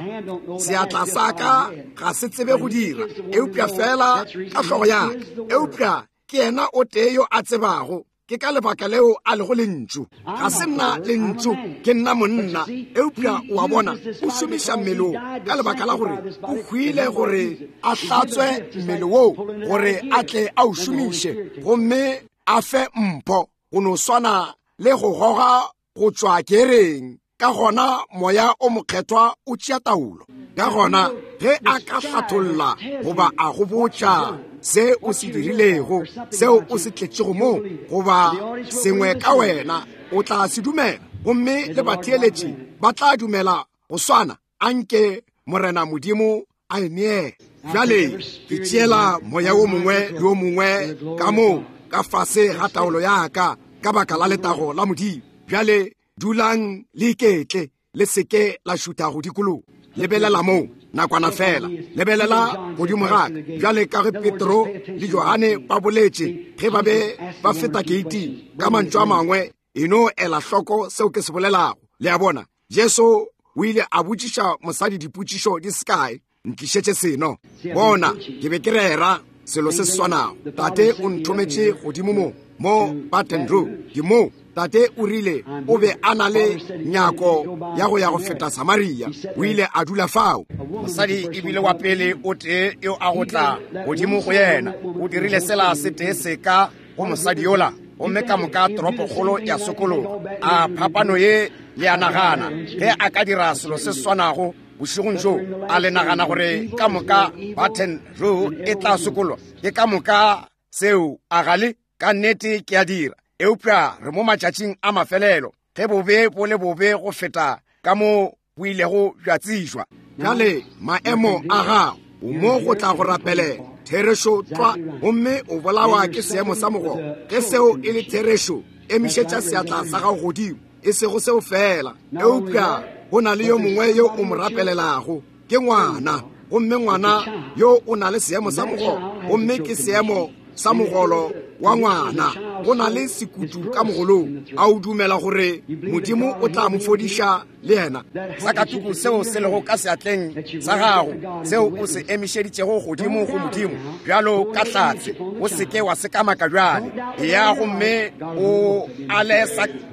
Seatla sa ka ga se tsebe go dira, eupša fela ka hlogo ya ka. Eupša ke yena o tee yo a tsebago. Ke ka lebaka leo a lego lentšu. Ga se nna lentšu, ke nna monna. Eupša o a bona, o šomiša mmele wo ka lebaka la gore o hwile gore a hlatswe mmele woo, gore a tle a o šomiše gomme a fe mpho, go no swana le go goga go tšwa kereng. Ka gona Moya o Mokgethwa o tšea taolo. Ka gona ge a ka hlatholla goba a go botša se o se dirilego, seo o se tletšego mo, goba sengwe ka wena, o tla se dumela, gomme le batheeletši ba tla dumela go swana. Anke Morena Modimo a e neele. Bjale ke tšeela moya wo mongwe le wo mongwe ka mo ka fase ga taolo ya ka, ka baka la letago la Modimo. Bjale dulang le iketle, le seke la šutha go dikologa. Lebelela mo nakwana fela, lebelela godimo ga ka. Bjale ka ge Petro le Johane ba boletše ge ba be ba feta keiting, ka mantšu a mangwe, e no ela hloko seo ke se bolelago. Le a bona, Jesu o ile a botšiša mosadi dipotšišo di se kae. Ntlišetše seno. Bona, ke be ke rera selo se se swanago. Tate o nthometše godimo mo, mo Baton Rouge. Ke mo. Tate o rile o be a na le nyako ya go ya go feta Samaria. O ile a dula fao. Mosadi e bile wa pele o tee yo a go tla godimo go yena. O dirile sela se tee seka go mosadi yola, gomme ka moka toropokgolo ya sokologa. A phapano ye le a nagana ge a ka dira selo se swanago bošegong bjo, a le nagana gore ka moka Baton Rouge e tla sokolwa? Ke ka moka seo, a ga le? Ka nnete ke a dira. Eupša re mo matšatšing a mafelelo, ge bobe bo le bobe go feta ka mo bo ilego bja tsejwa. Bjale maemo a gago, o mo go tla go rapelela therešo tlwa, gomme o bolawa ke seemo sa mogogo. Ge seo e le therešo, emišetša seatla sa gago godimo. E sego seo fela, eupša go na le yo mongwe yo o mo rapelelago, ke ngwana, gomme ngwana yo o na le seemo sa mogogo, gomme ke seemo sa mogolo wa ngwana. Go na le sekutu ka mogolong. A o dumela gore Modimo o tla mo fodiša le yena? Sakatuku seo se lego ka seatleng sa gago, seo o se emišeditšego godimo go Modimo bjalo ka hlatse, o se ke wa sekamaka bjale. Eya gomme o ale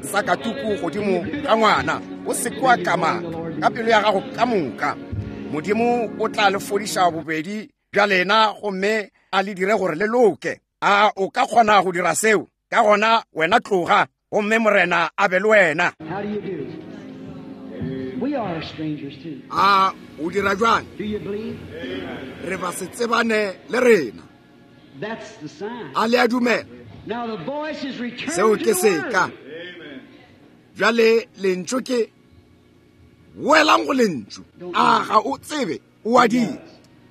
sakatuku godimo ga ngwana, o se ke wa kamaka ka pelo ya gago ka moka. Modimo o tla le fodiša bobedi bja lena gomme a le dire gore le loke. A o ka kgona go dira seo? Ka gona wena tloga, gomme Morena a be le wena. A o dira bjang? Re ba se tsebane le rena. A le a dumela? Seo ke seka. Bjale lentšu ke boelang go lentšu. A ga o tsebe? O a dira.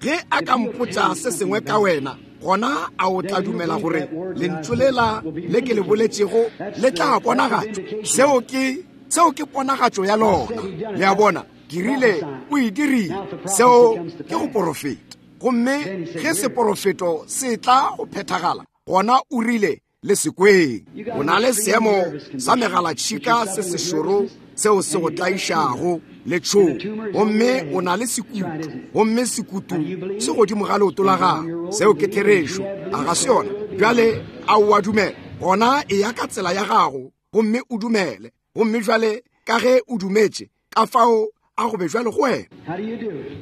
Ge a ka mpotša se sengwe ka wena, gona a o tla dumela gore lentšu lela le ke le boletšego le tla bonagatšwa? Seo ke ponagatšo ya lona. Le a bona? Ke rile o e dirile. Seo ke go porofeta. Gomme ge seporofeto se tla go phethagala, gona o rile le sekweng. O na le seemo sa megalatšhika se sešoro seo se go tlaišago le tšhogo, gomme o na le sekutu, gomme sekutu se godimo ga leoto la gago. Seo ke therešo, a ga se yona? Bjale a o a dumela? Gona e ya ka tsela ya gago gomme o dumele. Gomme bjale ka ge o dumetše, ka fao a go be bjalo go wena.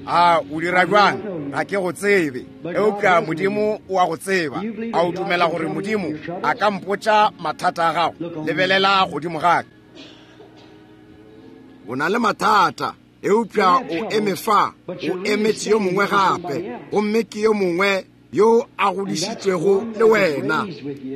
A o dira bjang? Ga ke go tsebe, eupša Modimo o a go tseba. A o dumela gore Modimo a ka mpotša mathata a gago? Lebelela godimo ga ka. O na le mathata, eupša o eme fa, o emetše yo mongwe gape, gomme ke yo mongwe yo a godišitšwego le wena,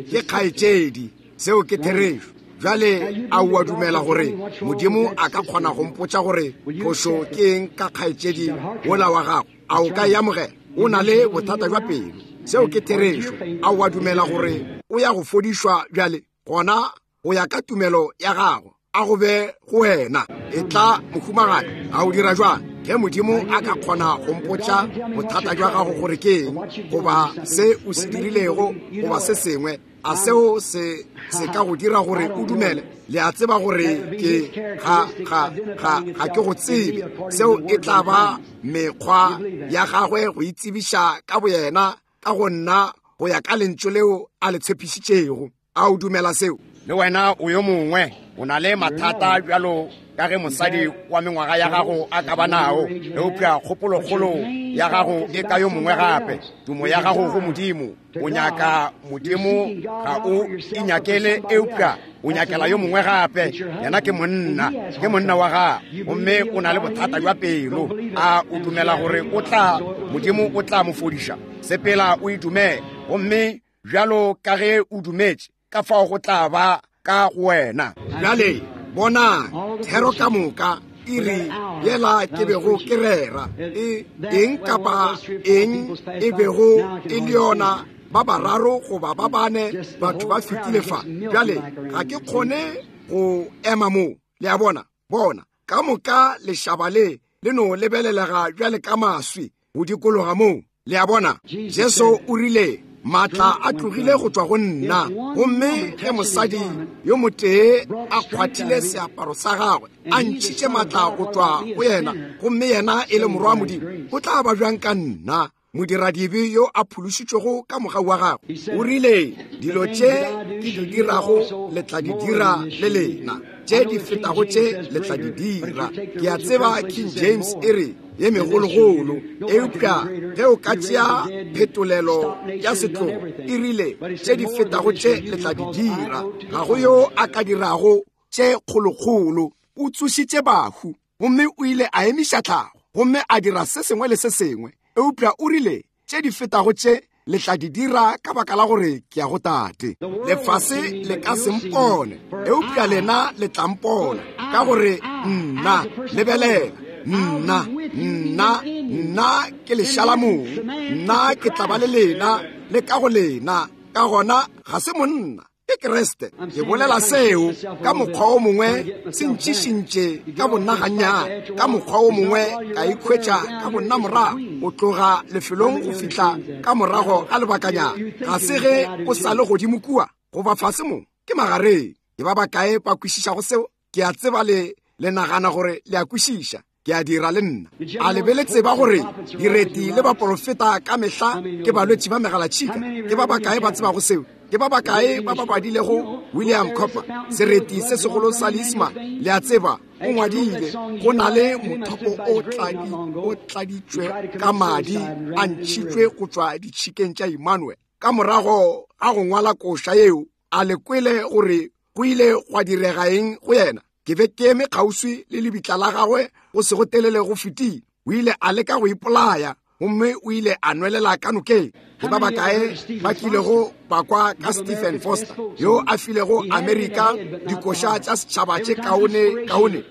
ke kgaetšedi. Seo ke therešo. Bjale a o a dumela gore Modimo a ka kgona go mpotša gore phošo ke eng ka kgaetšedi wola wa gago? A o ka e amogela? O na le bothata bja pelo. Seo ke therešo. A o a dumela gore o ya go fodišwa bjale? Gona go ya ka tumelo ya gago, a go be go wena. E tla, mohumagadi. A o dira jwang? Ge Modimo a ka kgona go mpotša bothata bja gago gore ke eng, goba se o se dirilego, goba se sengwe, a seo se ka go dira gore o dumele? Le a tseba gore ke ga ga ga ga ke go tsebe. Seo e tla ba mekgwa ya gagwe go itsebiša ka boyena ka go nna go ya ka lentšu leo a le tshepišitšego. A o dumela seo? Le wena o yo mongwe o na le mathata bjalo ka ge mosadi wa mengwaga ya gago a ka ba nao, eupša kgopolokgolo ya gago e ka yo mongwe gape. Tumo ya gago go Modimo, o nyaka Modimo, ga o inyakele, eupša o nyakela yo mongwe gape. Yena ke monna, ke monna wa gago, gomme o na le bothata bja pelo. A o dumela gore o tla, Modimo o tla mo fodiša? Sepela o e dumele, gomme bjalo ka ge o dumetše, ka fao go tla ba ka go wena. Bjale bonang, thero ka moka iri yela ke bego ke rera, e eng kapa eng e bego e le yona, ba bararo goba ba bane batho ba fetile fa. Bjale ga ke kgone go ema mo. Le a bona? Bona, ka moka lešaba le le no lebelelega bjale ka maswi go dikologa moo. Le a bona? Jesu o rile, maatla a tlogile go tšwa go nna. Gomme ge mosadi yo motee a kgwathile seaparo sa gagwe, a ntšhitše maatla go tšwa go yena, gomme yena e le morwa wa Modimo, go tla ba bjang ka nna? Modiradibe yo a phološitšwego ka mogau wa gagwe. O rile, Dilo tše ke di dirago le tla di dira le lena, tše di fetago tše le tla di dira. Ke a tseba King James e re ye megologolo, eupša ge o ka tšea phetolelo ya setlogo e rile tše di fetago tše le tla di dira. Ga go yo a ka dirago tše kgolokgolo. O tsošitše bahu gomme o ile a emiša tlhago gomme a dira se sengwe le se sengwe, eupša o rile tše di fetago tše le tla di dira ka baka la gore ke ya go Tate. Lefase le ka se mpone, eupša lena le tla mpona, ka gore nna, lebelela, nna, nna, nna ke lešalamong, nna ke tla ba le lena le ka go lena. Ka gona ga se monna, ke Kriste. Ke bolela seo ka mokgwa o mongwe se ntšišintše ka bonna gannyane, ka mokgwa o mongwe ka ikhwetša ka bonna morago go tloga lefelong go fihla ka morago ga lebakanyana. Ga se ge o sa le godimo kua goba fase mo, ke magareng. Ke ba bakae ba kwešišago seo? Ke a tseba le le nagana gore le a kwešiša. Ke a dira le nna. A le be le tseba gore direti le baporofeta ka mehla ke balwetši ba megalatšhika? Ke ba bakae ba tsebago seo? Ke ba bakae ba ba badilego William Cowper, sereti se segolo sa Leisman? Le a tseba, o ngwadile, go na le mothopo o tladitšwe ka madi a ntšhitšwe go tšwa ditšhikeng tša Emmanuel. Ka morago ga go ngwala koša yeo, a le kwele gore go ile gwa direga eng go yena? Ke be ke eme kgauswi le lebitla la gagwe go se go telele go fetile. O ile a leka go ipolaya gomme o ile a nwelela ka nokeng. Ke ba bakae ba kilego ba kwa ka Stephen Foster yo a filego Amerika dikoša tša setšhaba tše kaone kaone?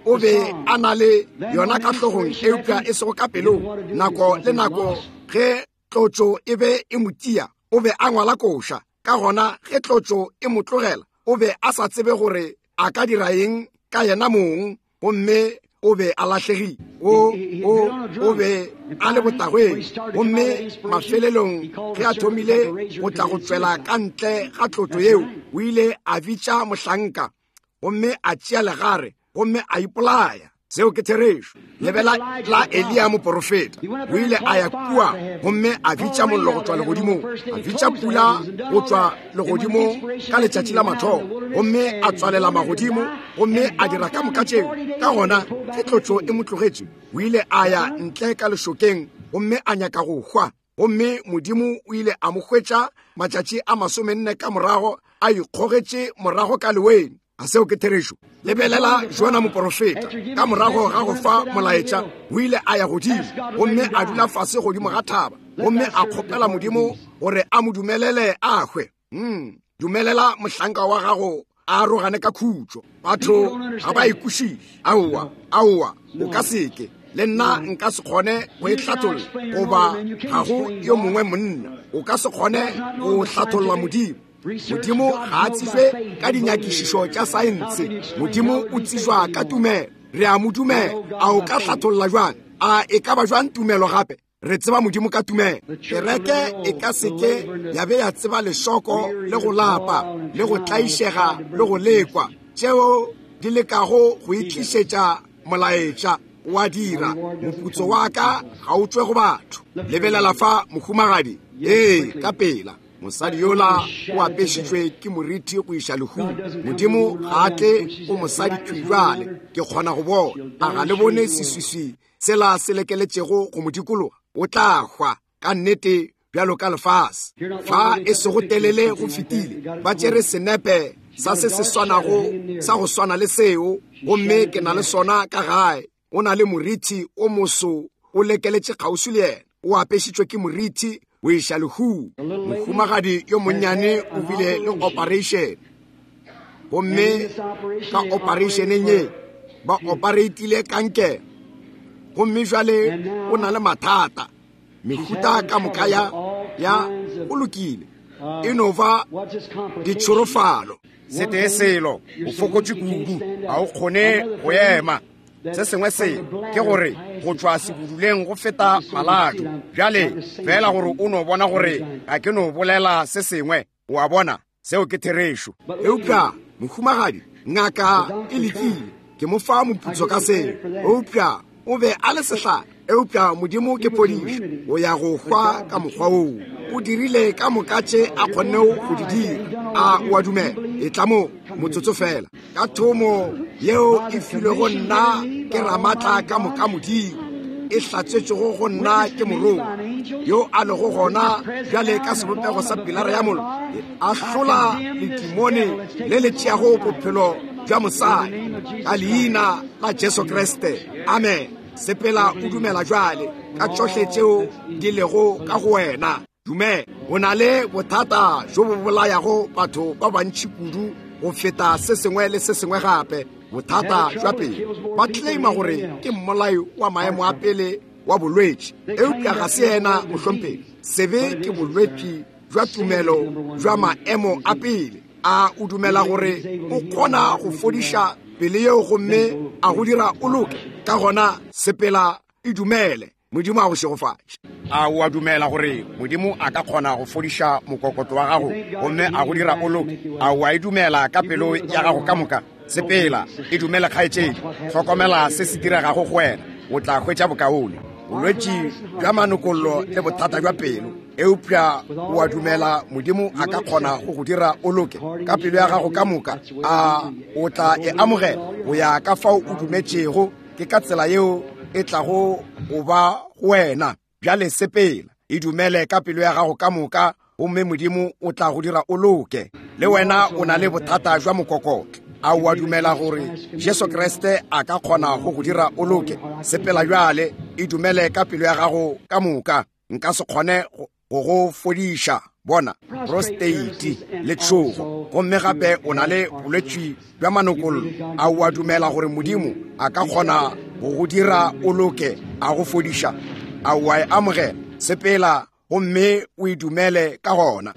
O be a na le yona ka hlogong eupša e sego ka pelong. Nako le nako ge tlotšo e be e mo tia, o be a ngwala koša. Ka gona ge tlotšo e mo tlogela, o be a sa tsebe gore a ka dira eng ka yena mong, gomme o be a lahlegile. O be a le botagweng, gomme mafelelong ge a thomile go tla go tšwela ka ntle ga tlotšo yeo, o ile a bitša mohlanka gomme a tšea legare gomme a ipolaya. Seo ke therešo. Lebela la Eliya moporofeta. O ile a ya kua gomme a bitša mollo go tšwa legodimong, a bitša pula go tšwa legodimong ka letšatši la mathomo, gomme a tswalela magodimo gomme a dira ka moka tšeo. Ka gona ge tlotšo e mo tlogetše, o ile a ya ntle ka lešokeng gomme a nyaka go hwa. Gomme Modimo o ile a mo hwetša matšatši a 40 ka morago, a ikgogetše morago ka leweng. A seo ke therešo? Lebelela Jona moporofeta, ka morago ga go fa molaetša, o ile a ya godimo gomme a dula fase godimo ga thaba gomme a kgopela Modimo gore a mo dumelele a hwe. Dumelela mohlanka wa gago a arogane ka khutšo. Batho ga ba e kwešiše. Aowa, aowa, o ka seke. Le nna nka se kgone go e hlatholla, goba ga go yo mongwe monna o ka se kgone go hlatholla Modimo. Modimo ga a tsejwe ka dinyakišišo tša saense. Modimo o tsejwa ka tumelo. Re a mo dumela. A o ka hlatholla jwang? A e ka ba jwang tumelo gape? Re tseba Modimo ka tumelo. Kereke e ka seke ya be ya tseba lešoko le go lapa le go tlaišega le go lekwa tšeo di lekago go itlišetša molaetša wa dira. Moputso wa ka ga o tšwe go batho. Lebelela fa, mohumagadi. Ee, ka pela. Mosadi yola o apešitšwe ke moriti go iša lehung. Modimo ga a tle go mosadi thwi bjale. Ke kgona go bona. A ga le bone seswiswi sela se lekeletšego go mo dikologa? O tla hwa ka nnete bjalo ka lefase. Fa e sego telele go fetile, ba tšere senepe sa se se swanago sa go swana le seo, gomme ke na le sona ka gae. O na le moriti o moso o lekeletše kgauswi le yena, o apešitšwe ke moriti o iša lehung. Mohumagadi yo monnyane o bile le operation, gomme ka operationeng ye ba operatile kankere, gomme jwale o na le mathata mehuta ka moka ya go lokile, e no ba ditšhorofalo. Setee selo, o fokotše kudu, ga o kgone go ema. Se sengwe se ke gore go tšwa sebuduleng go feta maladu. Bjale fela gore o no bona gore ga ke no bolela se sengwe, o a bona, seo ke therešo. Eupša mohumagadi, ngaka e lekile, ke mo fa moputso ka seo, eupša o be a le sehlare. Eupša Modimo ke phodišo. O ya go hwa ka mokgwa woo. O dirile ka moka tše a kgonnego go di dira. A o a dumela? Etla mo, motsotso fela. Ka thomo yeo e filwego nna ke Ramatla ka moka Modimo, e hlatsetšego go nna ke Morongwa yo a lego gona bjale ka sebopego sa pilara ya mollo, e ahlola letimone le le tšeago bophelo bja mosadi ka leina la Jesu Kriste. Amen. Sepela o dumela bjale ka tšohle tšeo di lego ka go wena. Dumela. O na le bothata bjo bo bolayago batho ba bantši kudu go feta se sengwe le se sengwe gape, bothata bja pelo. Ba claima gore ke mmolai wa maemo a pele wa bolwetši, eupša ga se yena, mohlomphegi. Sebe ke bolwetši bja tumelo bja maemo a pele. A o dumela gore o kgona go fodiša pele yeo gomme a go dira o loke? Ka gona sepela e dumele. Modimo a go šegofatše. A o a dumela gore Modimo a ka kgona go fodiša mokokotlo wa gago gomme a go dira o loke? A o a e dumela ka pelo ya gago ka moka? Sepela, e dumele, kgaetšedi. Hlokomela se se diregago go wena, o tla hwetša bokaone. Bolwetši bja manokollo le bothata bja pelo, eupša o a dumela Modimo a ka kgona go go dira o loke ka pelo ya gago ka moka? A o tla e amogela go ya ka fao o dumetšego? Ke ka tsela yeo e tlago go ba go wena. Bjale sepela, e dumele ka pelo ya gago ka moka, gomme Modimo o tla go dira o loke. Le wena o na le bothata jwa mokokotlo. A o a dumela gore Jesu Kriste a ka kgona go go dira o loke? Sepela bjale, e dumele ka pelo ya gago ka moka. Nka se kgone go go fodiša, bona, prosteiti le tšhogo, gomme gape o na le bolwetši bja manokollo. A o a dumela gore Modimo a ka kgona go go dira o loke, a go fodiša? A o a e amogela? Sepela gomme o e dumele ka gona.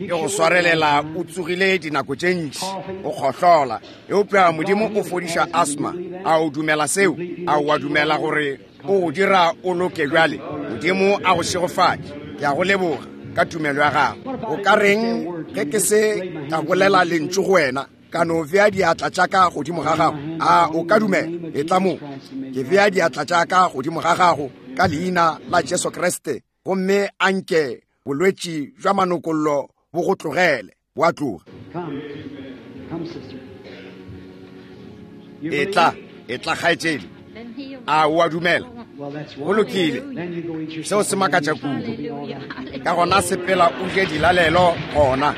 E go swarelela o tsogile dinako tše ntši o kgohlola, eupša Modimo o fodiša asma. A o dumela seo? A o a dumela gore o go dira o loke bjale? Modimo a go šegofatše. Ke a go leboga ka tumelo ya gago. O ka reng ge ke se ka bolela lentšu go wena, ka no bea diatla tša ka godimo ga gago? A o ka dumela? Etla mo, ke bea diatla tša ka godimo ga gago ka leina la Jesu Kriste, gomme a nke bolwetši bja manokollo bo go tlogele. Bo a tloga. Etla, etla, kgaetšedi. A o a dumela? Go lokile. Seo se makatša kudu. Ka gona sepela o je dilalelo gona,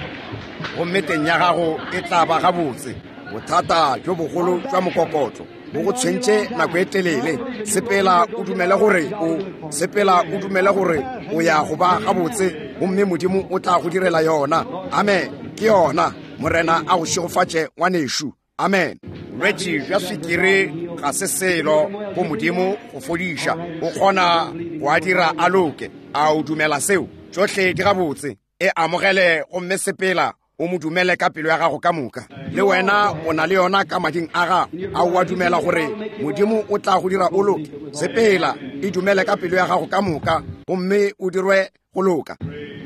gomme teng ya gago e tla ba gabotse. Bothata bjo bogolo bja mokokotlo bo go tshwentše nako e telele. Sepela o dumele gore o, sepela o dumele gore o ya go ba gabotse, gomme Modimo o tla go direla yona. Amen. Ke yona. Morena a go šegofatše, ngwanešu. Amen. Bolwetši bja swikiri ga se selo go Modimo go fodiša. O kgona go a dira a loke. A o dumela seo? Tšohle di gabotse. E amogele gomme sepela o mo dumele ka pelo ya gago ka moka. Le wena o na le yona ka mading a gago. A o a dumela gore Modimo o tla go dira o loke? Sepela, e dumele ka pelo ya gago ka moka, gomme o dirwe go loka.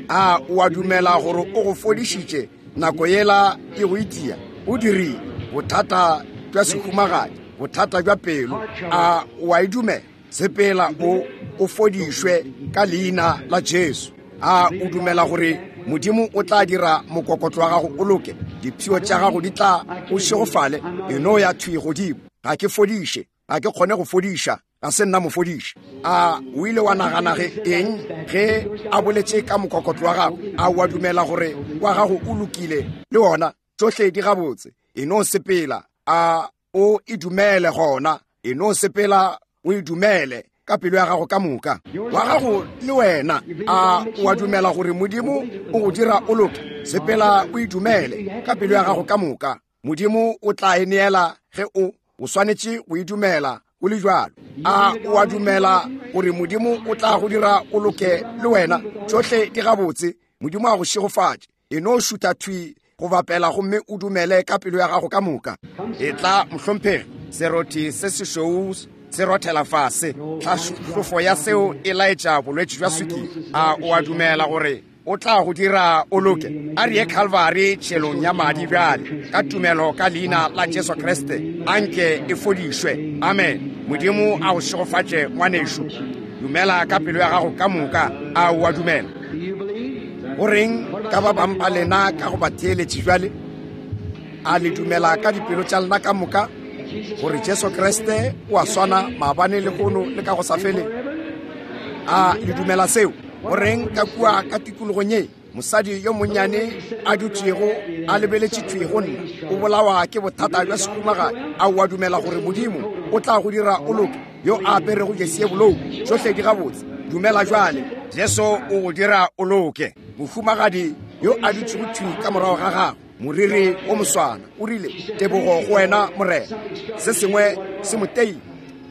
A o a dumela gore o go fodišitše nako yela e go itia? O dirile. Bothata bja sehumagadi, bothata bja pelo, a o a e dumela? Sepela o o fodišwe ka leina la Jesu. A o dumela gore Modimo o tla dira mokokotlo wa gago o loke? Dipshio tša gago di tla o šegofale. E no ya thwi godimo. Ga ke fodiše, ga ke kgone go fodiša, ga se nna mofodiši. A o ile wa nagana ge eng ge a boletše ka mokokotlo wa gago? A o a dumela gore wa gago o lokile le wona? Tšohle di gabotse. E no sepela. A o e dumele gona. E no sepela o e dumele ka pelo ya gago ka moka. Wa gago le wena. A o a dumela gore Modimo o go dira o loke? Sepela o e dumele ka pelo ya gago ka moka. Modimo o tla e neela ge o o swanetše go e dumela go le bjalo. A o a dumela gore Modimo o tla go dira o loke le wena? Tšohle di gabotse. Modimo a go šegofatše. E no šutha thwi go bapela gomme o dumele ka pelo ya gago ka moka. Etla, mohlomphegi. Serothi se sešweu se rothela fase. Tlhahlofo ya seo e laetša bolwetši bja swikiri. A o a dumela gore o tla go dira o loke? A re ye Calvary tšhelong ya madi bjale, ka tumelo ka leina la Jesu Kriste, a nke e fodišwe. Amen. Modimo a go šegofatše, ngwanešu. Dumela ka pelo ya gago ka moka. A o a dumela? Go reng ka ba bang ba lena ka go ba theeletše bjale? A le dumela ka dipelo tša lena ka moka gore Jesu Kriste o a swana maabane, lehono le ka go sa feleng? A le dumela seo? Go reng ka kua ka tikologong ye? Mosadi yo monnyane a dutšego a lebeletše thwi go nna, o bolawa ke bothata bja sekhumagadi. A o a dumela gore Modimo o tla go dira o loke? Yo a aperego jesi ye bolou, tšohle di gabotse. Dumela bjale, Jesu o go dira o loke. Mohumagadi yo a dutšego thwi ka morago ga gago, moriri wo moswana, o rile, Tebogo go wena, Morena. Se sengwe se mo teile.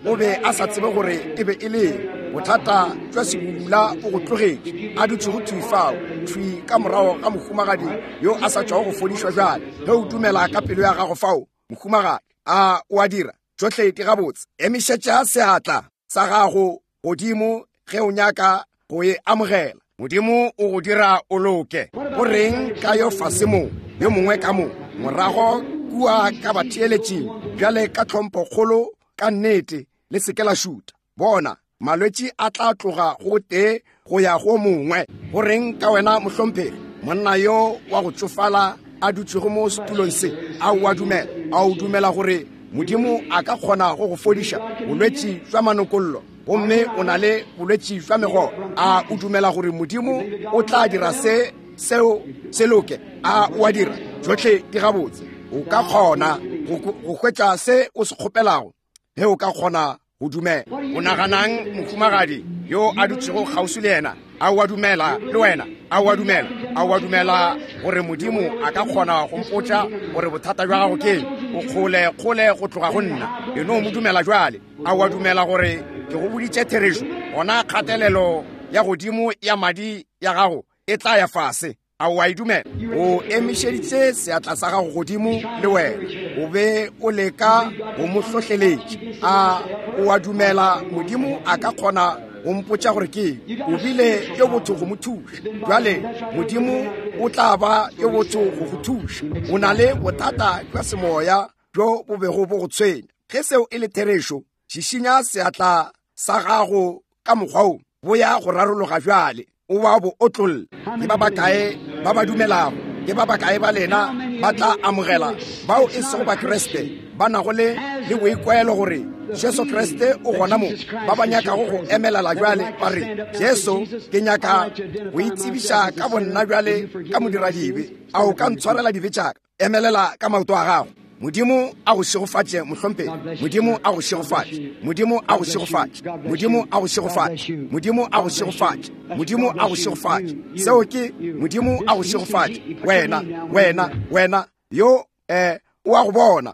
O be a sa tsebe gore e be e le eng. Bothata jwa sebubula bo go tlogetše. A dutšego thwi fao, thwi ka morago ga mohumagadi yo a sa tšwago go fodišwa bjale. Ge o dumela ka pelo ya gago fao, mohumagadi, a o a dira? Tšohle di gabotse. Emišetša seatla sa gago godimo ge o nyaka go e amogela. Modimo o go dira o loke. Go reng ka yo fase mo, yo mongwe ka mo, morago kua ka batheeletšing bjale ka tlhomphokgolo ka nnete, le se ke la šuta. Bona, malwetši a tla tloga go tee go ya go mongwe. Go reng ka wena, mohlomphegi, monna yo wa go tšofala a dutšego mo setulong se? A o a dumela? A o dumela gore Modimo a ka kgona go go fodiša bolwetši jwa manokollo, gomme o na le bolwetši jwa megolo? A o dumela gore Modimo o tla dira se seo se loke? A o a dira? Tšohle di gabotse. O ka kgona go hwetša se o se kgopelago ge o ka kgona go dumela. O naganang, mohumagadi yo a dutšego kgauswi le yena? A o a dumela le wena? A o a dumela? A o a dumela gore Modimo a ka kgona go mpotša gore bothata bja gago ke eng? O kgole kgole go tloga go nna. E no mo dumela bjale. A o a dumela gore ke go boditše therešo? Gona kgatelelo ya godimo ya madi ya gago e tla ya fase. A o a e dumela? O emišeditše seatla sa gago godimo le wena. O be o leka go mo hlohleletša. A o a dumela Modimo a ka kgona go mpotša gore ke eng? O bile yo botho go mo thuša. Bjale Modimo o tla ba yo botho go go thuša. O na le bothata bja semoya bjo bo bego bo go tshwenya. Ge seo e le therešo, šišinya seatla sa gago ka mokgwa wo, bo ya go rarologa bjale, o ba bo otlolle. Ke ba bakae ba ba dumelago? Ke ba bakae ba lena ba tla amogela bao e sego Bakriste ba nago le le boikwelo gore Jesu Kriste o gona mo, ba ba nyakago go emelala bjale ba re, Jesu, ke nyaka go itsebiša ka bonna bjale ka modiradibe, a o ka ntshwarela dibe tša ka? Emelela ka maoto a gago. Modimo a go šegofatše, mohlomphegi. Modimo a go šegofatše. Modimo a go šegofatše. Modimo a go šegofatše. Modimo a go šegofatše. Modimo a go šegofatše. Seo ke Modimo a go šegofatše. Wena, wena, wena, yo eh o a go bona.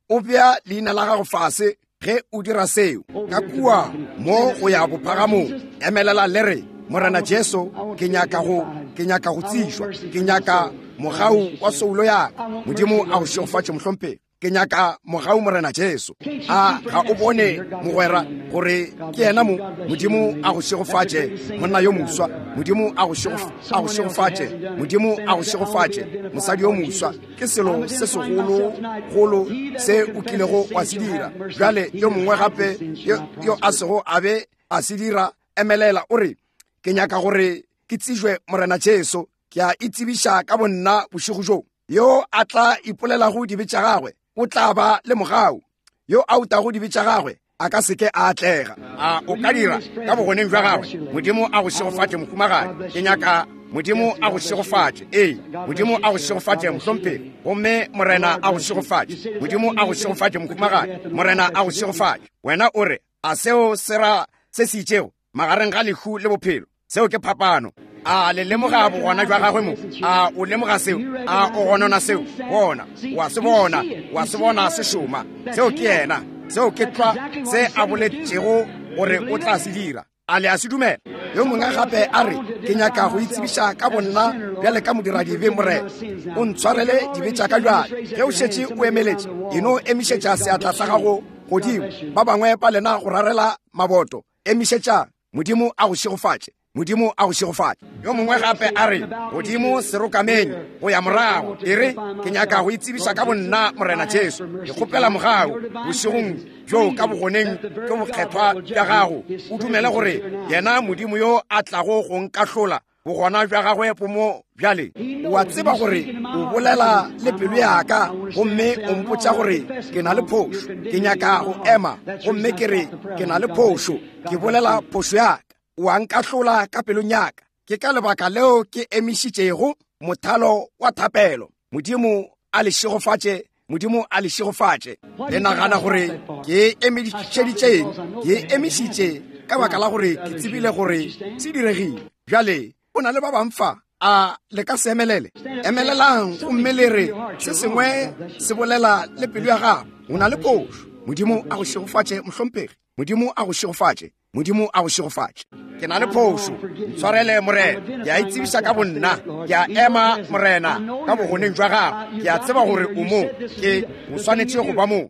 O bea leina la gago fase ge o dira seo. Ka kua mo go ya bophagamong, emelela le re, Morena Jesu, ke nyaka go, ke nyaka go tsišwa. Ke nyaka mogau wa soulo ya ka. Modimo a go šegofatše, mohlomphegi. Ke nyaka mogau, Morena Jesu. A ga o bone, mogwera, gore ke yena mo? Modimo a go šegofatše, monna yo moswa. Modimo a go šegofatše. Modimo a go šegofatše, mosadi yo moswa. Ke selo se segologolo se o kilego wa se dira. Bjale yo mongwe gape yo a sego a be a se dira, emelela o re, Ke nyaka gore ke tsejwe Morena Jesu. Ke a itsebiša ka bonna bošego bjo. Yo a tla ipolelago dibe tša gagwe o tla ba le mogau. Yo a utago dibe tša gagwe a ka seke a atlega. A o ka dira ka bogoneng bja gagwe? Modimo a go šegofatše, mohumagadi. Ke nyaka Modimo a go šegofatše. Ee, Modimo a go šegofatše, mohlomphegi. Gomme Morena a go šegofatše. Modimo a go šegofatše, mohumagadi. Morena a go šegofatše. Wena o re, a seo se ra se se itšego magareng ga lehu le bophelo? Seo ke phapano. A le lemoga bogona jwa gagwe mo? A o lemoga seo? A o gonona seo? Bona, wa se bona, wa se bona se šoma. Seo ke yena. Seo ke tlwa se a boletšego gore o tla se dira. A le a se dumela? Yo mongwe gape a re, Ke nyaka go itsebiša ka bonna bjale ka modiradibe, Morena. O ntshwarele dibe tša ka bjale. Ge o šetše o emeletše, e no emišetša seatla sa gago godimo. Ba bangwe ba lena go rarela maboto, emišetšang. Modimo a go šegofatše. Modimo a go šegofatše. Yo mongwe gape a re, Godimo serokameng go ya morago, e re, ke nyaka go itsebiša ka bonna, Morena Jesu. Ke kgopela mogau bošegong bjo ka bogoneng bjo bokgethwa bja gago. O dumele gore yena Modimo yo a tlago go nkahlola, bogona bja gagwe bo mo bjale. O a tseba gore o bolela le pelo ya ka, gomme o mpotša gore ke na le phošo. Ke nyaka go ema gomme ke re ke na le phošo. Ke bolela phošo ya ka. O a nkahlola ka pelong ya ka. Ke ka lebaka leo ke emišitšego mothalo wa thapelo. Modimo a le šegofatše. Modimo a le šegofatše. Le nagana gore ke emišeditšeng? Ke emišitše ka baka la gore ke tsebile gore se diregile. Bjale o na le ba bang fa, a le ka se emelele? Emelelang gomme le re se sengwe se bolela le pelo ya gago. O na le phošo. Modimo a go šegofatše, mohlomphegi. Modimo a go šegofatše. Modimo a go šegofatše. Ke na le phošo, ntshwarele Morena. Ke a itsebiša ka bonna, ke a ema Morena ka bogoneng jwa gago. Ke a tseba gore o mo, ke o swanetše go ba mo.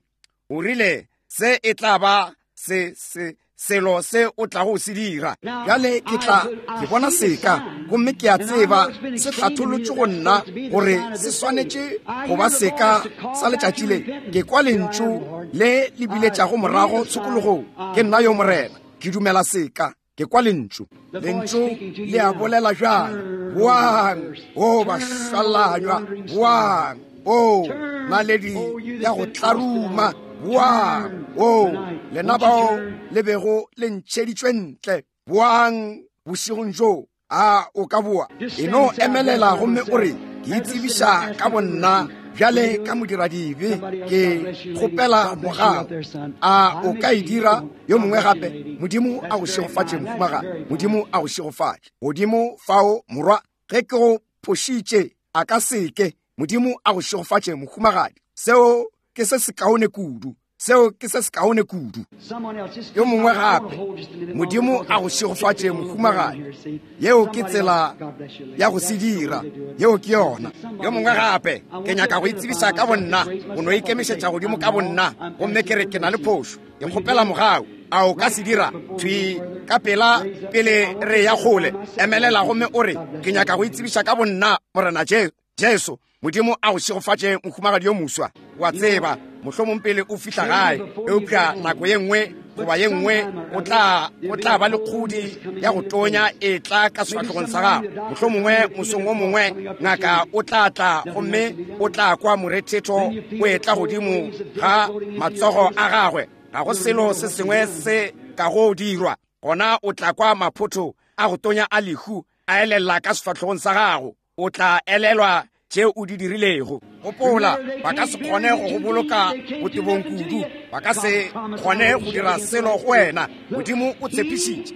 O rile se e tla ba se se selo se o tlago se dira. Bjale ke tla ke bona seka, gomme ke a tseba se hlatholotše go nna gore se swanetše go ba seka sa letšatši le. Ke kwa lentšu le le biletšago morago tshokologong. Ke nna yo Morena, ke dumela seka, ke kwa lentšu. Lentšu le a bolela bjale, boang, o bašwalanywa, boang, o naledi ya go tlaruma, boang, o lena bao le bego le ntšheditšwe ntle, boang bošegong bjo. A o ka boa? E no emelela gomme o re, ke itsebiša ka bonna bjale ka modiradibe, ke kgopela mogau. A o ka e dira? Yo mongwe gape? Modimo a go šegofatše, mohumagadi. Modimo a go šegofatše. Godimo fao, morwa, ge ke go phošitše, a ka seke. Modimo a go šegofatše, mohumagadi. Seo ke se sekaone kudu. Seo ke se sekaone kudu. Yo mongwe gape? Modimo a go šegofatše, mohumagadi. Yeo ke tsela ya go se dira. Yeo ke yona. Yo mongwe gape? Ke nyaka go itsebiša ka bonna, go no ikemišetša godimo ka bonna, gomme ke re ke na le phošo. Ke kgopela mogau. A o ka se dira? Thwi ka pela pele re ya kgole, emelela gomme o re, ke nyaka go itsebiša ka bonna, Morena Jesu. Modimo a go šegofatše, mohumagadi yo moswa. Wa tseba, mohlomong pele o fihla gae, eupša nako ye nngwe goba ye nngwe o tla ba le kgodi ya go tonya e tla ka sefahlogong sa gago. Mohlomongwe mosong o mongwe ngaka o tla tla gomme o tla kwa morethetho o etla godimo ga matsogo a gagwe. Ga go selo se sengwe se ka go dirwa. Gona o tla kwa maphotho a go tonya a lehu a elela ka sefahlogong sa gago. O tla elelwa tše o di dirilego. Gopola, ba ka se kgone go go boloka botebong kudu. Ba ka se kgone go dira selo go wena. Modimo o tshepišitše,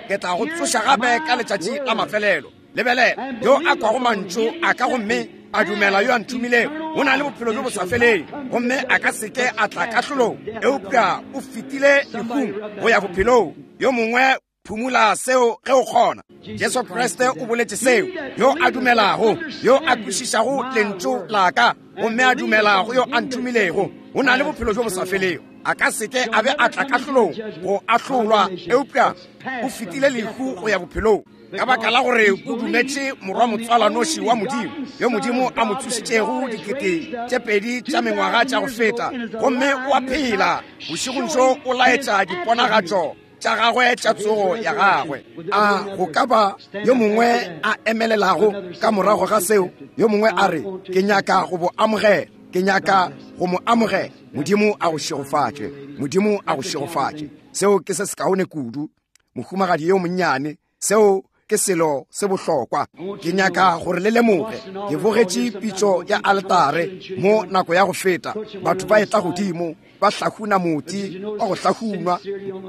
ke tla go tsoša gape ka letšatši la mafelelo. Lebelela, yo a kwago mantšu a ka gomme a dumela yo a nthomilego, o na le bophelo bjo bo sa feleng, gomme a ka seke a tla kahlolong, eupša o fetile lehung go ya bophelong. Yo mongwe phumula seo ge o kgona. Jesu Kriste o boletše seo. Yo a dumelago, yo a kwešišago lentšu la ka, gomme a dumela go yo a nthomilego, o na le bophelo bjo bo sa felego. A ka seke a be a tla kahlolong go ahlolwa, eupša o fetile lehu go ya bophelong, ka baka la gore o dumetše morwa motswalanoši wa Modimo, yo Modimo a mo tsošitšego 2000 tša mengwaga tša go feta, gomme o a phela bošegong bjo, o laetša diponagatšo tša gagwe tša tsogo ya gagwe. A go ka ba yo mongwe a emelelago ka morago ga seo? Yo mongwe a re, ke nyaka go bo amogela, ke nyaka go mo amogela. Modimo a go šegofatše. Modimo a go šegofatše. Seo ke se sekaone kudu, mohumagadi yo monnyane. Seo ke selo se bohlokwa. Ke nyaka gore le lemoge, ke bogetše pitšo ya altare mo nako ya go feta. Batho ba etla godimo, ba hlahuna moti wa go hlahunwa,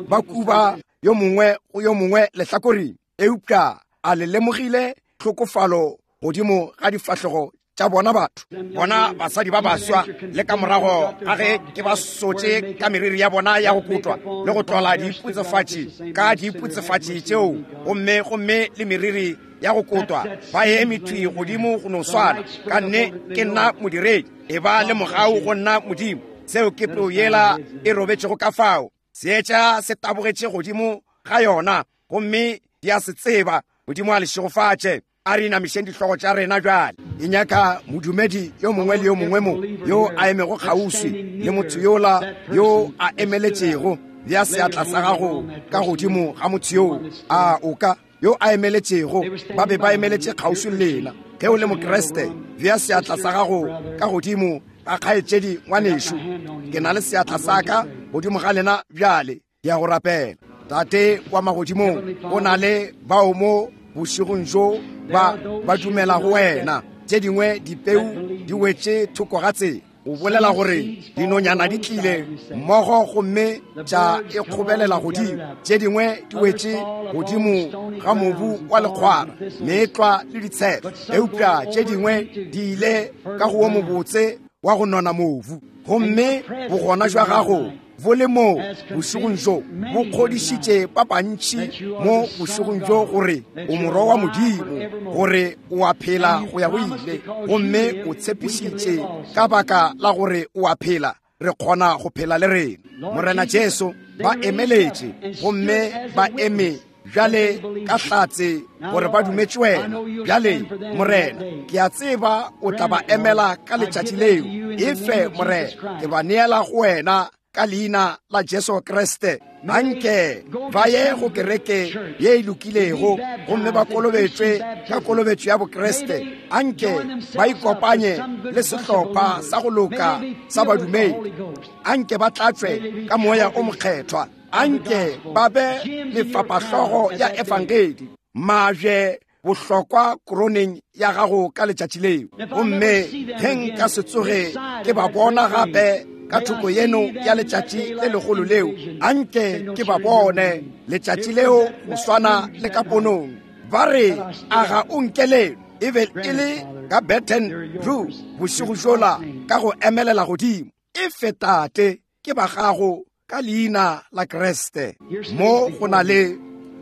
ba kuba yo mongwe go yo mongwe lehlakoreng. Eupša a le lemogile tlhokofalo godimo ga difahlego tša bona batho, bona basadi ba baswa, le ka morago ga ge ke ba sotše ka meriri ya bona ya go kotwa le go tlola diiputsefatši ka diiputsefatši tšeo, gomme gomme le meriri ya go kotwa, ba eme thwi godimo go no swana. Ka nne ke nna modiredi, e ba le mogau go nna Modimo. Seo ke peu yela e robetšego ka fao. Seetša se tabogetše godimo ga yona, gomme di a se tseba. Modimo a le šegofatše. A re inamišeng dihlogo tša rena bjale. E nyaka modumedi yo mongwe le yo mongwe mo yo a emego kgauswi le motho yola yo a emeletšego. Bea seatla sa gago ka godimo ga motho yoo a o ka yo a emeletšego. Ba be ba emeletše kgauswi le lena. Ge o le Mokriste, bea seatla sa gago ka godimo ga kgaetšedi ngwanešu. Ke na le seatla sa ka godimo ga lena bjale. Ke ya go rapela. Tate wa magodimong, go na le bao mo bošegong bjo ba ba dumela go wena. Tše dingwe dipeu di wetše thoko ga tsela. O bolela gore dinonyana di tlile mmogo gomme tša e kgobelela godimo. Tše dingwe di wetše godimo ga mobu wa lekgwara, meetlwa le ditshepe, eupša tše dingwe di ile ka go wo mobotse wa go nona mobu. Gomme bogona jwa gago bo le mo bošegong bjo bo kgodišitše ba bantši mo bošegong bjo gore o morwa wa Modimo, gore o a phela go ya go ile, gomme o tshepišitše ka baka la gore o a phela, re kgona go phela le rena. Morena Jesu, ba emeletše gomme ba eme bjale ka hlatse gore ba dumetše wena. Bjale Morena, ke a tseba o tla ba emela ka letšatši leo. Efe Morena, ke ba neela go wena ka leina la Jesu Kriste. Anke ba ye go kereke ye e lokilego gomme ba kolobetšwe ka kolobetšo ya Bokriste. Anke ba ikopanye le sehlopha sa go loka sa badumedi. Anke ba tlatšwe ka Moya o Mokgethwa. Anke ba be mefapahlogo ya efangedi, majwe bohlokwa koroneng ya gago ka letšatši leo. Gomme ge nka se tsoge ke ba bona gape ka thoko yeno ya letšatši le legolo leo, anke ke ba bone letšatši leo go swana le ka ponong. Ba re, a ga o nkelelo? E be e le ka Baton Rouge bošego bjola ka go emelela godimo. Efe Tate, ke ba gago ka leina la Kriste. Mo go na le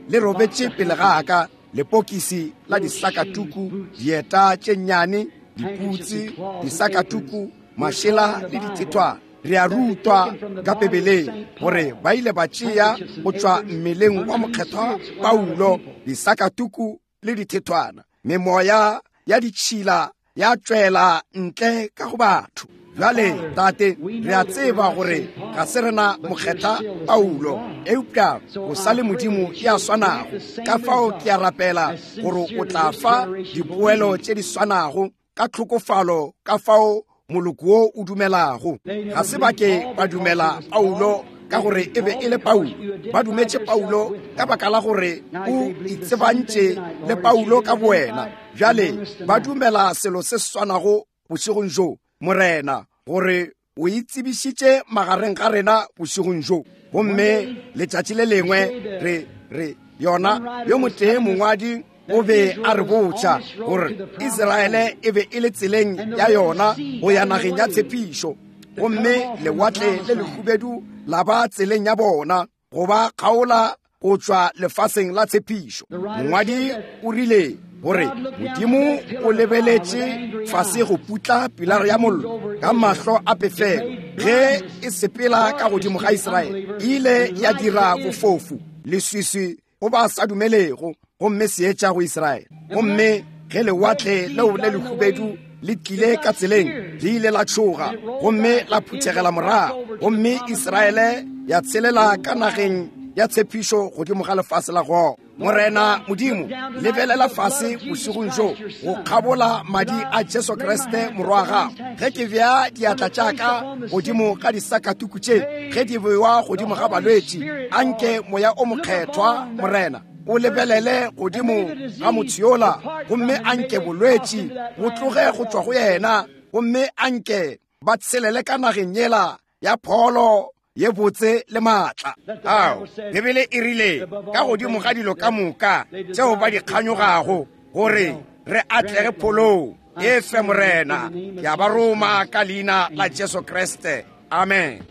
le robetše pele ga ka lepokisi la disakatuku, dieta tše nnyane, diputsi, disakatuku, mašela le dithethwana. Re a rutwa ka Bibeleng gore ba ile ba tšea go tšwa mmeleng wa mokgethwa Paulo disakatuku le dithethwana, memoya ya ditšhila ya tšwela ntle ka go batho. Bjale Tate, re a tseba gore ga se rena mokgethwa Paulo, eupša o sa le Modimo ya swanago. Ka fao ke a rapela gore o tla fa dipoelo tše di swanago ka tlhokofalo ka fao moloko wo o dumelago. Ga se ba ke ba dumela Paulo ka gore e be e le Paulo. Ba dumetše Paulo ka baka la gore o itsebantše le Paulo ka bowena. Bjale ba dumela selo se swanago bošegong bjo, Morena, gore o itsebišitše magareng ga rena bošegong bjo. Gomme letšatši le lengwe re re yona yo motee mongwadi o be a re botša gore Israele e be e le tseleng ya yona go ya nageng ya tshepišo, gomme lewatle le lehubedu la ba tseleng ya bona go ba kgaola go tšwa lefaseng la tshepišo. Mongwadi o rile gore Modimo o lebeletše fase go putla pilara ya mollo ka mahlo a pefelo ge e sepela ka godimo ga Israele. E ile ya dira bofofu, leswiswi go ba sa dumelego, gomme seetša go Israele. Gomme ge lewatle leo le lehubedu le tlile ka tseleng, le ile la tšhoga gomme la phuthegela morago, gomme Israele ya tshelela ka nageng ya tshepišo godimo ga lefase la Gogo. Morena Modimo, lebelela fase bošegong bjo go kgabola madi a Jesu Kriste morwa wa gago. Ge ke bea diatla tša ka godimo ga disakatuku tše, ge di bewa godimo ga balwetši, anke Moya o Mokgethwa, Morena, o lebelele godimo ga motho yola, gomme anke bolwetši bo tloge go tšwa go yena, gomme anke ba tshelele ka nageng yela ya pholo ye botse le maatla. Ao, Bibele e rile ka godimo ga dilo ka moka tšeo ba di kganyogago, gore re atlege pholong. E fe, Morena, ke a ba roma ka leina la Jesu Kriste. Amen.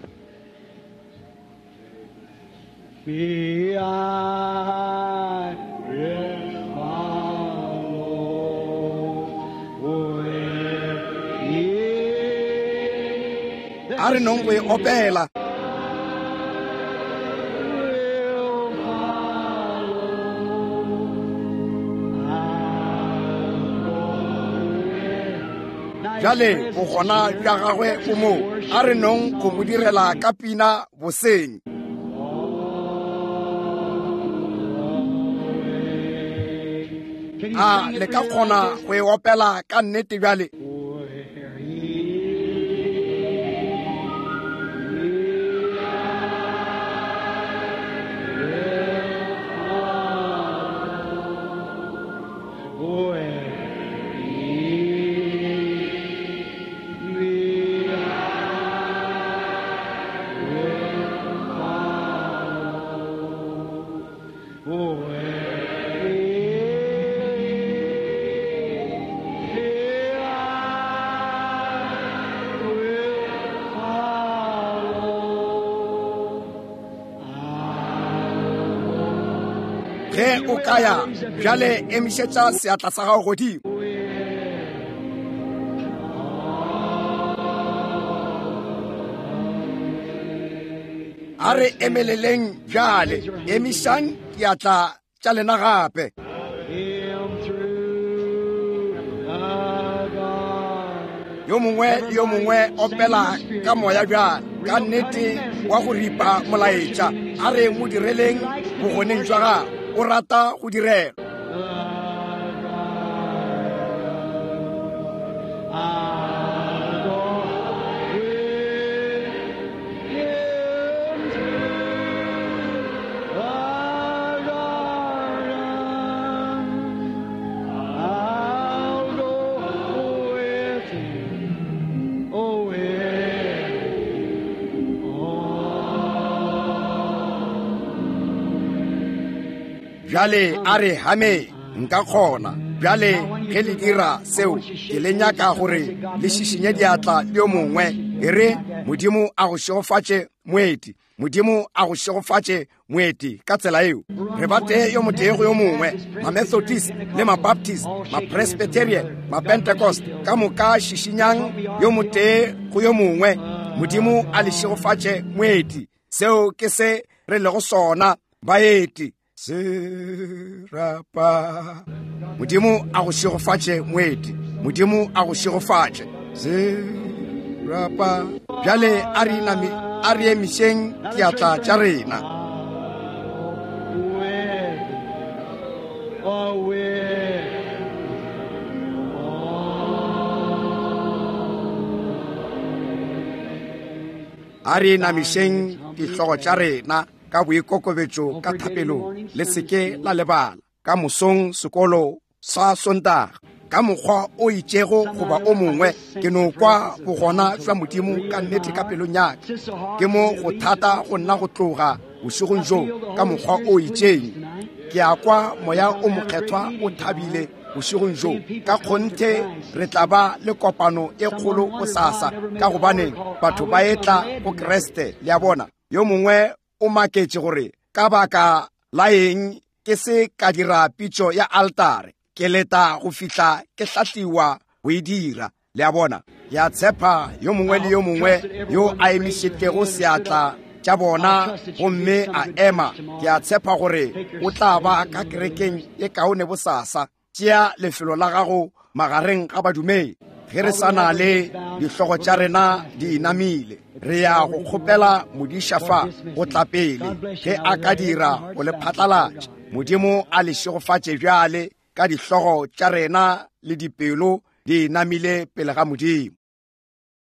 Me, I will follow where he A re nong go e opela. Will follow. Bjale bogona bja gagwe bo mo. A re nong go mo direla ka pina boseng. A le ka kgona go e opela ka nnete bjale? Ge o ka ya bjale, emišetša seatla sa gago godimo. A re emeleleng bjale, emišang diatla tša lena gape. Yo mongwe le yo mongwe opela ka moya bjale, ka nnete wa go ripa molaetša. A re mo direleng bogoneng jwa gagwe. O rata go direlwa. Bjale a re hame, nka kgona. Bjale ge le dira seo, ke le nyaka gore le šišinye diatla le yo mongwe. E re, Modimo a go šegofatše, moeti. Modimo a go šegofatše, moeti. Ka tsela eo re ba tee yo motee go yo mongwe, Mamethodist le Mabaptist, Mapresbyterian, Mapentecost, ka moka šišinyang yo motee go yo mongwe. Modimo a le šegofatše, moeti. Seo ke se re lego sona, baeti. Serapa. Modimo a go šegofatše, moeti. Modimo a go šegofatše. Serapa. Bjale a re inami, a re emišeng diatla tša rena. A re inamišeng dihlogo tša rena ka boikokobetšo ka thapelong. Le se ke la lebala ka mosong sekolo sa Sontaga. Ka mokgwa o itšego goba o mongwe, ke no kwa bogona jwa Modimo ka nnete ka pelong ya ka. Ke mo go thata go nna go tloga bošegong bjo ka mokgwa o itšeng. Ke a kwa Moya o Mokgethwa o thabile bošegong bjo. Ka kgonthe re tla ba le kopano e kgolo bosasa, ka gobane batho ba etla go Kriste. Le a bona? Yo mongwe o maketše gore ka baka la eng ke se ka dira pitšo ya altare. Ke leta go fihla ke hlahliwa go e dira. Le a bona? Ke a tshepa yo mongwe le yo mongwe yo a emišitšego seatla tša bona gomme a ema, ke a tshepa gore o tla ba ka kerekeng e kaone bosasa. Tšea lefelo la gago magareng ga badumedi. Ge re sa na le dihlogo tša rena di inamile, re ya go kgopela modiša fa go tla pele ge a ka dira go le phatlalatša. Modimo a le šegofatše bjale ka dihlogo tša rena le dipelo di inamile pele ga Modimo.